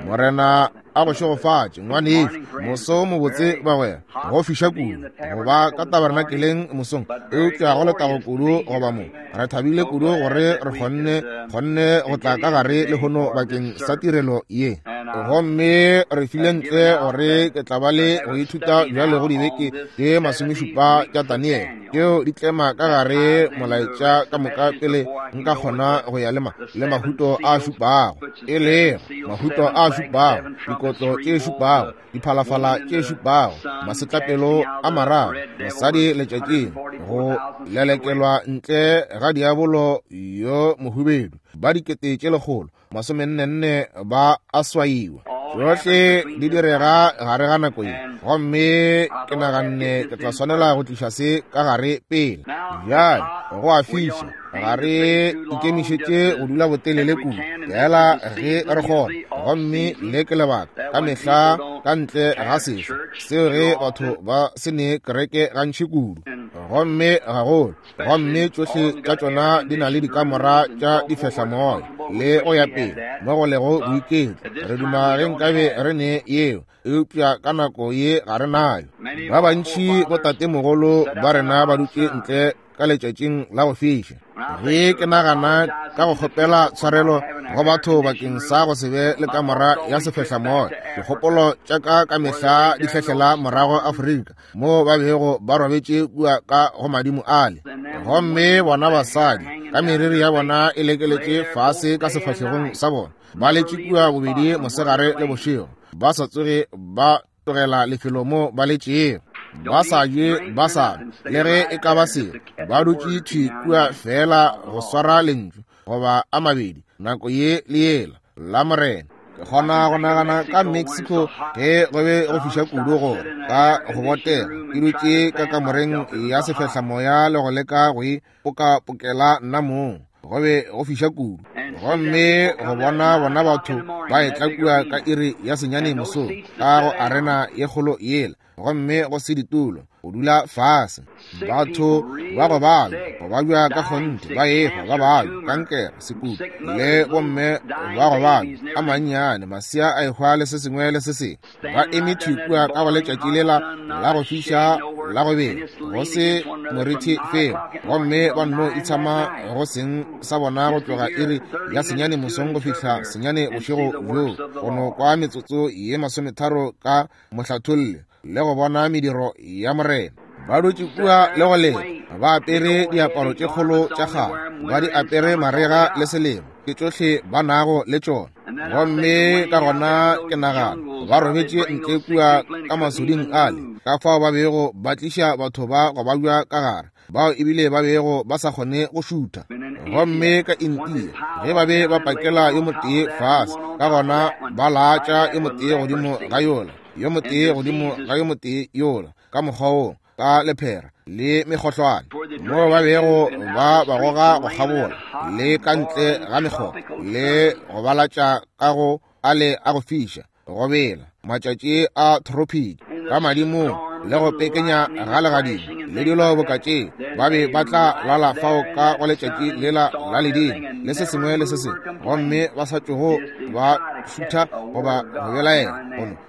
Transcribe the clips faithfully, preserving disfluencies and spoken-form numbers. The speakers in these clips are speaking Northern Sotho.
Morena a go šegofatše, ngwanešu. Moso mobotse bagwera, go fiša kudu go ba ka tabernakeleng mosong, eupša go letago kudu go ba mo. Re thabile kudu gore re kgonne kgonne go tla ka gare lehono bakeng sa tirelo ye. Gomme re file ntle gore ke tla ba le go ithuta bjale go dibeke tše masomešupa tša Daniel, tšeo di tlema ka gare molaetša ka moka pele nka kgona go ya le ma le mahuto a šupago, e lego mahuto a šupago, dikotlo tše šupago, diphalafala tše šupago, masetlapelo a mararo, mosadi letšatšing, go lelekelwa ntle ga diabolo yo mohubedu, ba dikete tše lekgolo masomennenne ba a swaiwa. Tšohle di direga gare ga nako ye, gomme ke naganne ke tla swanela go tliša se ka gare pele. Bjale go a fiša, ga re ikemišetše go dula botelele kudu, fela ge re kgona. Gomme le ke lebaka ka mehla ka ntle ga sehla seo ge batho ba se ne kereke gantši kudu, gomme gagolo, gomme tšohle tša tšona di na le dikamora tša difehlamoya le go ya pele mo go lego boiketlo. Re duma ge nkabe re ne yeo, eupša ka nako ye ga re nayo. Ba bantši botatemogolo ba rena ba dutše ntle ka letšatšing la go fiša. Ge ke nagana ka go kgopela tshwarelo go batho bakeng sa go se be le kamora ya sefehlamoya, dikgopolo tša ka ka mehla di hlehlela morago Afrika moo ba bego ba robetše kua ka go madimo ale. Gomme bona basadi ka meriri ya bona e lekeletše fase ka sefahlegong sa bona, ba letše kua bobedi mosegare le bošego, ba sa tsoge ba tlogela lefelo mo ba letšego, ba sa je, ba sa le ge e ka ba selo, ba dutše thwi kua fela go swara lentšu goba a mabedi nako ye le yela la Morena. Ke kgona go nagana ka Mexico ge go be go fiša kudu gore ka go botega ke dutše ka kamoreng ya sefehlamoya le go leka go e pokapokela nna mong, go be go fiša kudu. Gomme go bona bona batho ba etla kua ka iri ya senyane mosong ka go arena ye kgolo yela, gomme go se ditulo, go dula fase, batho ba go babja, go babja ka kgonthe, ba ehwa, ba babja, kankere, sekutu, le bomme ba go babja a mannyane, masea a ehwa le se sengwe le se sengwe, ba eme thwi kua ka go letšatši lela la go fiša la go bela, go se morithi felo, gomme ba nno itshama go seng sa bona go tloga iri ya senyane mosong go fihla senyane bošego bjoo, go no kwa metsotso ye masometharo ka mohlatholle le go bona mediro ya Morena. Ba dutše kua le go leta, ba apere diaparo tše kgolo tša kgale, ba di apere marega le selemo, ke tšohle ba nago le tšona. Gomme ka gona ke nagana ba robetše ntle kua ka masoding ale, ka fao ba bego ba tliša batho ba go babja ka gare, bao ebile ba bego ba sa kgone go šutha. Gomme ka India ge ba be ba pakela yo motee fase, ka gona ba laatša yo motee godimo ga yola, yo motee godimo ga yo motee yola, ka mokgwa woo, ka lephera le mekgohlwane, moo ba bego ba ba goga go kgabola le ka ntle ga mekgoba le go balatša ka go ale a go fiša, go bela matšatši a tropiki ka madimong le go pekenya ga legadimo le dilo boka tšeo, ba be ba tla lala fao ka go letšatši lela la ledimo le se sengwe le se sengwe, gomme ba sa tšogo ba šutha goba go belaela,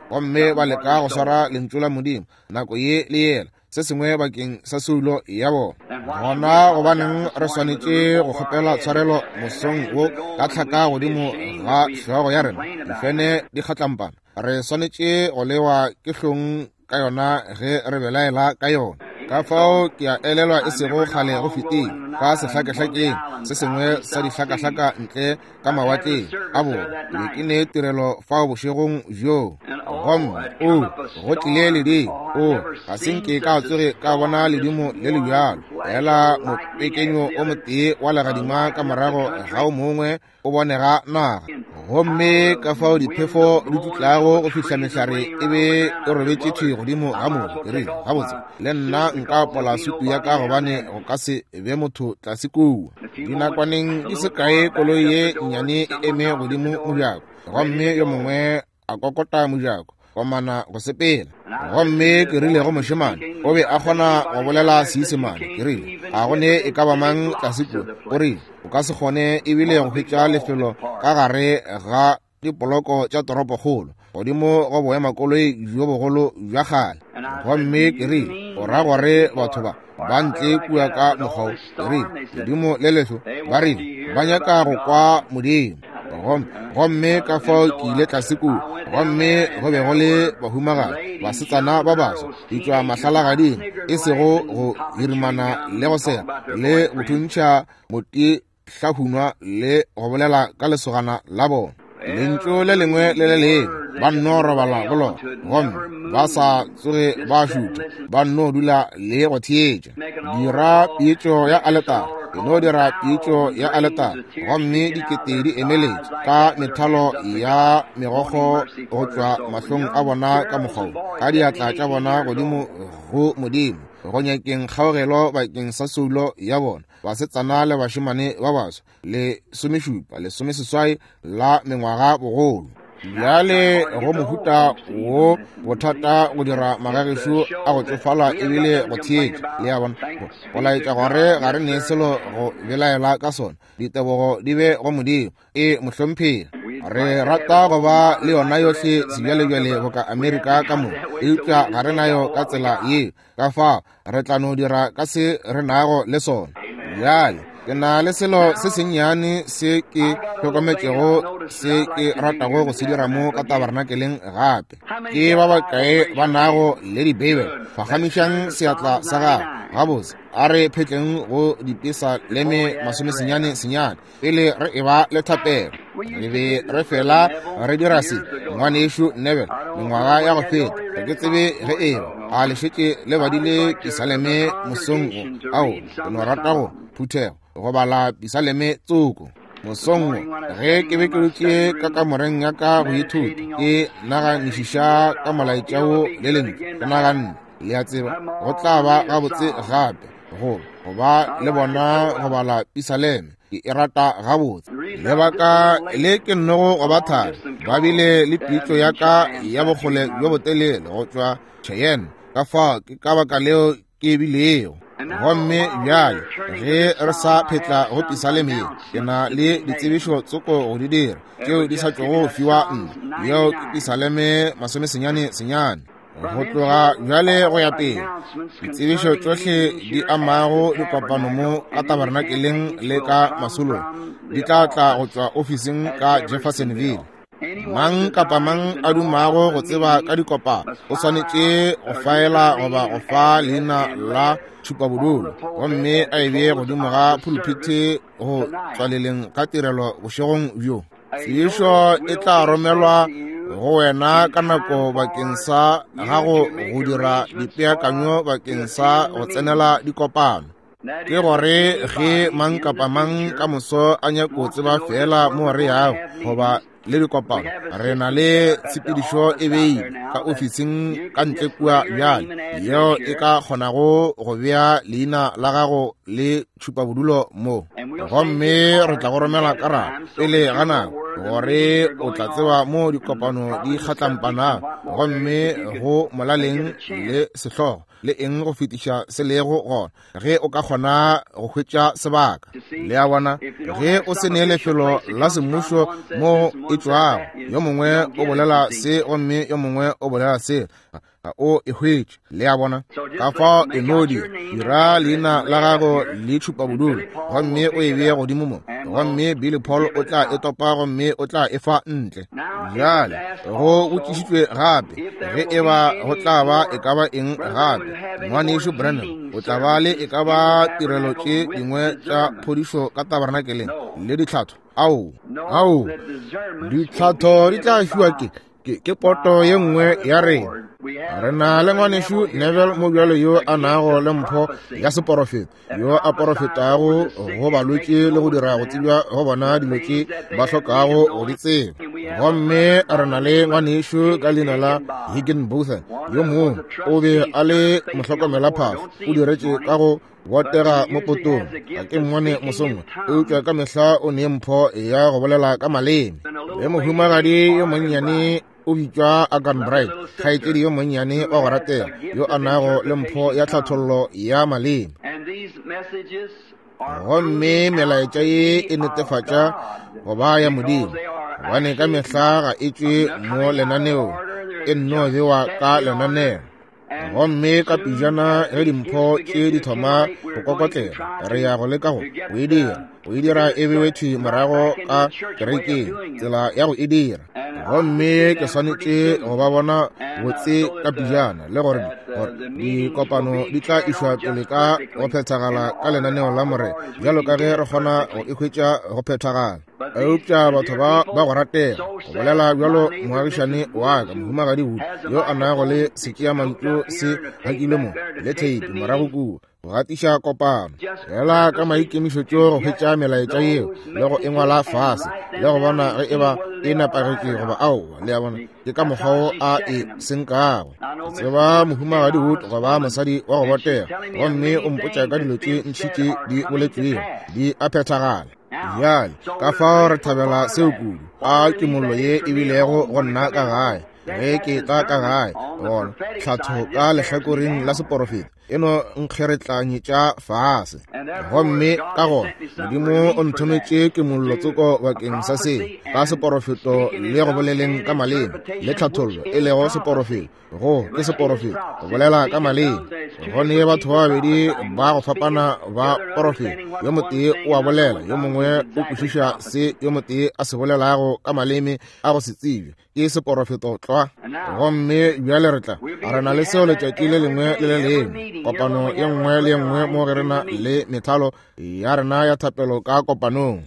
gomme ba leka go swara lentšu la Modimo nako ye le yela, se sengwe bakeng sa soulo ya bona. Gona gobaneng re swanetše go kgopela tshwarelo mosong wo ka tlhaka godimo ga hlogo ya rena, difene di kgatlampana, re swanetše go lewa ke hlong ka yona ge re belaela ka yona. Ka fao ke a elelwa e sego kgale go fetile ka sehlakehlakeng se sengwe sa dihlakahlaka ntle ka mawatleng a borwa, ke be ke ne tirelo fao bošegong bjoo, gomme o go tlile ledimo, o ga se nke ka tsoge ka bona ledimo le le bjalo, fela mopekenyo o motee wa legadima ka morago ga o mongwe o bonega naga. Gomme ka fao diphefo di tutlago go fihla mehlare e be e robetše thwi godimo ga mobu. Ke rile, gabotse le nna nka apola sutu ya ka gobane go ka se be motho tlase kua. Dinakwaneng di se kae koloi ye nnyane e eme godimo mojako, gomme yo mongwe a kokota mojako komana go sepela. Gomme ke rile go mošemane, o be a kgona go bolela Seisemane, ke rile, a go ne e ka ba mang tlase kua? O rile, o ka se kgone ebile go hwetša lefelo ka gare ga dipoloko tša toropokgolo godimo go boemakoloi bjo bogolo bja kgale. Gomme ke rile, o ra gore batho ba ba ntle kua ka mokgwa wo? Ke rile, ledimo le lehlo, ba rile ba nyaka go kwa Modimo. Gomme ka fao ke ile tlase kua, gomme go be go le bahumagadi, basetsana ba baswa, ditšwa mahlalagading, e sego go hirimana le go sega le go thuntšha motihlahunwa le go bolela ka lesogana la bona. Lentšu le lengwe le le lengwe ba nno robala go lona, gomme ba sa tsoge ba šutha, ba nno dula le go theetša. Dira pitšo ya aletare, e no dira pitšo ya aletare, gomme dikete di emeletše ka methalo ya megokgo go tšwa mahlong a bona ka mokgwa wo, ka diatla tša bona godimo go Modimo, go nyakeng kgaogelo bakeng sa soulo ya bona. Basetsana le bašemane ba baswa, lesomešupa, lesomeseswai la mengwaga bogolo. Bjale go mohuta wo bothata go dira magagešo a go tšofala ebile go theetša, le a bona, go laetša gore ga re ne selo go belaela ka sona. Ditebogo di be go Modimo. E mohlomphegi, re rata go ba le yona yohle sebjalebjale boka Amerika ka moka, eupša ga re nayo ka tsela yeo. Ka fao re tla no dira ka se re nago le sona. Bjale ke na le selo se sennyane se ke hlokometšego se ke ratago go se dira mo ka tabernakeleng gape. Ke ba bakae ba nago le dibeibele? Phagamišang seatla sa gago. Gabotse, a re phetleng go dipesaleme masomesenyane senyane pele re eba le thapelo. Re be re fela re dira se, ngwanešu Neville, mengwaga ya go feta. Ga ke tsebe ge eba a le šetše le badile pisaleme mosong wo. Ao, ke no rata go phuthego go bala pisaleme tsoko. Mosong wo ge ke be ke dutše ka kamoreng ya ka go ithuta, ke naganišiša ka molaetša wo le lentšu, ke naganne, le a tseba, go tla ba gabotse gape go go ba le bona go bala pisaleme. Ke e rata gabotse. Lebaka le ke nnogo go ba thari, ba bile le pitšo ya ka ya bokgole bjo botelele go tšwa Cheyenne, ka fao ke ka baka leo ke bilego. Gomme bjale ge re sa phetla go pisaleme ye, ke na le ditsebišo tsoko go di dira tšeo di sa tšogo fiwa nna. Yeo ke pisaleme masomesenyane senyane. Go tloga bjale go ya pele, ditsebišo tšohle di amago dikopano mo ka tabernakeleng le ka masolong di tla tla go tšwa ofising ka Jeffersonville. Mang kapa mang a dumago go tseba ka dikopano o swanetše go faela goba go fa leina la tšhupabodulo, gomme a e bee godimo ga pulpite go tswaleleng ga tirelo bošegong bjo. Tsebišo e tla romelwa go wena ka nako bakeng sa gago go dira dipeakanyo bakeng sa go tsenela dikopano. Ke gore ge mang kapa mang ka moso a nyako tseba fela mo re yago goba le dikopano, re na le tshepedišo e beile ka ofising ka ntle kua bjale, yeo e ka kgonago go bea leina la gago le tšhupabodulo mo, gomme re tla go romela karabo pele ga nako gore o tla tseba mo dikopano di kgatlampanago, gomme go molaleng le sehlogo le eng go fetiša se lego gona ge o ka kgona go hwetša sebaka. Le a bona, ge o se ne lefelo la semmušo mo e tšwago, yo mongwe o bolela se gomme yo mongwe o bolela se, ga o e hwetše. Le a bona, ka fao e no dira, dira leina la gago le tšhupabodulo gomme o e bee godimo mo, gomme Billy Paul o tla e topa gomme o tla e fa ntle. Bjale go botšišitšwe gape ge eba go tla ba e ka ba eng gape. Ngwanešu Branham, o tla ba le e ka ba tirelo tše dingwe tša phodišo ka tabernakeleng le ditlhatho? Ao, ao, ditlhatho di tla fiwa ke ke ke poto ye nngwe ya rena. Re na le ngwanešu Neville mo bjalo yo a nago le mpho ya seporofeta, yo a porofetago go balwetši le go dira go tsebja go bona dilo tše ba hlokago go di tseba. Gomme re na le ngwanešu ka leina la Higginbotham, yo mongwe o be a le mohlokomelaphahlo, o diretše ka go botega mo potong. Ga ke mmone mosong, eupša ka mehla o ne mpho ya go bolela ka maleme. Le mohumagadi yo monnyane o bitšwa Agan Bright, kgaetšedi yo monnyane wa go ratega, yo a nago le mpho ya tlhathollo ya maleme. Gomme melaetša ye e netefatša go ba ya Modimo, gobane ka mehla ga e tšwe mo lenaneong, e nno bewa ka lenaneo. Gomme ka pejana ge dimpho tše di thoma go kokotlela, re ya go leka go go e dira, go e dira e bewe thwi morago ka kerekeng, tsela ya go e dira. Gomme ke swanetše go ba bona botse ka pejana, le gore gore dikopano di tla išwa pele ka go phethagala ka lenaneo la Morena, bjalo ka ge re kgona go e hwetša go phethagala. Eupša batho ba ba go ratega, go bolela bjalo moagišane wa ka mohumagadi Wood, yo a nago le setšeamantšu se hakilwe mo le theipi morago kua, go gatiša kopano fela ka maikemišetšo go hwetša melaetša yeo le go e ngwala fase le go bona ge e ba e nepagetše goba aowa. Le a bona, ke ka mokgwa wo a e senkago. Ke tseba mohumagadi Wood go ba mosadi wa go botega, gomme o mpotša ka dilo tše ntši tše di boletšwego di a phethagala. Bjale ka fao re thabela seo kudu. A kimollo ye e bilego go nna ka gae ge ke tla ka gae, gona tlhatho ka lehlakoreng la seporofeta e no nkgeretlanyetša fase. Gomme ka gona Modimo o nthometše kimollo tsoko bakeng sa seo, ka seporofeto le go boleleng ka maleme le tlhathollo e lego seporofeto. Go ke seporofeto go bolela ka maleme. Go ne batho ba babedi ba go fapana ba porofeta, yo motee o a bolela, yo mongwe o kwešiša se yo motee a se bolelago ka maleme a go se tsebje. Ke seporofeto tlwa. Gomme bjale re tla re na le seo letšatši le lengwe le le lengwe, kopano ye nngwe le ye nngwe mo ge re na le methalo ya rena ya thapelo ka kopanong.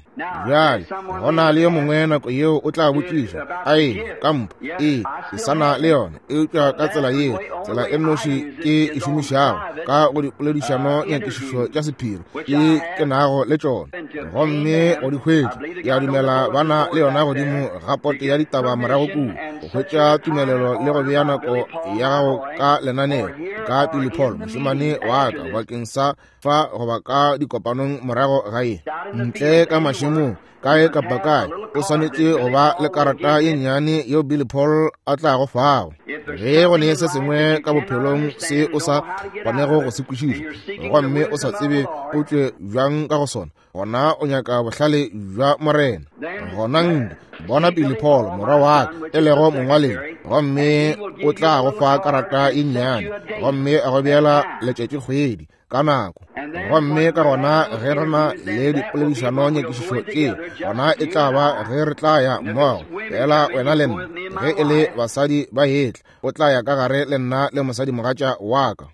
Bjale go na le yo mongwe nako yeo o tla botšiša, ae ka mpho, ee ke sa na le yona, eupša ka tsela yeo, tsela e nnoši ke e šomišago ka go dipoledišano nyakišišo tša sephiri ke ke nago le tšona, gomme go di hwetša, ke a dumela ba na le yona godimo ga pote ya ditaba morago kua, go hwetša tumelelo le go bea nako ya gago ka lenaneo ka Billy Paul mošemane wa ka bakeng sa fa goba ka dikopanong morago ga ye ntle ka mašemong kae kapa kae. O swanetše go ba le karata ye nnyane yeo Billy Paul a tlago fago. Ge go ne se sengwe ka bophelong se o sa kgonego go se kwešiša, gomme o sa tsebe o tšwe bjang ka go sona, gona o nyaka bohlale bja Morena. Gona nke bona Billy Paul morwa wa ka e lego mongwaledi, gomme o tla go fa karata ye nnyane gomme a go beela letšatšikgwedi ka nako. Gomme ka gona ge re na le dipoledišano nyakišišo tše, gona e tla ba ge re tla ya mmogo, fela wena le nna. Ge e le basadi ba etla, o tla ya ka gare le nna le mosadimogatša wa ka.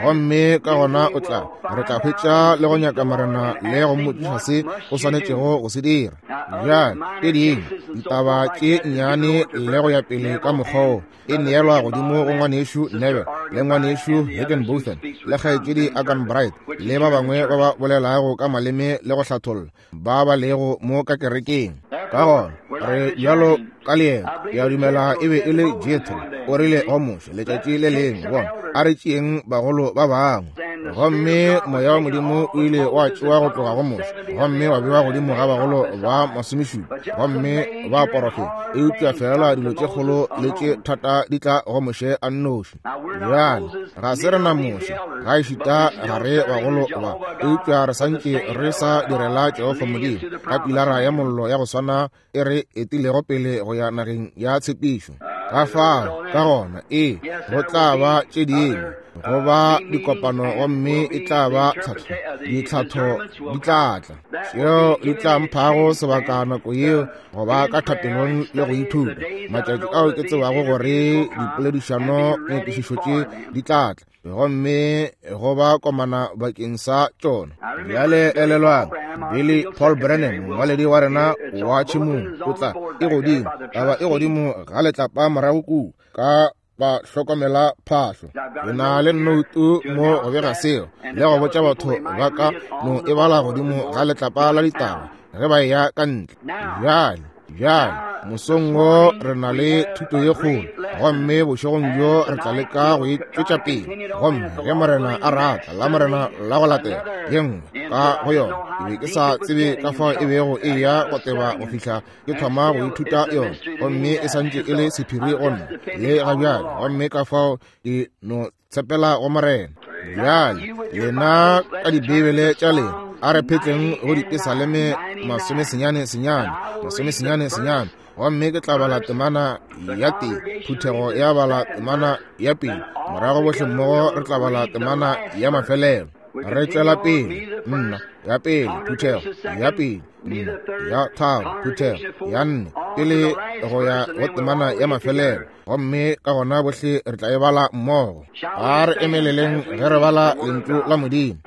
Gomme ka gona o tla re tla hwetša le go nyaka Morena le go mmotšiša se o swanetšego go se dira. Bjale tše dingwe ditaba tše nnyane le go ya pele ka mokgwa wo e neelwa godimo go ngwanešu Neville le ngwanešu Higginbotham le kgaetšedi Agan Bright le ba bangwe ba ba bolelago ka maleme le go hlatholla ba ba lego mo ka kerekeng. Ka gona re bjalo ka leeto, ke a dumela e be e le Jethro o rile go Moshe letšatši le lengwe, bona a re tšeeng bagolo ba bangwe. Gomme moya wa Modimo o ile wa tšewa go tloga go Moshe gomme wa bewa godimo ga bagolo ba masomešupa, gomme ba porofeta. Eupša fela dilo tše kgolo le tše thata di tla go Moshe a nnoši. Bjale ga se rena Moshe, ga ešita ga re bagolo ba, eupša re santše re sa direla Jehofa Modimo ka pilara ya mollo ya go swana e re etilego pele go ya nageng ya tshepišo. Ka fao ka gona ee go tla ba tše dingwe go ba dikopano, gomme e tla ba tlhatho, ditlhatho di tla tla tšeo di tla mphago sebaka nako yeo go ba ka thapelong le go ithuta matšatši ao ke tsebago gore dipoledišano nyakišišo tše di tla tla, gomme go ba komana bakeng sa tšona. Bjale elelwang, Billy Paul Brennan mongwaledi wa rena wa tšhemong o tla e godimo, taba e godimo ga letlapa morago kua ka ba hlokomela phahlo. Ke na le nnoutu mo go bega seo le go botša batho ba ka no e bala godimo ga letlapa la ditaba ge ba eya ka ntle. Bjale bjale mosong wo re na le thuto ye kgolo, gomme bošegong bjo re tla leka go e tšwetša pele. Gomme ge Morena a rata, la Morena la go latela ye nngwe ka go yona. Ke be ke sa tsebe ka fao e bego e ya go teba go fihla ke thoma go ithuta yona, gomme e santše e le sephiri go nna le ga bjale. Gomme ka fao ke no tshepela go Morena. Bjale lena ka Dibibele tša lena, A re phetleng go Dipesaleme masomesenyane senyane, masomesenyane senyane, gomme ke tla bala temana ya tee, phuthego ya bala temana ya pele, morago bohle mmogo re tla bala temana ya mafelelo. Re tšwela pele, nna ya pele, phuthego ya pele, nna ya tharo, phuthego ya nne, pele go ya go temana ya mafelelo, gomme ka gona bohle re tla e bala mmogo. A re emeleleng ge re bala lentšu la Modimo.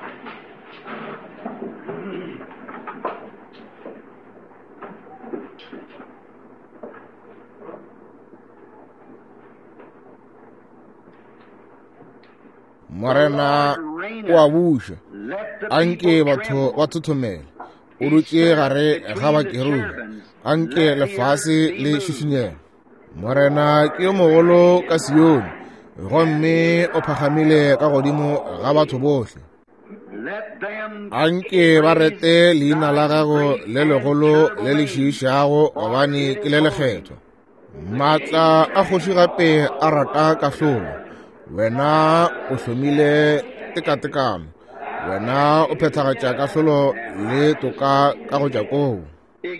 Morena o a buša, anke batho ba thothomele. O dutše gare ga bakerubi, anke lefase le šišinyege. Morena ke yo mogolo ka Sione, gomme o phagamile ka godimo ga batho bohle. Anke ba rete leina la gago le legolo le le šiišago, gobane ke le lekgethwa. Maatla a kgoši gape a rata kahlolo. Wena o hlomile tekatekano, wena o phethagatša kahlolo le toka ka go Jakobo.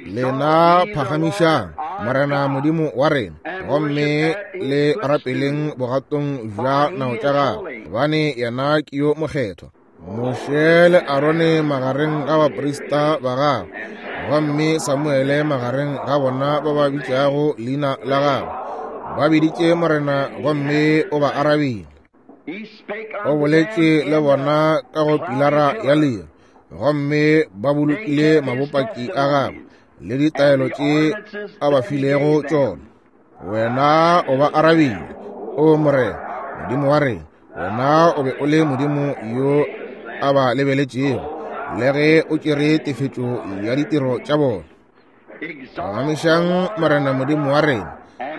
Lena phagamišang Morena Modimo wa rena, gomme le rapeleng bogatong bja nao tša gagwe, gobane yena ke yo mokgethwa. Moshe le Arone magareng ga baprista ba gagwe, gomme Samuele magareng ga bona ba ba bitšago leina la gagwe. Ba biditše Morena gomme o ba arabile. O boletše le bona ka go pilara ya lero, gomme ba bolokile mabopaki a gagwe le ditaelo tše a ba filego tšona. Wena o ba arabile, o Morena Modimo wa rena. Wena o be o le Modimo yo a ba lebeletšego, le ge o tšere tefetšo ya ditiro tša bona. Phagamišang Morena Modimo wa rena,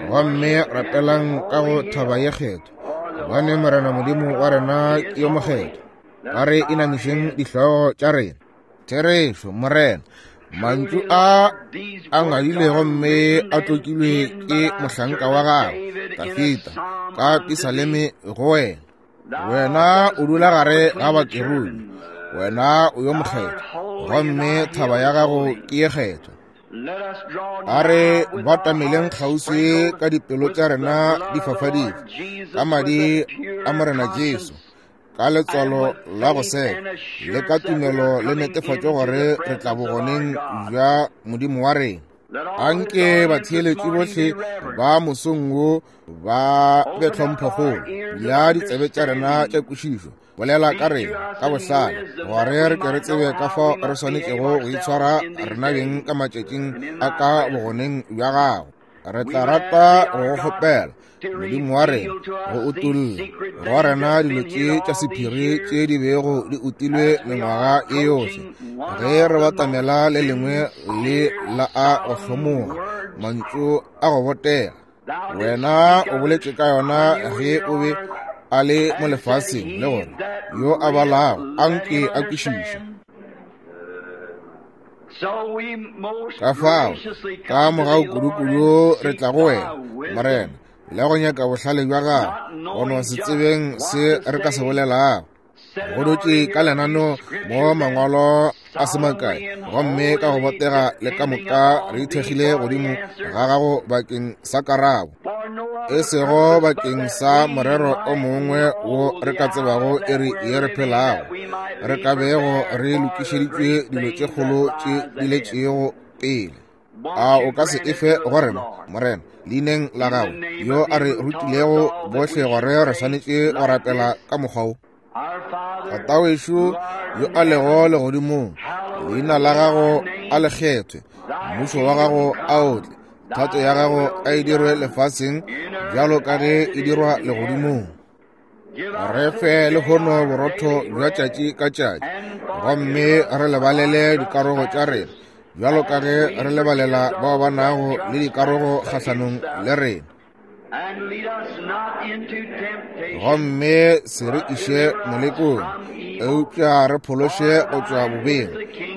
gomme rapelang ka go thaba ye kgethwa, gobane Morena Modimo wa rena ke yo mokgethwa. A re inamišeng dihlogo tša rena. Therešo Morena, mantšu a a ngadilwe gomme a tlokilwe ke mohlanka wa gago Dafida ka Pisaleme go wena. Wena o dula gare ga bakerubi, wena o yo mokgethwa, gomme thaba ya gago ke ye kgethwa. A re batameleng kgauswi ka dipelo tša rena di fafaditšwe ka madi a Morena Jesu, ka letswalo la go seka le ka tumelo le netefatšo gore re tla bogoneng bja Modimo wa rena. Anke batheeletši bohle ba mosong wo ba be tlhomphokgolo ya ditsebe tša rena tša kwešišo. Bolela ka rena ka bohlale, gore re ke re tsebe ka fao re swanetšego go itshwara rena beng ka matšatšing a ka bogoneng bja gago. Re tla rata go go kgopela Modimo wa rena go utolla go rena dilo tše tša sephiri tše di bego di utilwe mengwaga ye yohle, ge re batamela le lengwe le la a go hlomoga mantšu a go botega. Wena o boletše ka yona ge o be a le mo lefaseng, le gore yo a balago anke a kwešiše. Ka fao ka mogau kudu-kudu re tla go wena Morena, le go nyaka bohlale bja gago, go no se tsebeng se re ka se bolelago. Go dutše ka lenano mo mangwalo a se makae, gomme ka go botega le ka moka re ithekgile godimo ga gago bakeng sa karabo, e sego bakeng sa morero o mongwe wo re ka tsebago iri ye re phelago, re ka bego re lokišeditšwe dilo tše kgolo tše di letšego pele. A o ka se efe go rena Morena leineng la gago, yo a re rutilego bohle gore re swanetše go rapela ka mokgwa wo. Tatawešo yo a lego legodimong, leina la gago a le kgethwe, mmušo wa gago a o tle, thato ya gago a e dirwe lefaseng bjalo ka ge e dirwa legodimong. Re fe lehono borotho bja tšatši ka tšatši, gomme re lebalele dikarogo tša rena bjalo ka ge re lebalela bao ba nago le dikarogo kgahlanong le rena. Gomme se re iše molekong, eupša re phološe go tšwa bobeng,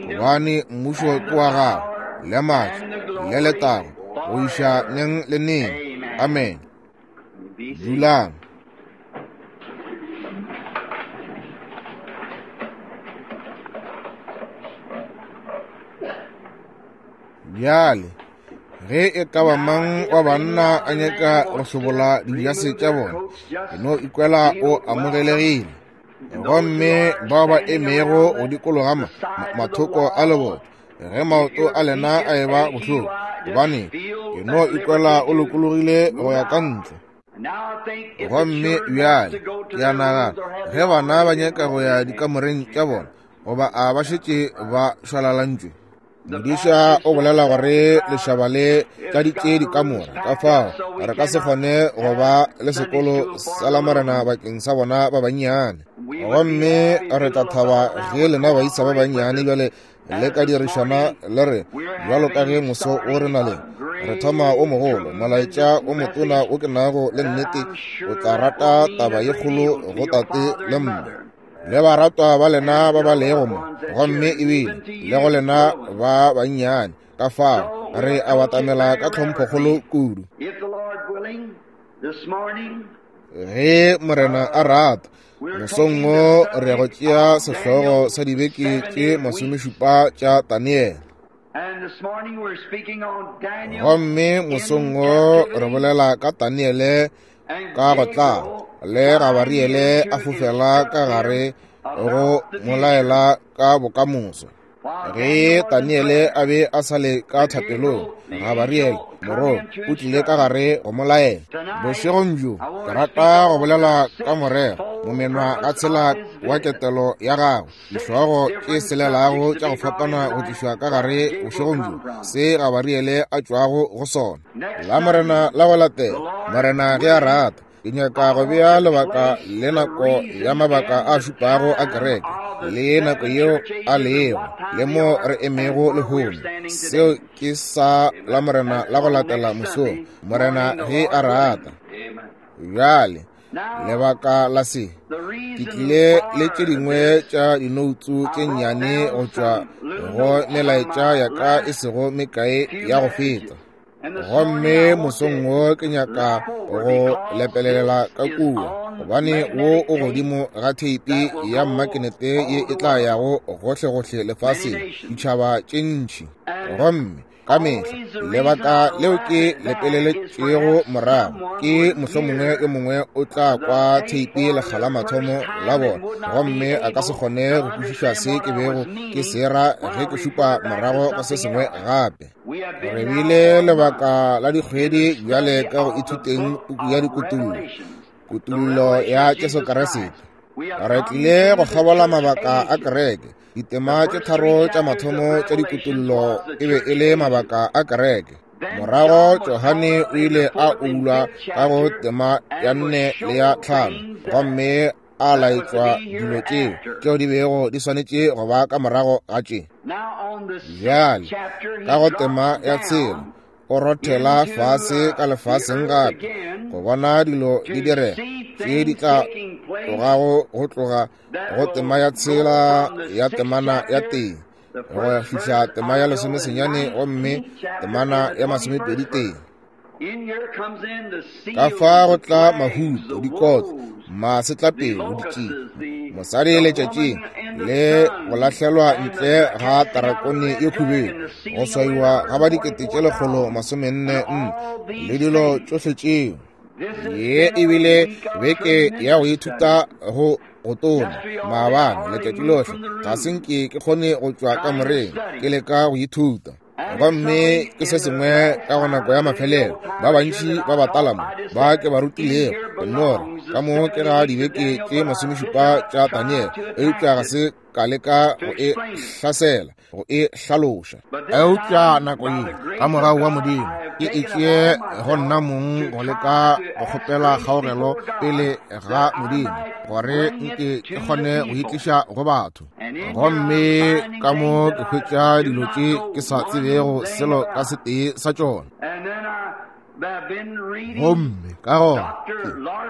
gobane mmušo ke wa gago, le maatla le letago, go iša neng le neng. Amen. Dulang. Bjale, ge e ka ba mang wa banna a nyaka go hlobola dijase tša bona, ke no ikwela o amogelegile. Gomme bao ba emego go dikologa ma, mathoko a leboto, ge maoto a lena a eba bohloko, gobane ke no ikwela o lokologile go ya ka ntle. Gomme bjale, ke a nagana, ge bana ba nyaka go ya dikamoreng tša bona, goba a ba šetše ba šwalalantšwe. Modiša o bolela gore lešaba le tladitše dikamora, ka fao re ka se kgone go ba le sekolo sa Lamorena bakeng sa bona ba bannyane. Gomme re tla thaba ge lena baisa ba bannyane bjale le ka dirišana le re, bjalo ka ge moso o re na le re thoma o mogolo, molaetša o motona o ke nago le nnete o tla rata taba ye kgolo go tate le mme le baratwa ba lena ba ba lego mo, gomme ebile le go lena ba bannyane. Ka fao re a batamela ka tlhomphokgolo kudu. Ge Morena a rata, mosong wo re go tšea sehlogo sa dibeke tše masomešupa tša Daniele. Gomme mosong wo re bolela ka Daniele ka go tla le Gabariele a fofela ka gare go molaela ka bokamoso. Ge Daniele a be a sa le ka thapelong, Gabariele morongwa o tlile ka gare go molaela. Bošegong bjo ke rata go bolela ka morero momenwa ga tshela wa ketelo ya gagwe, dihlogo tše selelago tša go fapana go tlišwa ka gare bošegong bjo, se Gabariele a tšwago go sona. La Morena la go latela, Morena ge a rata, ke nyaka go bea lebaka le nako ya mabaka a šupago a kereke, le nako yeo a lego, le mo re emego lehono. Seo ke sa la Morena la go latela mosong, Morena ge a rata. Bjale, lebaka la se, ke tlile le tše dingwe tša dinoutsu tše nnyane go tšwa go melaetša ya ka e sego mekae ya go feta. Gomme mosong wo ke nyaka go lepelelela ka kua, gobane wo o godimo ga theipi ya mmakenete ye e tla yago gohlegohle lefaseng, ditšhaba tše ntši. Gomme ka mehla lebaka leo ke lepeleletšego morago ke mohlomongwe yo mongwe o tla kwa theipi lekga la mathomo la bona, gomme a ka se kgone go kwešiša se ke bego ke se ra ge ke šupa morago go se sengwe gape. Re bile lebaka la dikgwedi bjale ka go ithuteng puku ya dikutullo, kutullo ya Jesu Kriste. Re tlile go kgabola mabaka a kereke. Ditema tše tharo tša mathomo tša dikutullo e be e le mabaka a kereke. Morago Johane o ile a ulwa ka go tema ya nne le ya tlhano, gomme a laetšwa dilo tšeo tšeo di bego di swanetše go ba ka morago ga tše. Bjale ka go tema ya tshela o rothela fase ka lefaseng gape go bona dilo di direga tše di tla tlogago go tloga go tema ya tshela ya temana ya tee go fihla tema ya lesomesenyane, gomme temana ya masomepedi tee. Ka fa go tla mahuto, dikotlo, masetlapelo, ditšie, mosadi letšatšing le go lahlelwa ntle ga tarakone ye khubedu, go swaiwa ga ba dikete tše lekgolo masomenne nne, le dilo tšohle tšeo. Ye ebile beke ya go ithuta go go tona maabane letšatši lohle ga se nke ke kgone go tšwa kamoreng ke leka go ithuta. Gomme ke se sengwe ka go nako ya mafelelo, ba bantši ba batala mo ba ke ba rutilego nore ka mo ke ga dibeke tše masomešupa tša Daniele, eupša ga se ka leka go e hlasela, go e hlaloša. Eupša nako ye ka morago wa Modimo ke e tšee go nna mong go leka go kgopela kgaogelo pele ga Modimo gore nke ke kgone go itliša go batho. Gomme ka mo ke hwetša dilo tše ke sa tsebego selo ka setee sa tšona. Gomme ka gona ke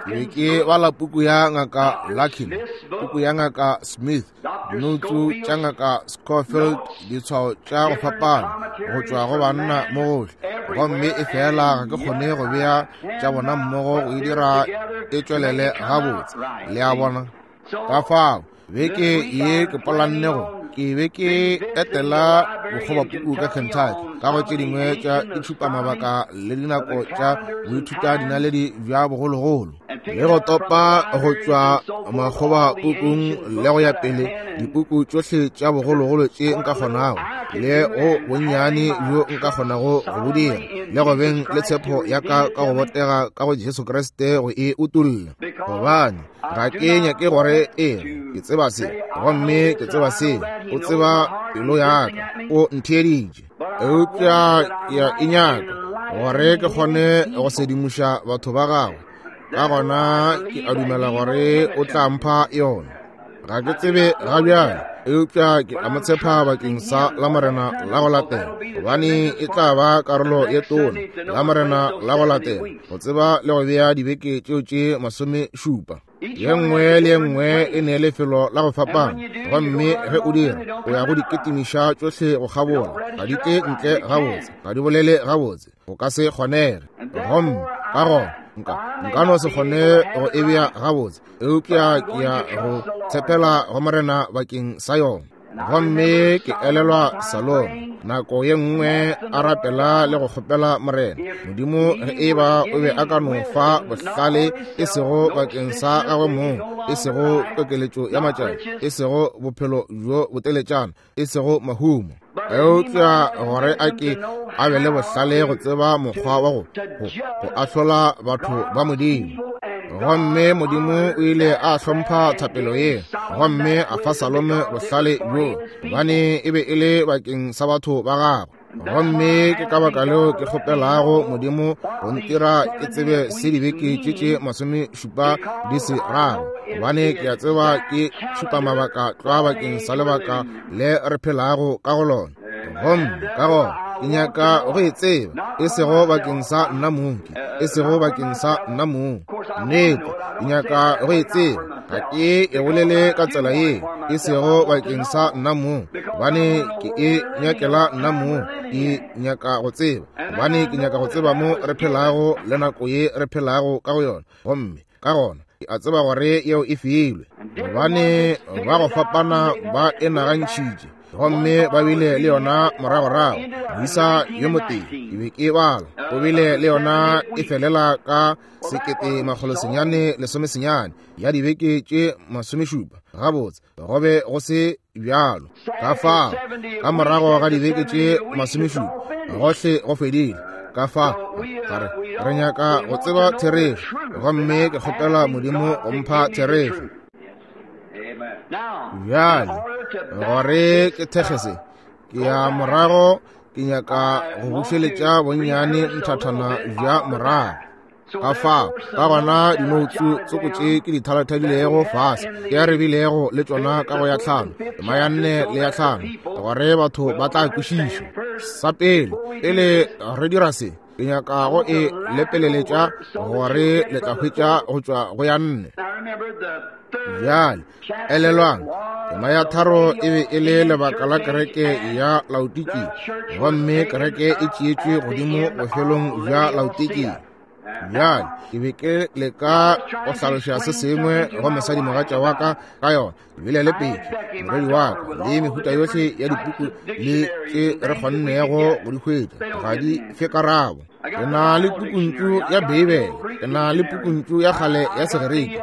be ke bala puku ya ngaka Larkin, puku ya ngaka Smith, dinoutsu tša ngaka Scofield, ditshwao tša go fapana go tšwa go banna mo gohle, gomme e fela ga ke kgone go bea tša bona mmogo go e dira e tšwelele gabotse. Le a bona? Ka fao beke ye ke polanne go Ke be ke etela bokgobapuku ka Kentucky ka go tše dingwe tša ditšhupamabaka le dinako tša boithuta dinaledi bja bogologolo, le go topa go tšwa makgobapukung le go ya pele dipuku tšohle tša bogologolo tše nka kgonago, le go bonnyane bjo nka kgonago go bo dira, le go beng le tshepo ya ka ka go botega ka go Jesu Kriste go e utolla. Gobane ga ke nyake gore e ke tseba se, gomme ke tseba se, o tseba pelo ya ka, o ntheeditše, eupša ke a e nyaka gore ke kgone go sedimoša batho ba gagwe. Ka gona ke a dumela gore o tla mpha yona. Ga ke tsebe ga bjale, eupša ke a mo tshepa bakeng sa Lamorena la go latela, gobane e tla ba karolo ye tona Lamorena la go latela, go tseba le go bea dibeke tšeo tše masomešupa. Ye nngwe le ye nngwe e ne lefelo la go fapana, gomme ge o dira o ya go di ketimiša tšohle go kgabola, ga di tle ntle gabotse, ga di bolele gabotse, go ka se kgonege. Gomme ka gona nka nka no se kgone go e bea gabotse, eupša ke ya go tshepela go Morena bakeng sa yona. Gomme ke elelwa Salome nako ye nngwe a rapela le go kgopela Morena Modimo ge e ba o be a ka no fa bohlale, e sego bakeng sa gagwe mong, e sego kokeletšo ya matšatši, e sego bophelo bjo boteletšana, e sego mahumo, eupša gore a ke a be le bohlale go tseba mokgwa wa go go go ahlola batho ba Modimo. Gomme Modimo o ile a hlompha thapelo ye, gomme a fa Salome bohlale bjo, gobane e be e le bakeng sa batho ba gagwe. Gomme ke ka baka leo ke kgopelago Modimo go ntira ke tsebe se dibeke tše tše masomešupa di se rago, gobane ke a tseba ke tšhupamabaka tlwa bakeng sa lebaka le re phelago ka go lona. Gomme ka gona ke nyaka go e tseba, e sego bakeng sa nna mong, e sego bakeng sa nna mong, nnete ke nyaka go e tseba, ga ke e bolele ka tsela ye, e sego bakeng sa nna mong, gobane ke e nyakela nna mong, ke nyaka go tseba, gobane ke nyaka go tseba mo re phelago le nako ye re phelago ka go yona. Gomme ka gona ke a tseba gore yeo e filwe, gobane ba go fapana ba e nagantšhitše, gomme ba bile le yona moragorago. Moisa yo motee ke be ke bala, o bile le yona e felela ka sekete makgolo senyane lesome senyane ya dibeke tše masomešupa. Gabotse go be go se bjalo. Ka fao ka morago ga dibeke tše masomešupa gohle go fedile. Ka fao gare re nyaka go tseba therešo, gomme ke kgopela Modimo go mpha therešo. Bjale gore ke thekge se, ke ya morago, ke nyaka go bušeletša bonnyane nthathana bja morago. Ka fao ka gona dinoutsu tsoko tše ke di thalathadilego fase, ke re bilego le tšona ka go ya tlhano, tema ya nne le ya tlhano, gore batho ba tla kwešiša. Sa pele, pele re dira se, ke nyaka go e lepeleletša gore le tla hwetša go tšwa go ya nne. Bjale elelwang, tema ya tharo e be e le lebaka la kereke ya Laodikia, gomme kereke e tšeetšwe godimo bofelong bja Laodikia. Bjale ke be ke leka go hlaloša se sengwe go mosadimogatša wa ka ka yona. Ke bile le Peki, morwedi wa ka, le mehuta yohle ya dipuku le tše re kgonnego go di hwetša, ga di fe karabo. Ke na le pukuntšu ya Beibele, ke na le pukuntšu ya kgale ya Segerika,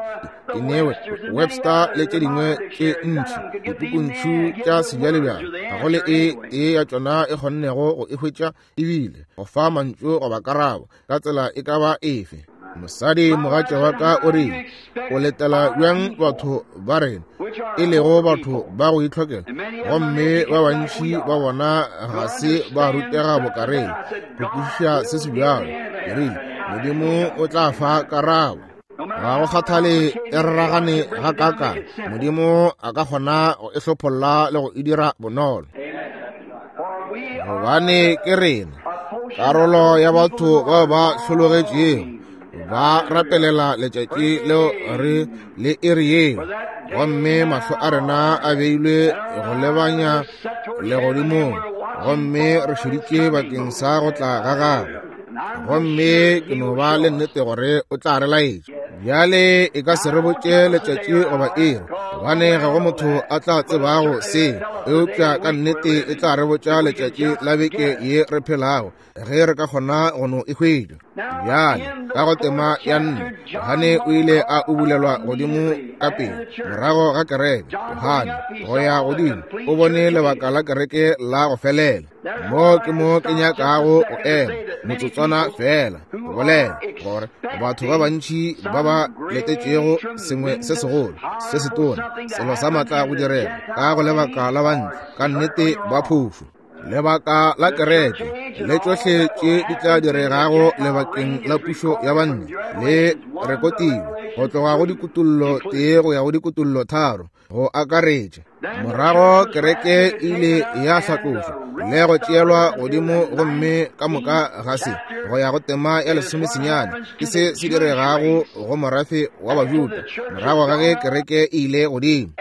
ke newe Webster le tše dingwe tše ntši, dipukuntšu tša sebjalebjale, ga go le e tee ya tšona e kgonnego go e hwetša ebile go fa mantšu goba karabo ka tsela e ka ba efe. Mosadi mogatša wa ka o rile, o letela bjang batho ba rena, e lego batho ba go itlhokela, gomme ba bantši ba bona ga se ba rutega bokareng go kwešiša se se bjalo. Ke rile, Modimo o tla fa karabo. Ga go kgathale e raragane ga kaka, Modimo a ka kgona go e hlopholla le go e dira bonolo. Gobane ke rena karolo ya batho bao ba hlologetšego, ba rapelela letšatši leo re le iri yeo, gomme mahlo a rena a beilwe go lebanya legodimong, gomme re šeditše bakeng sa go tla ga gagwe. Gomme ke no ba le nnete gore o tla re laetša. Bjale e ka se re botše letšatši goba iri, gobane ga go motho a tla tsebago se, eupša ka nnete e tla re botša letšatši la beke ye re phelago, ge re ka kgona go no e hwetša. Bjale ka go tema ya nne, Johane o ile a ubulelwa godimo ka pele morago ga kereke. Johane go ya godimo o bone lebaka la kereke la go felela. Mo ke mo ke nyakago go ema motsotswana fela go bolela gore batho ba bantši ba ba letetšego sengwe se segolo se setona, selo sa maatla go direga ka go lebaka la bantle, ka nnete ba phošo. Lebaka la kereke le tšohle tše di tla diregago lebakeng la pušo ya banna le rekotilwe go tloga go dikutullo tee go ya go dikutullo tharo go akaretša. Morago kereke e ile ya hlatlošwa le go tšeelwa godimo, gomme ka moka ga se go ya go tema ya lesomesenyane ke se se diregago go morafe wa Bajuda morago ga ge kereke e ile godimo.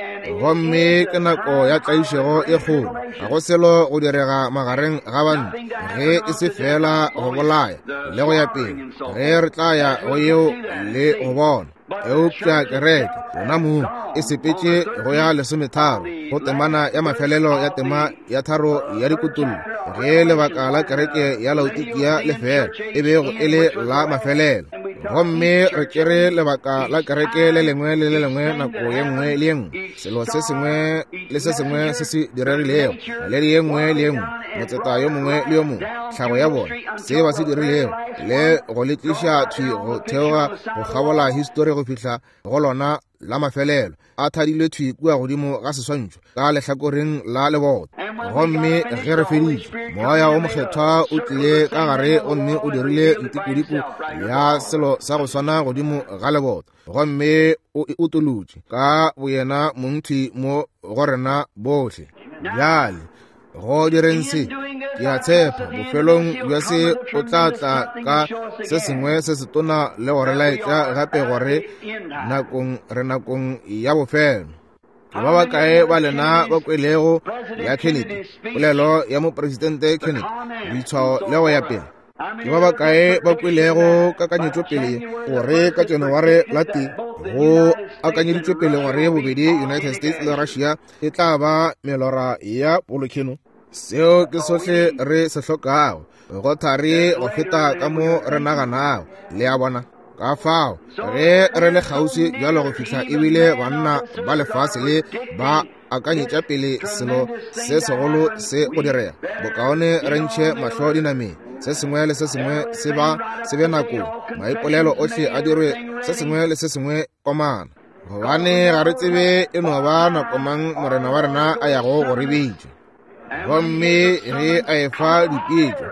Gomme ke nako ya tlaišego e kgolo, ga go selo go direga magareng ga banna ge e se fela go bolaya le go ya pele, ge re tla ya go yeo le go bona. Eupša kereke yona mong e sepetše go ya lesometharo go temana ya mafelelo ya tema ya tharo ya dikutullo, ge lebaka la kereke ya Laodikia le fela e bego e le la mafelelo. Gomme re tšere lebaka la kereke le lengwe le le lengwe nako ye nngwe le ye nngwe, selo se sengwe le se sengwe se se diregilego, naledi ye nngwe le ye nngwe, motseta yo mongwe le yo mongwe, tlhago ya bona, se ba se dirilego, le go le tliša thwi go theoga go kgabola histori go fihla go lona la mafelelo, a thadilwe thwi kua godimo ga seswantšho ka lehlakoreng la leboto. Gomme ge re feditše, Moya o Mokgethwa o tlile ka gare gomme o dirile ntikodiko ya selo sa go swana godimo ga leboto, gomme o e utolotše ka boyena mongthwi mo go rena bohle. Bjale go direng se, ke a tshepa bofelong bja se o tla tla ka se sengwe se setona le go re laetša gape gore nakong re nakong ya bofelo. Ke ba bakae ba lena ba kwelego ya Kennedy, polelo ya mopresidente Kennedy, boitshwao le go ya pele? Ke ba bakae ba kwelego kakanyetšopele gore ka January la tee go akanyeditšwepele gore bobedi United States le Russia e tla ba melora ya polokeno? Seo ke sohle re se hlokago, go thari go feta ka mo re naganago, le a bona. Ka fao ge re le kgauswi bjalo go fihla ebile banna ba lefase le ba akanyetša pele selo se segolo se go direga, bokaone re ntšhe mahlo dinameng, se sengwe le se sengwe se ba se be nakong, maipolelo ohle a dirwe, se sengwe le se sengwe komana, gobane ga re tsebe e no ba nako mang Morena wa rena a yago go re bitša. Gomme ge a efa dipeetšo,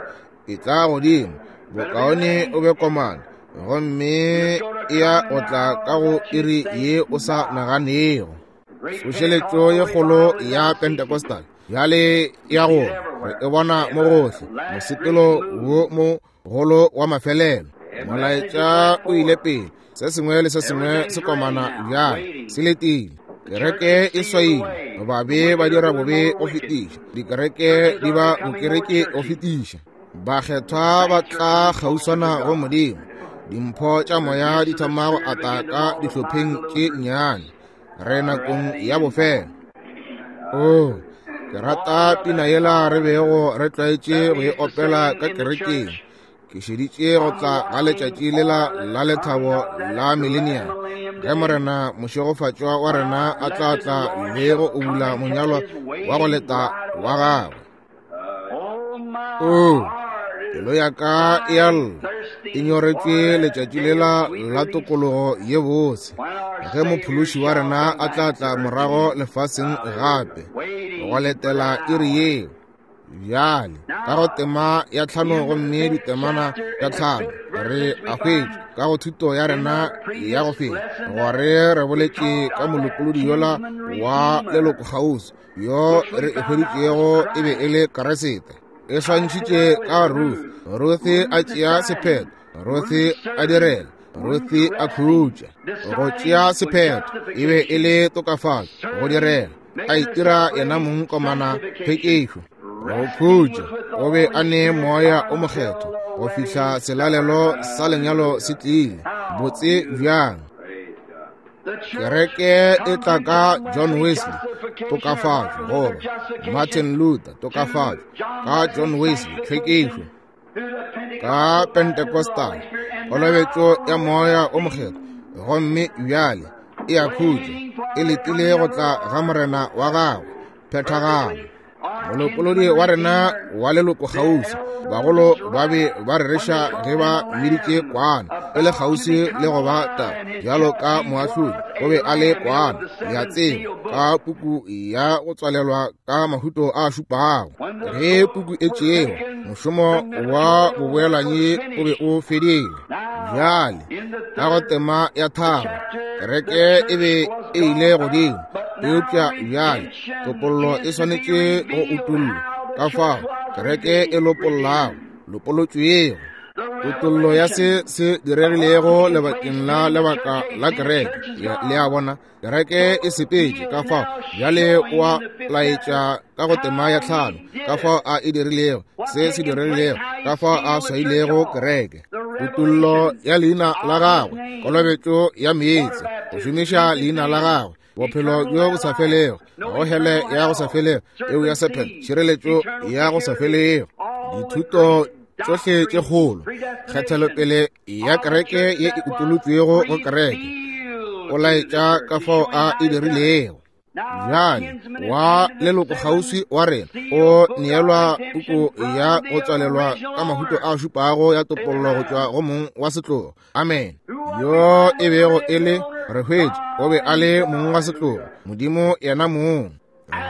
e tla godimo, bokaone o be komana, gomme e ya go tla ka go iri ye o sa naganego. Tsošeletšo ye kgolo ya Pentecostal bjale ya go re e bona mo gohle, mosepelo wo mogolo wa mafelelo. Molaetša o ile pele, se sengwe le se sengwe se komana bjale se letile. Kereke e swaile, babe ba dira bobe go fetiša, dikereke di ba bokereke go fetiša, bakgethwa ba tla kgauswana go Modimo, dimpho tša moya di thoma go ata ka dihlopheng tše nnyane. Re nakong ya bofelo. Oh, ke rata pina yela re bego re tlwaetše go e opela ka kerekeng. Ke šeditše go tla ga letšatši lela la lethabo la millennium, ge Morena mošegofatšwa wa rena a tla tla le go ubula monyalwa wa go leta wa gagwe. Oh, pelo ya ka e a lla, e nyoretšwe letšatši lela la tokologo ye bose, ge mophološi wa rena a tla tla morago lefaseng gape go letela iri yeo. Bjale ka go tema ya tlhano gomme ditemana tša tlhano re a hwetša ka go thuto ya rena ya go feta gore re boletše ka molopolodi yola wa leloko kgauswi yo re e hweditšego e be e le Keresete. E swantšhitše ka Ruth. Ruth a tšea sephetho, Ruth a direla, Ruth a khutša. Go tšea sephetho e be e le tokafatšo, go direla, a itira yena mong komana phekešo. Go khutša, o be a ne moya o mokgethwa go fihla selalelo sa lenyalo se tlile. Botse bjang! Kereke e tla ka John Wesley, tokafatšo, goba Martin Luther, tokafatšo, ka John Wesley, tlhwekišo, ka Pentecostal, kolobetšo ya moya o mokgethwa, gomme bjale e a khutša, e letile go tla ga morena wa gagwe, phethagalo. Molopolodi wa rena wa leloko kgauswi, bagolo ba be ba rereša ge ba mmiditše kwana, e le kgauswi le go ba ta bjalo ka moahlodi, o be a le kwana, le a tseba, ka puku ya go tswalelwa ka mahuto a šupago. Ge puku e tšewa, mošomo wa boboelanyi o be o fedile. Bjale ka go tema ya tharo, kereke e be e ile godimo, eupša bjale topollo e swanetše go utollwa. Ka fao kereke e lopollago, lopolotšwego, kutollo ya se se diregilego lebakeng la lebaka la kereke. Le a bona, kereke e sepetše. Ka fao bjale o a laetša ka go tema ya tlhano ka fao a e dirilego, se se diregilego, ka fao a swailego kereke. Kutollo ya leina la gagwe, kolobetšo ya meetse, go šomiša leina la gagwe, bophelo bjo bo sa felego, go hele ya go sa felego, eo ya sephelo, tšhireletšo ya go sa felego, dithuto tšohle tše kgolo, kgethelopele ya kereke ye e utolotšwego go kereke, o laetša ka fao a e dirilego. Bjale wa leloko kgauswi wa rena o neelwa puku ya go tswalelwa ka mahuto a šupago ya topollo go tšwa go mong wa setlogo. Amen. Yo e bego e le re hwetše, o be a le mong wa setlogo, Modimo yena mong.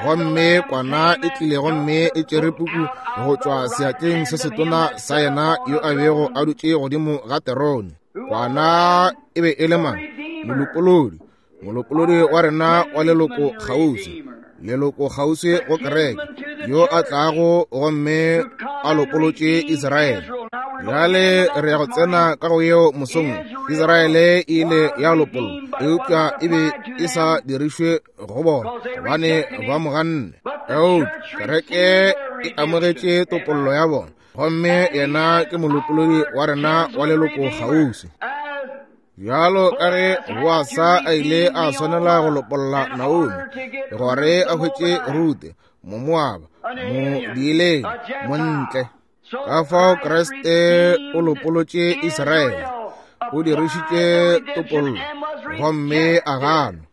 Gomme kwana e tlile gomme e tšere puku go tšwa seatleng se setona sa yena yo a bego a dutše godimo ga terone. Kwana e be e le mang? Molopolodi, molopolodi wa rena wa leloko kgauswi, leloko kgauswi go kereke, yo a tlago gomme a lopolotše Israele. Bjale re ya go tsena ka go yeo mosong. Israele e ile ya lopollwa, eupša e be e sa dirišwe go bona gobane ba mo ganne. Eupša kereke e amogetše topollo ya bona, gomme yena ke molopolodi wa rena wa leloko kgauswi. Bjalo ka ge Boasa a ile a swanela go lopolla Naomi gore a hwetše Rute, Momoaba, modiileng, montle, ka fao Kriste o lopolotše Israele, o dirišitše topollo, gomme a ganwa.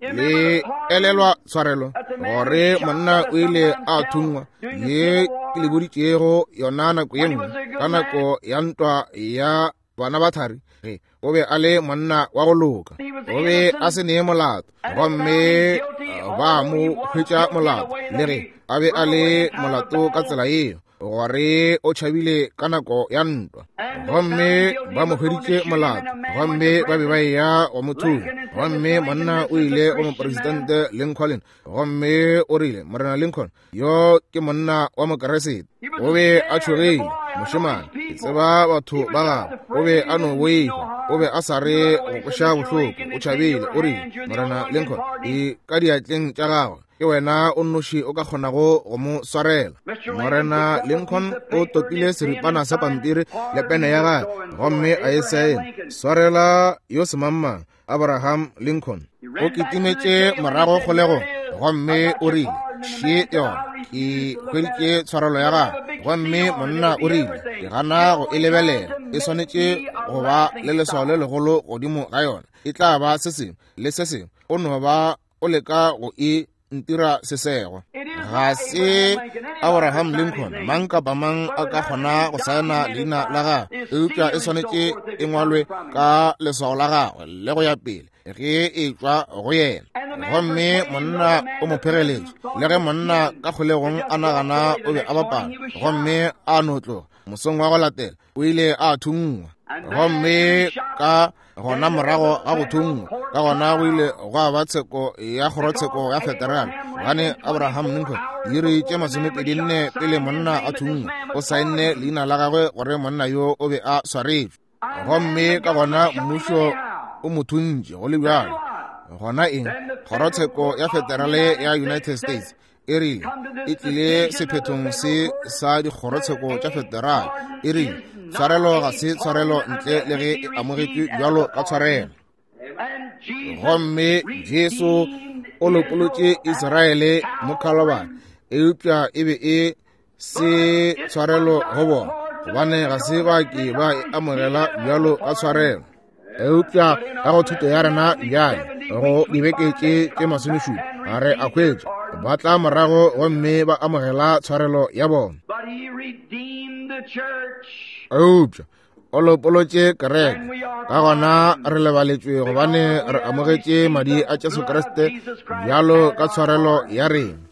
Le elelwa tshwarelo gore monna o ile a thungwa, ye ke le boditšego yona nako ye nngwe ka nako ya ntwa ya bana ba thari, ge o be a le monna wa go loka, o be a se nee molato, gomme ba mo hwetša molato, le ge a be a le molato ka tsela yeo, gore o tšhabile ka nako ya ntwa, gomme ba mo hweditše molato, gomme ba be ba eya go mo thunya. Gomme monna o ile go mopresidente Lincoln, gomme o rile, Morena Lincoln, yo ke monna wa Mokeresete. O be a tšhogile, mošemane, ke tseba batho ba gagwe, o be a no boifa, o be a sa re go kweša bohloko, o tšhabile. O rile, Morena Lincoln, e ka diatleng tša gagwe, ke wena o nnoši o ka kgonago go mo swarela. Morena Lincoln o topile seripana sa pampiri le pene ya gagwe, gomme a e saena, swarela yo semangmang, Abraham Lincoln. O kitimetše morago kgolegong, gomme o rile, še yona, ke hweditše tshwarelo ya gagwe. Gomme monna o rile, ke gana go e lebelela, e swanetše go ba le leswao le legolo godimo ga yona, e tla ba se sengwe le se sengwe, o no ba o leka go e ntira sesego. Ga se Abraham Lincoln, mang kapa mang a ka kgona go saena leina la gagwe, eupša e swanetše e ngwalwe ka leswao la gagwe le go ya pele ge e tšwa go yena. Gomme monna o mo phegeletše, le ge monna ka kgolegong a nagana o be a bapala, gomme a no tloga. Mosong wa go latela o ile a thungwa, gomme ka gona morago ga go thungwa, ka gona go ile gwa ba tsheko ya kgorotsheko ya federal, gobane Abraham Lincoln diiri tše masomepedi nne pele monna a thungwa o saenne leina la gagwe gore monna yo o be a swaretšwe. Gomme ka gona mmušo o mo thuntše go le bjalo. Gona eng? Kgorotsheko ya federale ya United States E rile e tlile sephethong se sa dikgorotsheko tša federal. E rile tshwarelo ga se tshwarelo ntle le ge e amogetšwe bjalo ka tshwarelo. Gomme Jesu o lopolotše Israele mo Calvary, eupša e be e se tshwarelo go bona, gobane ga se ba ke ba e amogela bjalo ka tshwarelo. Eupša ka go thuto ya rena bjale go dibeke tše tše masomešupa ga re a hwetša ba tla morago gomme ba amogela tshwarelo ya bona. Eupša o lopolotše kereke, ka gona re lebaletšwe gobane re amogetše madi a Jesu Kriste bjalo ka tshwarelo ya rena.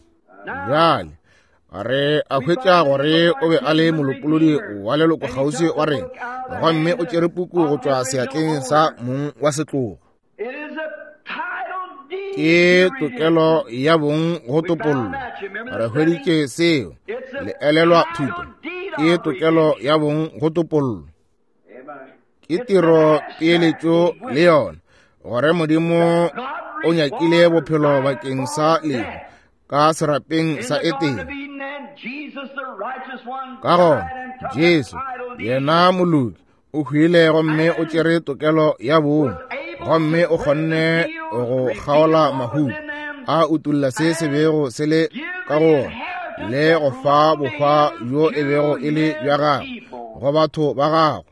Bjale re a hwetša gore o be a le molopolodi wa leloko kgauswi wa rena, gomme o tšere puku go tšwa seatleng sa mong wa setlogo. Ke tokelo ya bong go topollo. Re hweditše seo. Le elelwa thuto. Ke tokelo ya bong go topollo. Ke tiro peeletšo le yona, gore Modimo o nyakile bophelo bakeng sa lehu ka serapeng sa Etene. Ka gona Jesu yena moloki o hwile gomme o tšere tokelo ya bong, gomme o kgonne go kgaola mahuto, a utolla se se bego se le ka go ona, le go fa bohwa bjo e bego e le bja gagwe go batho ba gagwe,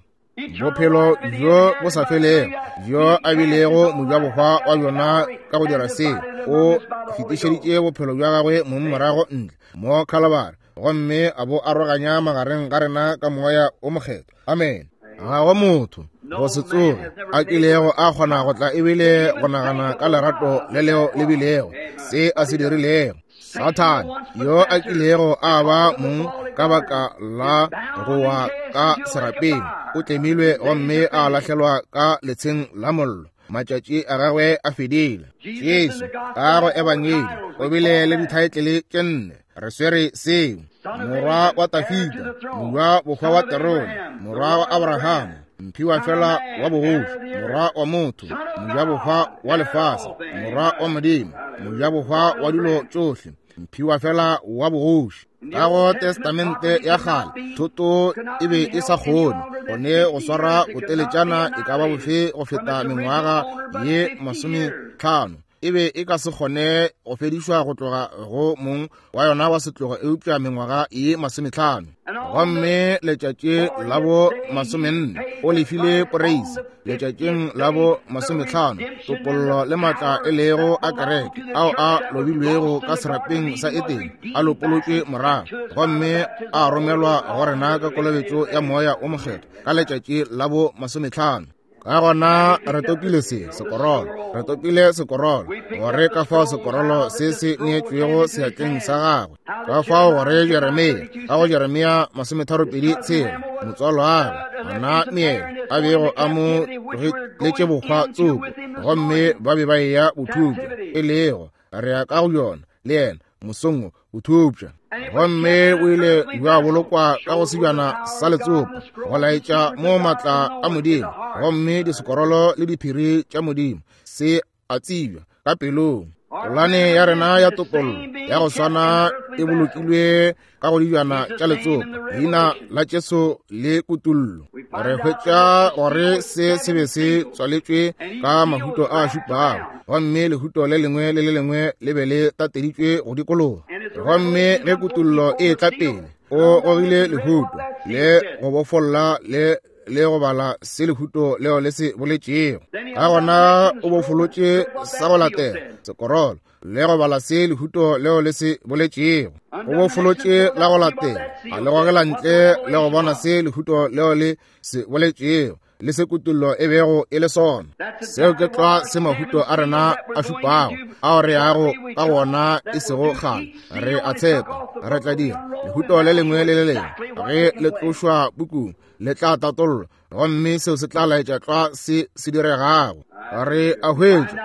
bophelo bjo bo sa felego bjo a bilego mojabohwa wa bjona. Ka go dira seo, o fetišeditše bophelo bja gagwe mong morago ntle mo Calvary, gomme a bo aroganya magareng ga rena ka moya o mokgethwa. Amen. Ga go motho go se tsoge a kilego a kgona go tla ebile go nagana ka lerato le leo le bilego se a se dirilego. Sathane yo a kilego a ba mong ka baka la go wa ka serapeng o tlemilwe gomme a lahlelwa ka letsheng la mollo. Matšatši a gagwe a fedile. Jesu ka go ebangedi o bile le dithaetlele tše nne. Re swere seo: morwa wa Tafita, morwa bohwa wa terone, morwa wa Abrahama, mphiwa fela wa bogoši, morwa wa motho, mojabohwa wa lefase, morwa wa Modimo, mojabohwa wa dilo tšohle, mphiwa fela wa bogoši. Ka go Testamente ya kgale thoto e be e sa kgone gone go swara boteletšana e ka ba bofe go feta mengwaga ye masometlhano. E be e ka se kgone go fedišwa go tloga go mong wa yona wa setlogo eupša mengwaga ye masometlhano. Gomme letšatši la bo masomenne o lefile poreisi. Letšatšing la bo masometlhano topollo le maatla e lego a kereke ao a lobilwego ka serapeng sa Etene a lopolotšwe morago gomme a romelwa go rena ka kolobetšo ya moya o mokgethwa ka letšatši la bo masometlhano. Ka gona re topile se sekorolo, re topile sekorolo, gore ka fao sekorolo se se neetšwego seatleng sa gagwe. Ka fao gore Jeremia, ka go Jeremia masometharopedi tshela, motswalo wa gagwe Hanamiele a bego a mo tlogeletše bohwa tsoko, gomme ba be ba eya bothupša, e lego re ya ka go yona le yena mosong wo bothupša. Gomme o ile bja bolokwa ka go sebjana sa letsopa go laetša mo maatla a Modimo, gomme disekorolo le diphiri tša Modimo se a tsebja ka pelong. Polane ya rena ya topollo ya go swana e bolokilwe ka go dijana tša letsopa, leina la Jesu le kutullo. Re hwetša gore se se be se tswaletšwe ka mahuto a šupago, gomme lehuto le lengwe le le lengwe le be le tateditšwe go dikologa. Gomme ge kutullo e tla pele, o gogile lehuto le go bofolla le le go bala se lehuto leo le se boletšego. Ka gona o bofolotše sa go latela sekorolo le go bala se lehuto leo le se boletšego. O bofolotše la go latela a le gogela ntle le go bona se lehuto leo le se boletšego le se kutullo e bego e le sona. Seo ke tlwa se mahuto a rena a šupago ao re yago ka gona e sego kgale. Re a tshepa re tla dira lehuto le lengwe le le lengwe ge le tlošwa pukung le tla tatollwa, gomme seo se tla laetša tlwa se se diregago. Re a hwetša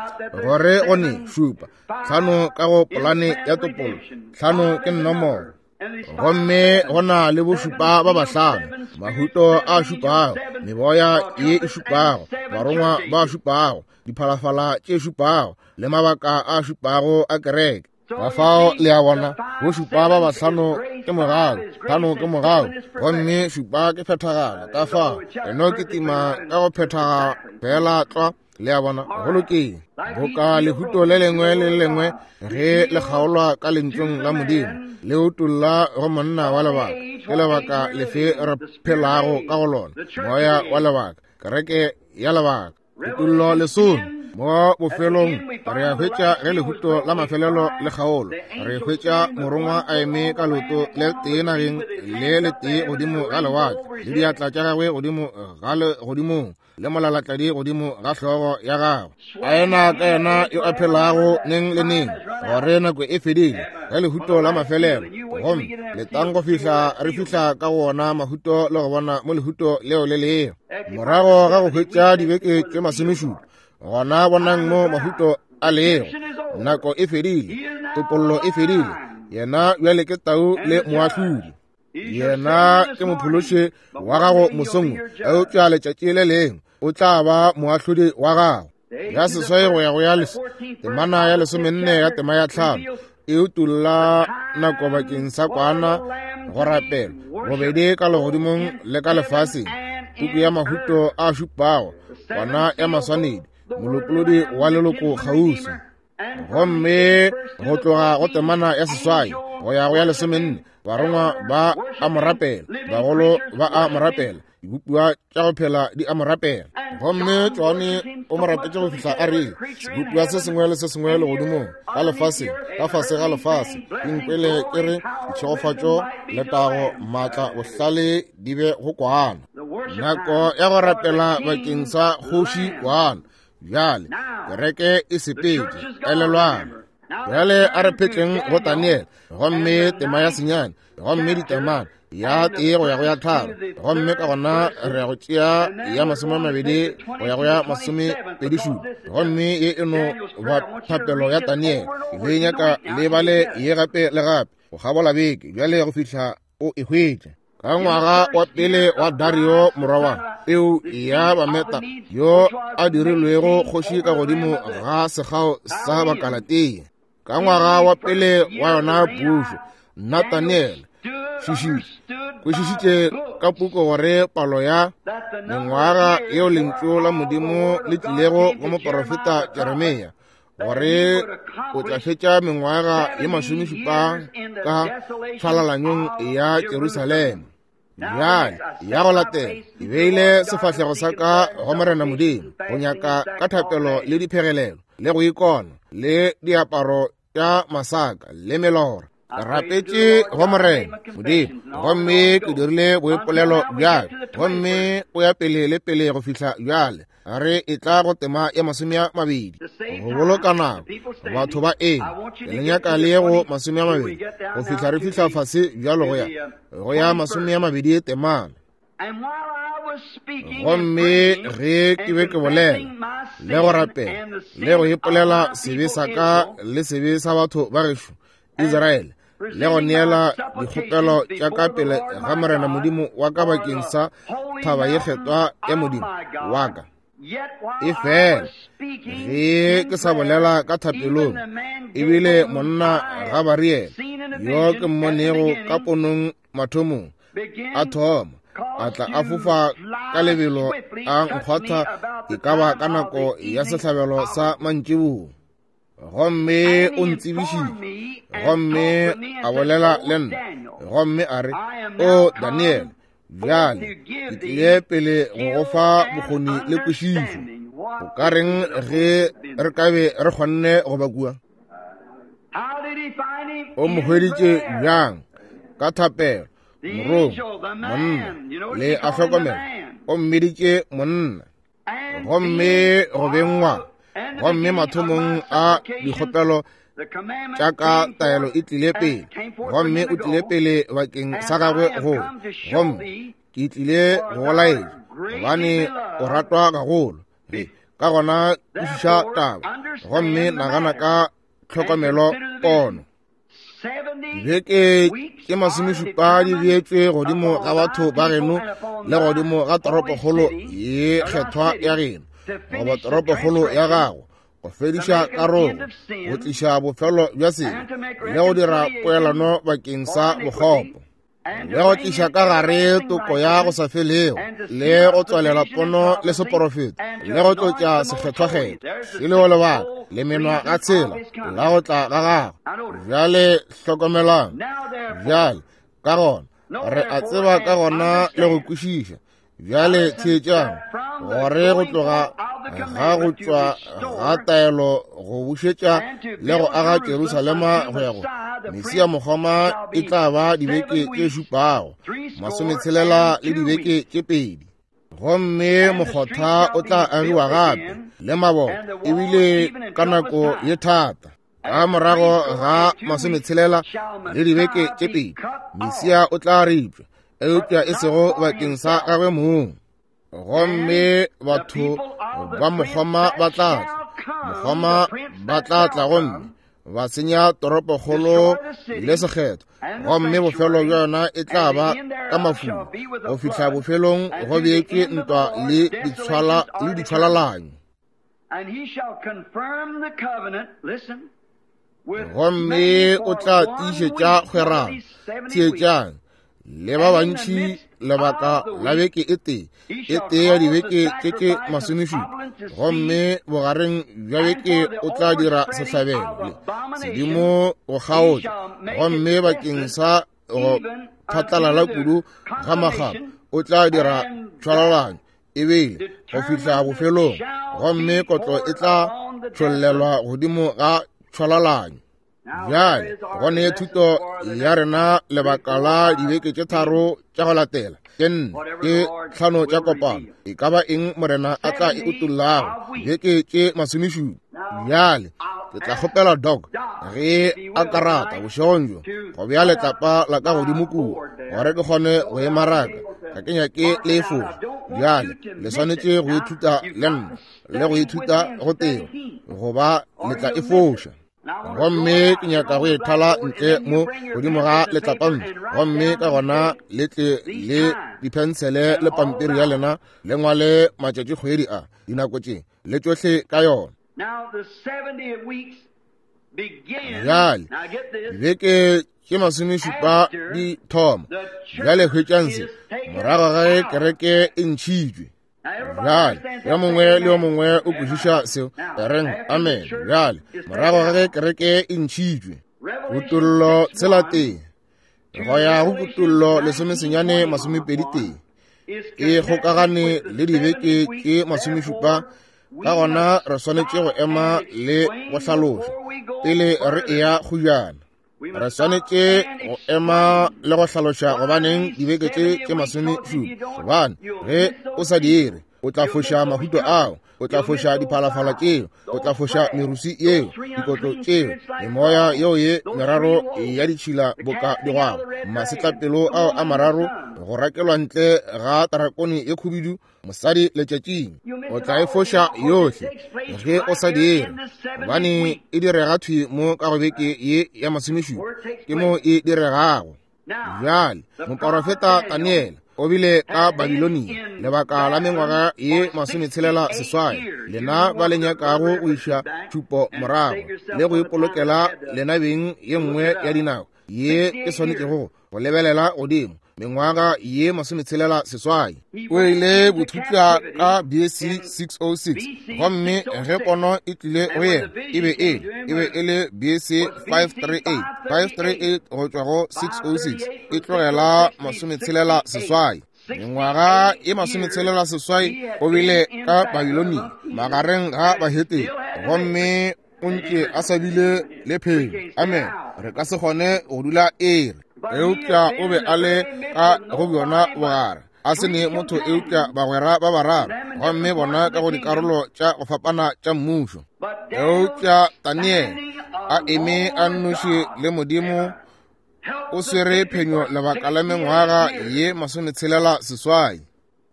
gore go ne šupa tlhano ka go polane ya topollo, tlhano ke nomoro, gomme go na le bošupa ba bahlano, mahuto a šupago, meboya ye e šupago, barongwa ba šupago, diphalafala tše šupago, le mabaka a šupago a kereke. Ka fao le a bona, go šupa ba bahlano ke mogau, hlano ke mogau, gomme šupa ke phethagalo. Ka fao re no kitima ka go phethagala fela tlwa. Le a bona, go lokile. Boka lehuto le lengwe le le lengwe ge le kgaolwa ka lentšung la Modimo, le utolla go monna wa lebaka. Ke lebaka lefe re phelago ka go lona? Moya wa lebaka, kereke ya lebaka. Kutollo lesome mo bofelong re a hwetša ge lehuto la mafelelo le kgaolo, re hwetša morongwa a eme ka leoto le tee nageng le letee godimo ga lewatle, le diatla tša gagwe godimo ga legodimong, le molalatladi godimo ga hlogo ya gagwe, a ena ka yena yo a phelago neng le neng, gore nako e fedile ge lehuto la mafelelo. Gomme letang go fihla re fihla ka go ona mahuto le go bona mo lehuto leo le lego. Morago ga go hwetša dibeke tše masomešupa, gona bonang mo mahuto a lego. Nako e fedile, topollo e fedile. Yena bjale ke tau le moahlodi. Yena ke mophološi wa gago mosong, eupša letšatši le lengwe o tla ba moahlodi wa gago. Ya seswai go ya go ya les temana ya lesomenne ya tema ya tlhano e utolla nako bakeng sa kwana go rapela bobedi ka legodimong le ka lefaseng. Puku ya mahuto a šupago, kwana ya maswanedi, molopolodi wa leloko kgauswi. Gomme go tloga go temana ya seswai go ya go ya lesomenne, barongwa ba a mo rapela, bagolo ba a mo rapela, dibopiwa tša go phela di a mo rapela. Gomme Johane o mo rapetše go fihla a re, sebopiwa se sengwe le se sengwe legodimong, ka lefaseng, ka fase ga lefase, di nkwele ke re ditšhegofatšo, letago, maatla, bohlale di be go kwana. Nako ya go rapela bakeng sa kgoši kwana. Bjale kereke e sepetše, elelwang. Bjale a re phetleng go Daniel, gomme tema ya senyane, gomme ditemana ya tee go ya go ya tharo, gomme ka gona re ya go tšea ya masome a mabedi go ya go ya masomepedi šupa. Gomme ye e no ba thapelo ya Daniel. Le nyaka le bale ye gape le gape go kgabola beke bjale go fihla o e hwetša. Ka ngwaga wa pele wa Dario morwa wa peu ya Bameta, yo a dirilwego kgoši ka godimo ga sekgao sa Bakalatea, ka ngwaga wa pele wa yona pušo, nna Daniel šišitše kwešišitše ka puku gore palo ya mengwaga yeo lentšu la Modimo le tlilego go moporofeta Jeremia, gore o tla fetša mengwaga ye masomešupa ka tšhwalalanyong ya Jerusalema. Bjale ya go latela ke beile sefahlego sa ka go Morena Modimo, go nyaka ka thapelo le diphegelelo le go ikona le diaparo tša masaka le melora. Ke rapetše go Morena Modimo, gomme ke dirile boipolelo bjale, gomme o ya pele le pele go fihla bjale re e tla go tema ya masome a mabedi. Go boloka nako, batho ba eme, ke le nyaka le ye go masome a mabedi go fihla re fihla fase bjalo go ya go ya masome a mabedi temana. Gomme ge ke be ke bolela le go rapela le go ipolela sebe sa ka le sebe sa batho ba gešo Israele, le go neela dikgopelo tša ka pele ga Morena Modimo wa ka bakeng sa thaba ye kgethwa ya Modimo wa ka, e fela ge ke sa bolela ka thapelong, ebile monna Gabariele yo ke mmonego ka ponong mathomong a thoma a tla a fofa ka lebelo a nkgwatha e ka ba ka nako ya sehlabelo sa mantšiboa. Gomme o ntsebišitše, gomme a bolela le nna, gomme a re, O Daniel, bjale ke tlile pele go go fa bokgoni le kwešišo. O ka reng ge re ka be re kgonne go ba kua? O mo hweditše bjang? Ka thapelo. Morongwa, monna, le a hlokomela, o mmiditše monna. Gomme go bengwa, gomme mathomong a dikgopelo tša ka taelo e tlile pele, gomme o tlile pele bakeng sa gagwe go, gomme ke tlile go go laetša gobane o ratwa gagolo. Ka gona kwešiša taba, gomme nagana ka tlhokomelo pono. Dibeke tše masomešupa di beetšwe godimo ga batho ba geno le godimo ga toropokgolo ye kgethwa ya geno, goba toropokgolo ya gago, go fediša karogo, go tliša bofelo bja sebe, le go dira poelano bakeng sa bokgopo, le go tliša ka gare toko ya go sa felego, le go tswalela pono le seporofeto, le go tlotša sekgethwakgethwa, e lego lebaka le menwa ga tshela la go tla ga gagwe. Bjale hlokomelang. Bjale ka gona re a tseba ka gona le go kwešiša. Bjale theetšang, gore go tloga ga go tšwa ga taelo go bušetša le go aga Jerusalema go ya go Mesia mokgoma e tla ba dibeke tše šupago, masometshelela le dibeke tše pedi. Gomme mokgotha o tla agiwa gape le maboto, ebile ka nako ye thata. Ka morago ga masometshelela le dibeke tše pedi, Mesia o tla ripša, eupša e sego bakeng sa gagwe mong. Gomme batho ba mokgoma ba tla tla, mokgoma ba tla tla gomme ba senya toropokgolo le sekgetho, gomme bofelo bja yona e tla ba ka mafula, go fihla bofelong go beetšwe ntwa le ditshwala le ditshwalalanyo. Gomme o tla tiišetša kgwerano, theetšang, le ba bantši lebaka la beke e tee, e tee ya dibeke tše tše masomešupa. Gomme bogareng bja beke o tla dira sehlabelo le sedimo go kgaotša, gomme bakeng sa go phatlalala kudu ga makgapa o tla dira tshwalalanyo ebile go fihla bofelong, gomme kotlo e tla tšhollelwa godimo ga tshwalalanyo. Bjale go ne thuto ya rena lebaka la dibeke tše tharo tša go latela, tše nne, tše tlhano tša kopano, e ka ba eng Morena a tla e utollago, dibeke tše masomešupa. Bjale ke tla kgopela Doc ge a ka rata bošegong bjo go bea letlapa la ka godimo kua, gore ke kgone go e maraka. Ga ke nyake le e foša. Bjale le swanetše go ithuta le nna, le go ithuta go teo, goba le tla e foša. Gomme ke nyaka go e thala ntle mo godimo ga letlapampi, gomme ka gona le tle le diphensele le pampiri ya lena, le ngwale matšatšikgwedi a dinako tše le tšohle ka yona. Bjale dibeke tše masomešupa di thoma. Bjale hwetšang se morago ga ge kereke e ntšhitšwe. Bjale yo mongwe le yo mongwe o kwešiša seo, reng amen. Bjale morago ga ge kereke e ntšhitšwe, kutollo tshela tee go ya go kutollo lesomesenyane masomepedi tee e kgokagane le dibeke tše masomešupa. Ka gona re swanetše go ema le go hlaloša pele re eya kgojana. Re swanetše go ema le go hlaloša gobaneng dibeke tše tše masomešupa, gobane ge o sa dire o tla foša mahuto ao, o tla foša diphalafala tšeo, o tla foša merusi yeo, dikotlo tšeo, memoya yeo ye meraro ya ditšhila boka digwabo, masetlapelo ao a mararo, go rakelwa ntle ga tarakone ye khubidu, mosadi letšatšing. O tla e foša yohle ge o sa dire, gobane e direga thwi mo ka go beke ye ya masomešupa, ke mo e diregago. Bjale moporofeta Daniele o bile ka Babilonia lebaka la mengwaga ye masometshelela seswai. Lena ba le nyakago go iša tšhupo morago le go ipolokela lena beng ye nngwe ya dinako ye ke swanetšego go lebelela godimo, mengwaga ye masometshelela seswai. O ile bothutša ka B C six oh six, gomme ge pono e tlile go yena e be e e be e le B C five three eight, five three eight go tšwa go six oh six, e tlogela masometshelela seswai. Mengwaga e masometshelela seswai o bile ka Babilonia magareng ga bahetene, gomme o ntše a sa bile le phelo. Amen. Re ka se kgone go dula ere, eupša o be a le ka go bjona bogare, a se ne motho eupša bagwera ba bararo, gomme bona ka go dikarolo tša go fapana tša mmušo. Eupša Daniele a eme a nnoši le Modimo, o swere phenyo lebaka la mengwaga ye masometshelela seswai.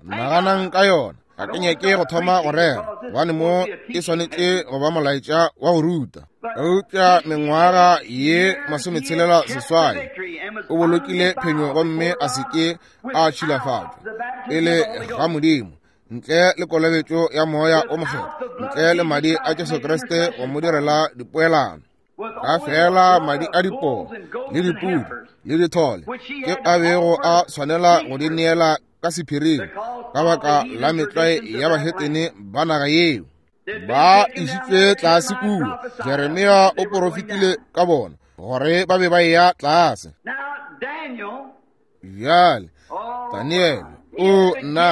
Naganang ka yona. Ga ke nyake go thoma go rera, gobane mo e swanetše go ba molaetša wa go ruta. Eupša mengwaga ye masometshelela seswai o bolokile phenyo, gomme a se ke a tšhilafatšwa pele ga Modimo, ntle le kolobetšo ya moya o mokgethwa, ntle le madi a Jesu Kriste go mo direla dipoelano. Ka fela madi a dipoo le dipudi le dithole ke a bego a swanela go di neela ka sephiring ka baka la metlwae ya bahetene ba naga yeo. Ba išitšwe tlase kua. Jeremia o porofetile ka bona gore ba be ba eya tlase. Bjale Daniele o nna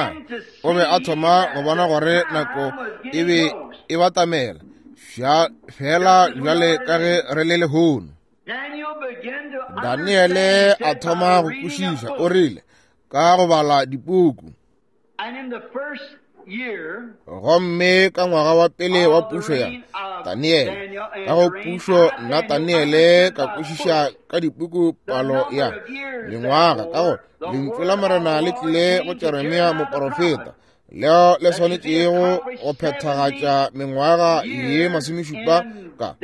o be a thoma go bona gore nako e be e batamela fela bjale ka ge re le lehono. Daniele a thoma go kwešiša, o rile ka go bala dipuku. Gomme ka ngwaga wa pele wa pušo ya Daniele, ka go pušo nna Daniele ka kwešiša ka dipuku palo ya mengwaga, ka go lentšu la Morena le tlile go Jeremia moporofeta, leo le swanetšego go phethagatša mengwaga ye masomešupa ka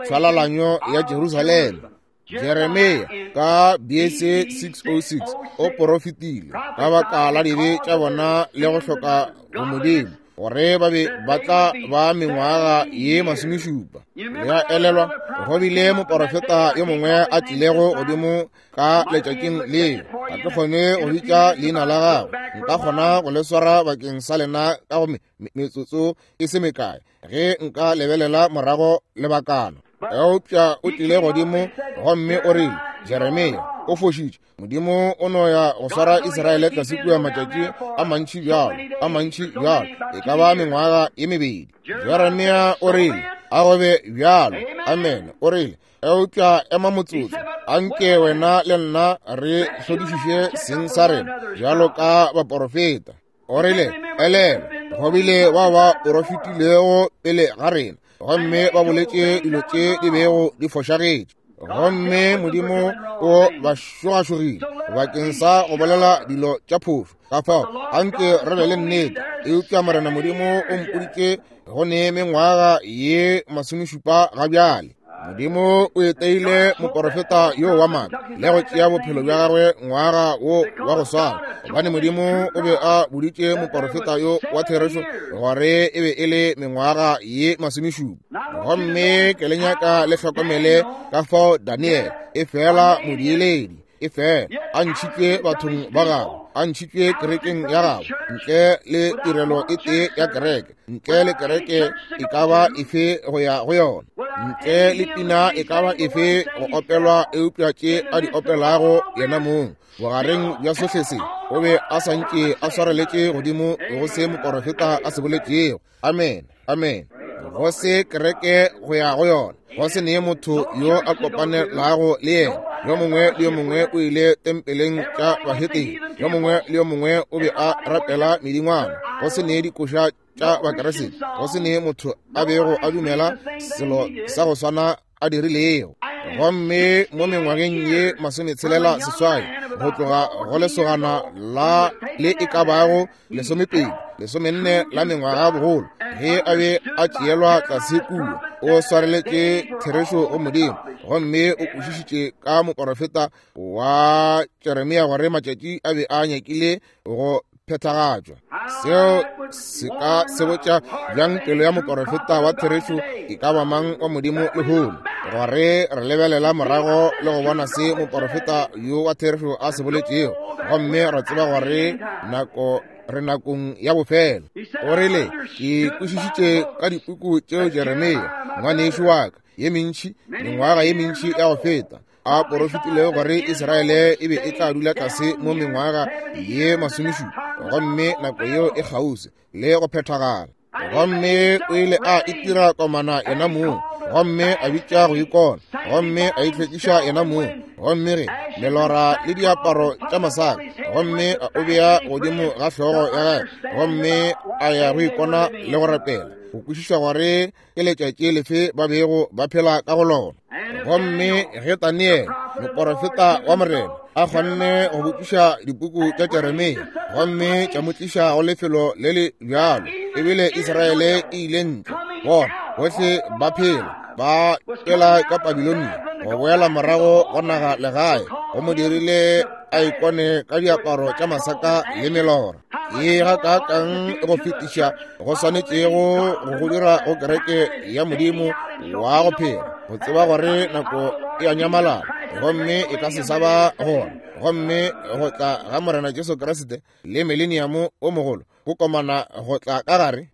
tšhwalalanyo ya Jerusalema. Jeremia ka B C six oh six o porofetile ka baka la dibe tša bona le go hloka go Modimo gore ba be ba tla ba mengwaga ye masomešupa. Le a elelwa, go bile moporofeta yo mongwe a tlilego godimo ka letšatšing leo. Ga ke kgone go bitša leina la gagwe, nka kgona go le swara bakeng sa lena ka go metsotso e se mekae ge nka lebelela morago lebakana. Eupša o tlile godimo gomme o rile, Jeremia o fošitše, Modimo o no ya go swara Israele tlase kua matšatši a mantši bjalo, a mantši bjalo, e ka ba mengwaga ye mebedi. Jeremia o rile, a go be bjalo, amen. O rile, eupša ema motsotso, anke wena le nna re hlodišiše seng sa rena bjalo ka baporofeta. O rile, elelwa, go bile bao ba porofetilego pele ga rena, gomme ba boletše dilo tše di bego di fošagetše, gomme Modimo o ba šogašogile bakeng sa go bolela dilo tša phošo. Ka fao anke re be le nnete. Eupša Morena Modimo o mpoditše go ne mengwaga ye masomešupa ga bjale. Modimo o eteile moporofeta yo wa maaka le go tšea bophelo bja gagwe ngwaga wo wa go swana, gobane Modimo o be a boditše moporofeta yo wa therešo gore e be e le mengwaga ye masomešupa. Gomme ke le nyaka le hlokomele ka fao Daniele e fela modieledi, e fela a ntšhitšwe bathong ba gagwe, a ntšhitšwe kerekeng ya gagwe, ntle le tirelo e tee ya kereke, ntle le kereke e ka ba efe go ya go yona, ntle le pina e ka ba efe go opelwa eupša tše a di opelago yena mong. Bogareng bja sohle se o be a sa ntše a swareletše godimo go se moporofeta a se boletšego. Amen, amen. Go se kereke go ya go yona, go se nee motho yo a kopanelago le yena. Yo mongwe le yo mongwe o ile tempeleng tša bahetene, yo mongwe le yo mongwe o be a rapela medingwana. Go se nee dikoša tša bakeresete, go se nee motho a bego a dumela selo sa go swana a dirilego. Gomme mo mengwageng ye masometshelela seswai, go tloga go lesogana la le e ka bago lesomepedi lesomenne la mengwaga bogolo, ge a be a tšeelwa tlase kua, o swareletše therešo go Modimo, gomme o kwešišitše ka moporofeta wa Jeremia gore matšatši a be a nyakile go phethagatšwa. Seo se ka sebotša bjang pelo ya moporofeta wa therešo e ka ba mang wa Modimo lehono, gore re lebelela morago le go bona se moporofeta yo wa therešo a se boletšego, gomme re tseba gore nako re nakong ya bofelo. O rile, ke kwešišitše ka dipuku tšeo Jeremia ngwanešo wa ka ye mentši, mengwaga ye mentši ya go feta, a porofetilego gore Israele e be e tla dula tlase mo mengwaga ye masomešupa, gomme nako yeo e kgauswi le go phethagala. Gomme o ile a itira komana yena mong, gomme a bitša go ikona, gomme a itlhwekiša yena mong, gomme re melora le diaparo tša masaka, gomme a o bea godimo ga hlogo ya gagwe, gomme a ya go ikona le go rapela, go kwešiša gore ke letšatši lefe ba bego ba phela ka go lona. Gomme ge Daniele moporofeta wa Morena a kgonne go botšiša dipuku tša Jeremia, gomme tša mo tliša go lefelo le le bjalo, ebile Israele e ile ntle, bona bohle ba phela ba tšwela ka Babilonia go boela morago go naga legae, go mo dirile a ikone ka diaparo tša masaka le melora. Ye gakaakang go fetiša go swanetšego go go dira go kereke ya Modimo wa go phela, go tseba gore nako e a nyamalala gomme e ka se sa ba gona, gomme go tla ga Morena Jesu Kriste le mileniamo o mogolo go komana go tla ka gare.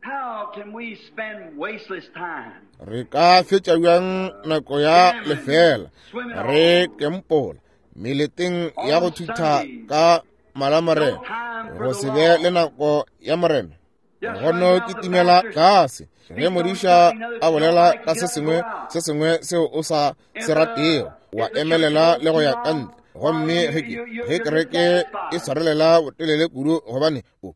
Re ka fetša bjang nako ya lefela re kempola meleteng ya go thutha ka malamorena, go se be le nako ya Morena? Go no kitimela tlase ge modiša a bolela ka se sengwe se sengwe seo o sa se ratego, wa emelela le go ya ka ntle. Gomme ge ke ge kereke e swarelela botelele kudu, gobane o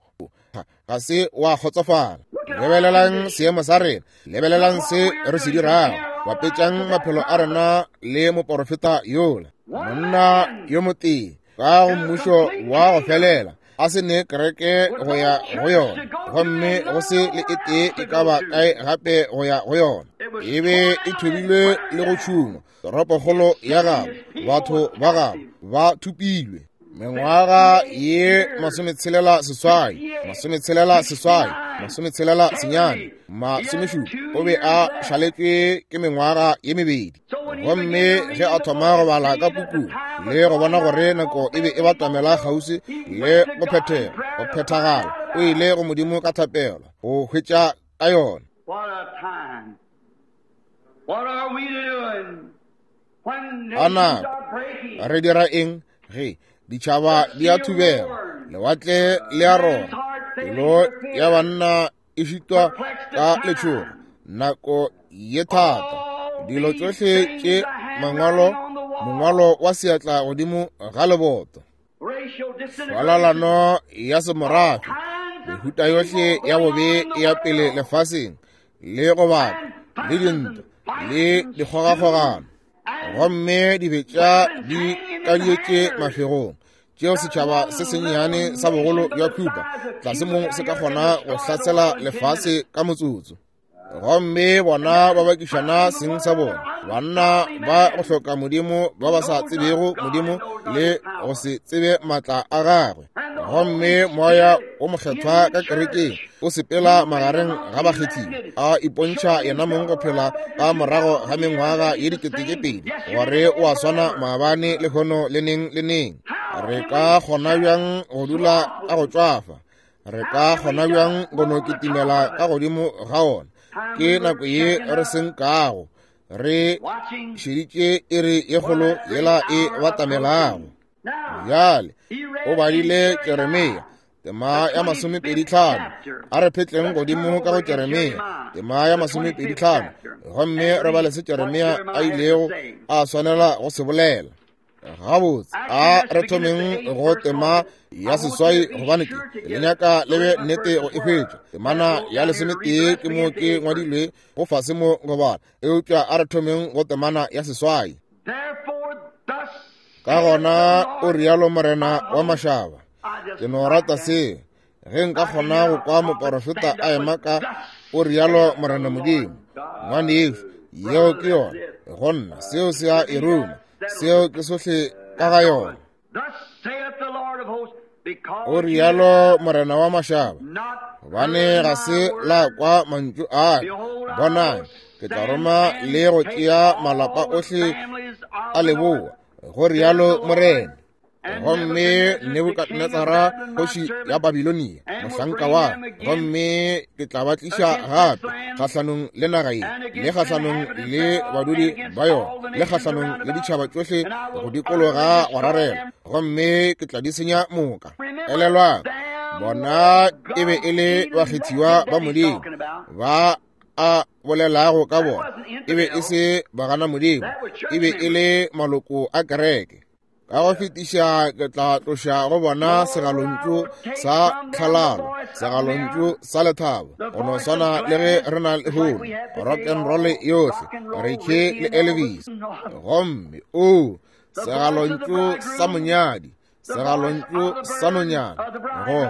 ga se wa kgotsofala. Lebelelang seemo sa rena, lebelelang se re se dirago, bapetšang maphelo a rena le moporofeta yola, monna yo motee ka go mmušo wa go felela, a se ne kereke go ya go yona, gomme go se le e tee e ka ba kae gape go ya go yona. E be e thobilwe le go tšhungwa, toropokgolo ya gabo, batho ba gabo ba thupilwe. Mengwaga ye masometshelela seswai, masometshelela seswai, masometshelela senyane, masomešupa, o be a šaletšwe ke mengwaga ye mebedi. Gomme ge a thoma go bala ka pukung le go bona gore nako e be e batamela kgauswi le go phethega, go phethagala, o ile go Modimo ka thapelo go hwetša ka yona. A nako re dira eng ge ditšhaba di a thubega, lewatle le a rora, pelo ya banna e šitwa ka letšhogo, nako ye thata, dilo tšohle tše mangwalo, mongwalo wa seatla godimo ga leboto, falalano ya semorafe, mehuta yohle ya bobe ya pele lefaseng, le go baka le dintwa le dikgogakgogano, gomme dibetša di kadietše mafegong, tšeo setšhaba se sennyane sa bogolo bja Cuba tlase mo se ka kgona go hlasela lefase ka motsotso. Gomme bona ba bakišana seng sa bona, banna ba go hloka Modimo, ba ba sa tsebego Modimo le go se tsebe maatla a gagwe. Gomme moya o mokgethwa ka kerekeng o sepela magareng ga bakgethiwa, a ipontšha yena mong go phela ka morago ga mengwaga ye dikete tše pedi, gore o a swana maabane le lehono le neng le neng. Re ka kgona bjang go dula ka go tšwafa? Re ka kgona bjang go no kitimela ka godimo ga ona? Ke nako ye re senkago re šeditše iri ye kgolo yela e batamelago. Bjale o badile Jeremia tema ya masomepedi tlhano. A re phetleng godimo ka go Jeremia tema ya masomepedi tlhano, gomme re bale se Jeremia a ilego a swanela go se bolela. Gabotse, a re thomeng go tema ya seswai, gobane ke le nyaka le be nnete go e hwetša. Temana ya lesometee ke mo ke ngwadilwe go fase mo go bala, eupša a re thomeng go temana ya seswai. Ka gona o rialo Morena wa mašaba, ke no rata se, ge nka kgona go kwa moporofeta a ema ka o rialo Morena Modimo. Ngwanešu, yeo ke yona go nna, seo se a e ruma, seo ke sohle ka ga yona. O rialo Morena wa mašaba, gobane ga se la kwa mantšu a ka. Bonang, ke tla roma le go tšea malapa ohle a leboa, go rialo Morena. Gomme Nebukadnetsara kgoši ya Babilonia mohlanka wa, gomme ke tla ba tliša gape kgahlanong le naga ye, le kgahlanong le badudi ba yona, le kgahlanong le ditšhaba tšohle go dikologa go rarela, gomme ke tla di senya moka. Elelwang, bona e be e le bakgethiwa ba Modimo ba a bolelago ka bona, e be e se bagana Modimo, e be e le maloko a kereke. Ka go fetiša ke tla tloša go bona segalontšu sa tlhalalo, segalontšu sa lethabo, go no swana le ge re na le hono rock and roll yohle, Ricky le Elvis. Gomme o segalontšu sa monyadi, segalontšu sa nonyana, go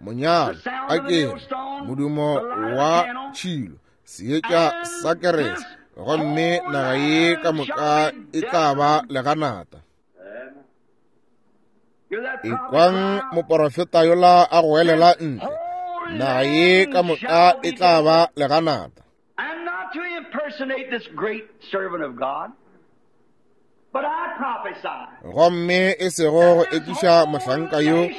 monyadi a kere modumo wa tšhilo, seetša sa kerese, gomme naga ye ka moka e tla ba leganata. Ekwang moporofeta yola a goelela ntle, naga ye ka moka e tla ba leganata. And not to impersonate this great servant of God, but I prophesy. Gomme e sego go ekiša mohlanka yo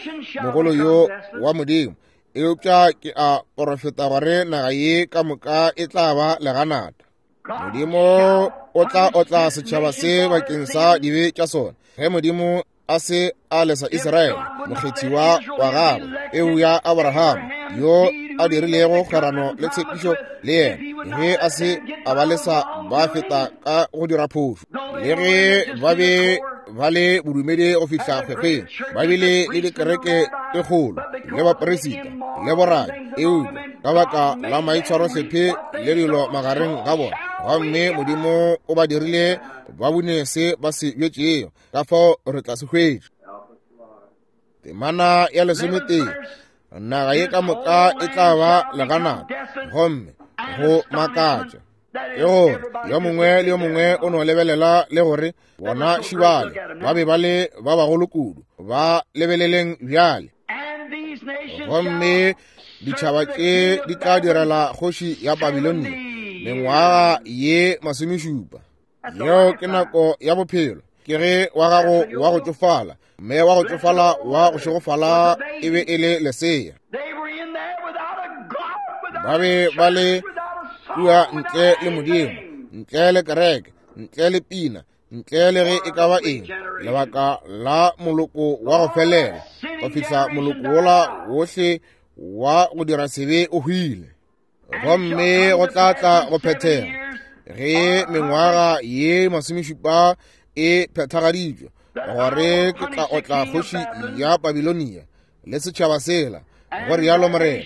mogolo yo wa Modimo, eupša ke a porofeta gore naga ye ka moka e tla ba leganata. Modimo o tla otla setšhaba se bakeng sa dibe tša sona. Ge Modimo a se a lesa Israele, mokgethiwa wa gagwe, peu ya Abraham, yo a dirilego kgwerano le tshepišo le yena, ge a se a ba lesa ba feta ka go dira phošo, le ge ba be ba le bodumedi go fihla kgwekgweng, ba bile le dikereke tše kgolo le baperisita le borabi, eupša ka baka la maitshwarohlephe le dilo magareng ga bona, gomme Modimo o ba dirile ba bune se ba se bjetšego. Ka fao re tla se hwetša. Temana ya lesometee, naga ye ka moka e tla ba leganata, gomme go makatša ke gore yo mongwe le yo mongwe o no lebelela le gore bona šibale ba be ba le ba bagolo kudu, ba lebeleleng bjale. Gomme ditšhaba tše di tla direla kgoši ya Babilonia mengwaga ye masomešupa. Yeo ke nako ya bophelo. Ke ge wa gago wa go tšofala, mme wa go tšofala wa go šegofala e be e le lesea. Ba be ba le kua ntle le Modimo, ntle le kereke, ntle le pina, ntle le ge e ka ba eng, lebaka la moloko wa go felela, go fihla moloko wola wohle wa go dira sebe o hwile. Gomme go tla tla go phethega ge mengwaga ye masomešupa e phethagaditšwe, gore ke tla otla kgoši ya Babilonia le setšhaba sela, go rialo Morena,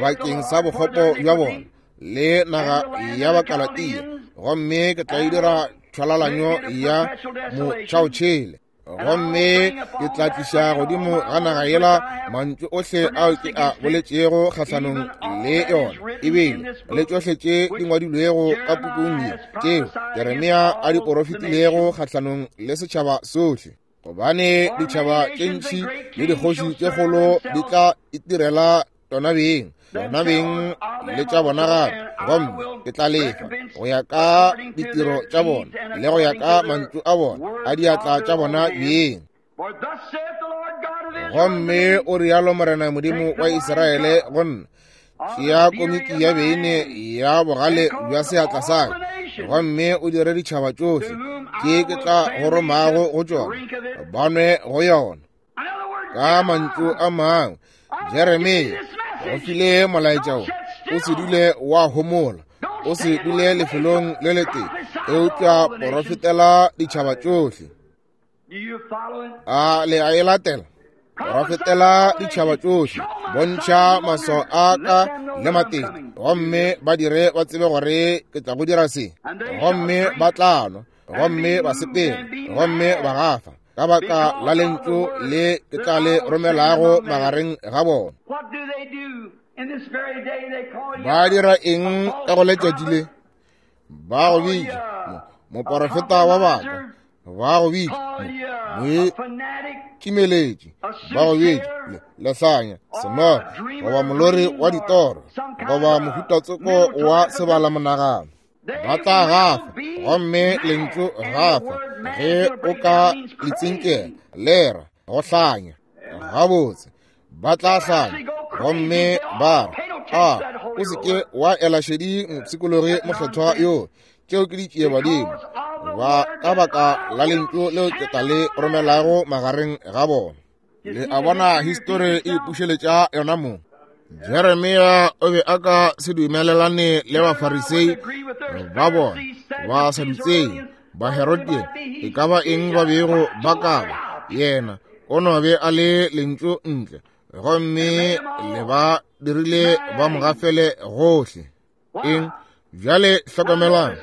bakeng sa bokgopo bja bona le naga ya Bakalatia, gomme ke tla e dira tšhwalalanyo ya motšhaotšhele. Gomme ke tla tliša godimo ga naga yela mantšu ohle ao ke a boletšego kgahlanong le yona, ebile le tšohle tše di ngwadilwego ka pukung ye tšeo Jeremia a di porofetilego kgahlanong le setšhaba sohle. Gobane ditšhaba tše ntši le dikgoši tše kgolo di tla itirela tšona beng, bona beng le tša bona gape, gomme ke tla lefa go ya ka ditiro tša bona le go ya ka mantšu a bona a diatla tša bona beng. Gomme o rialo Morena Modimo wa Israele go nna, tšea komiki ya beine ya bogale bja seatla sa ka, gomme o dire ditšhaba tšohle tše ke tla go romago go tšona, ba nwe go yona. Ka mantšu a mangwe, Jeremia o file molaetša wo, o se dule wa homola, o se dule lefelong le letee, eupša porofetela ditšhaba tšohle. A le a e latela? Porofetela ditšhaba tšohle, bontšha maswao a ka le matete, gomme ba dire ba tsebe gore ke tla go dira se. Gomme ba tla nwa, gomme ba sepela, gomme ba gafa ka baka la lentšu le ke tla le romelago magareng ga bona. Ba dira eng ka go letšatši le? Ba go bitša moporofeta wa baka, ba go bitša moikimeletši, ba go bitša lehlanya, senoga, goba molori wa ditoro, goba mohutatsoko wa sebalamonagano. Ba tla gafa, gomme lentšu gafa ge o ka le tsinkela le ra go hlanya. Gabotse, ba tla hlanya, gomme ba re, a o se ke wa ela šedi mopshikologi mokgethwa yo, tšeo ke ditšiebadimo, ba ka baka la lentšu leo ke tla le romelago magareng ga bona. Le a bona histori e ipušeletša yona mong. Jeremia o be a ka se dumelelane le Bafarisei ba bona, ba Sadutsei, ba Herodian, e ka ba eng ba bego ba ka ba, yena o no be a le lentšu ntle, gomme le ba dirile ba mo gafele gohle. Eng? Bjale hlokomelang.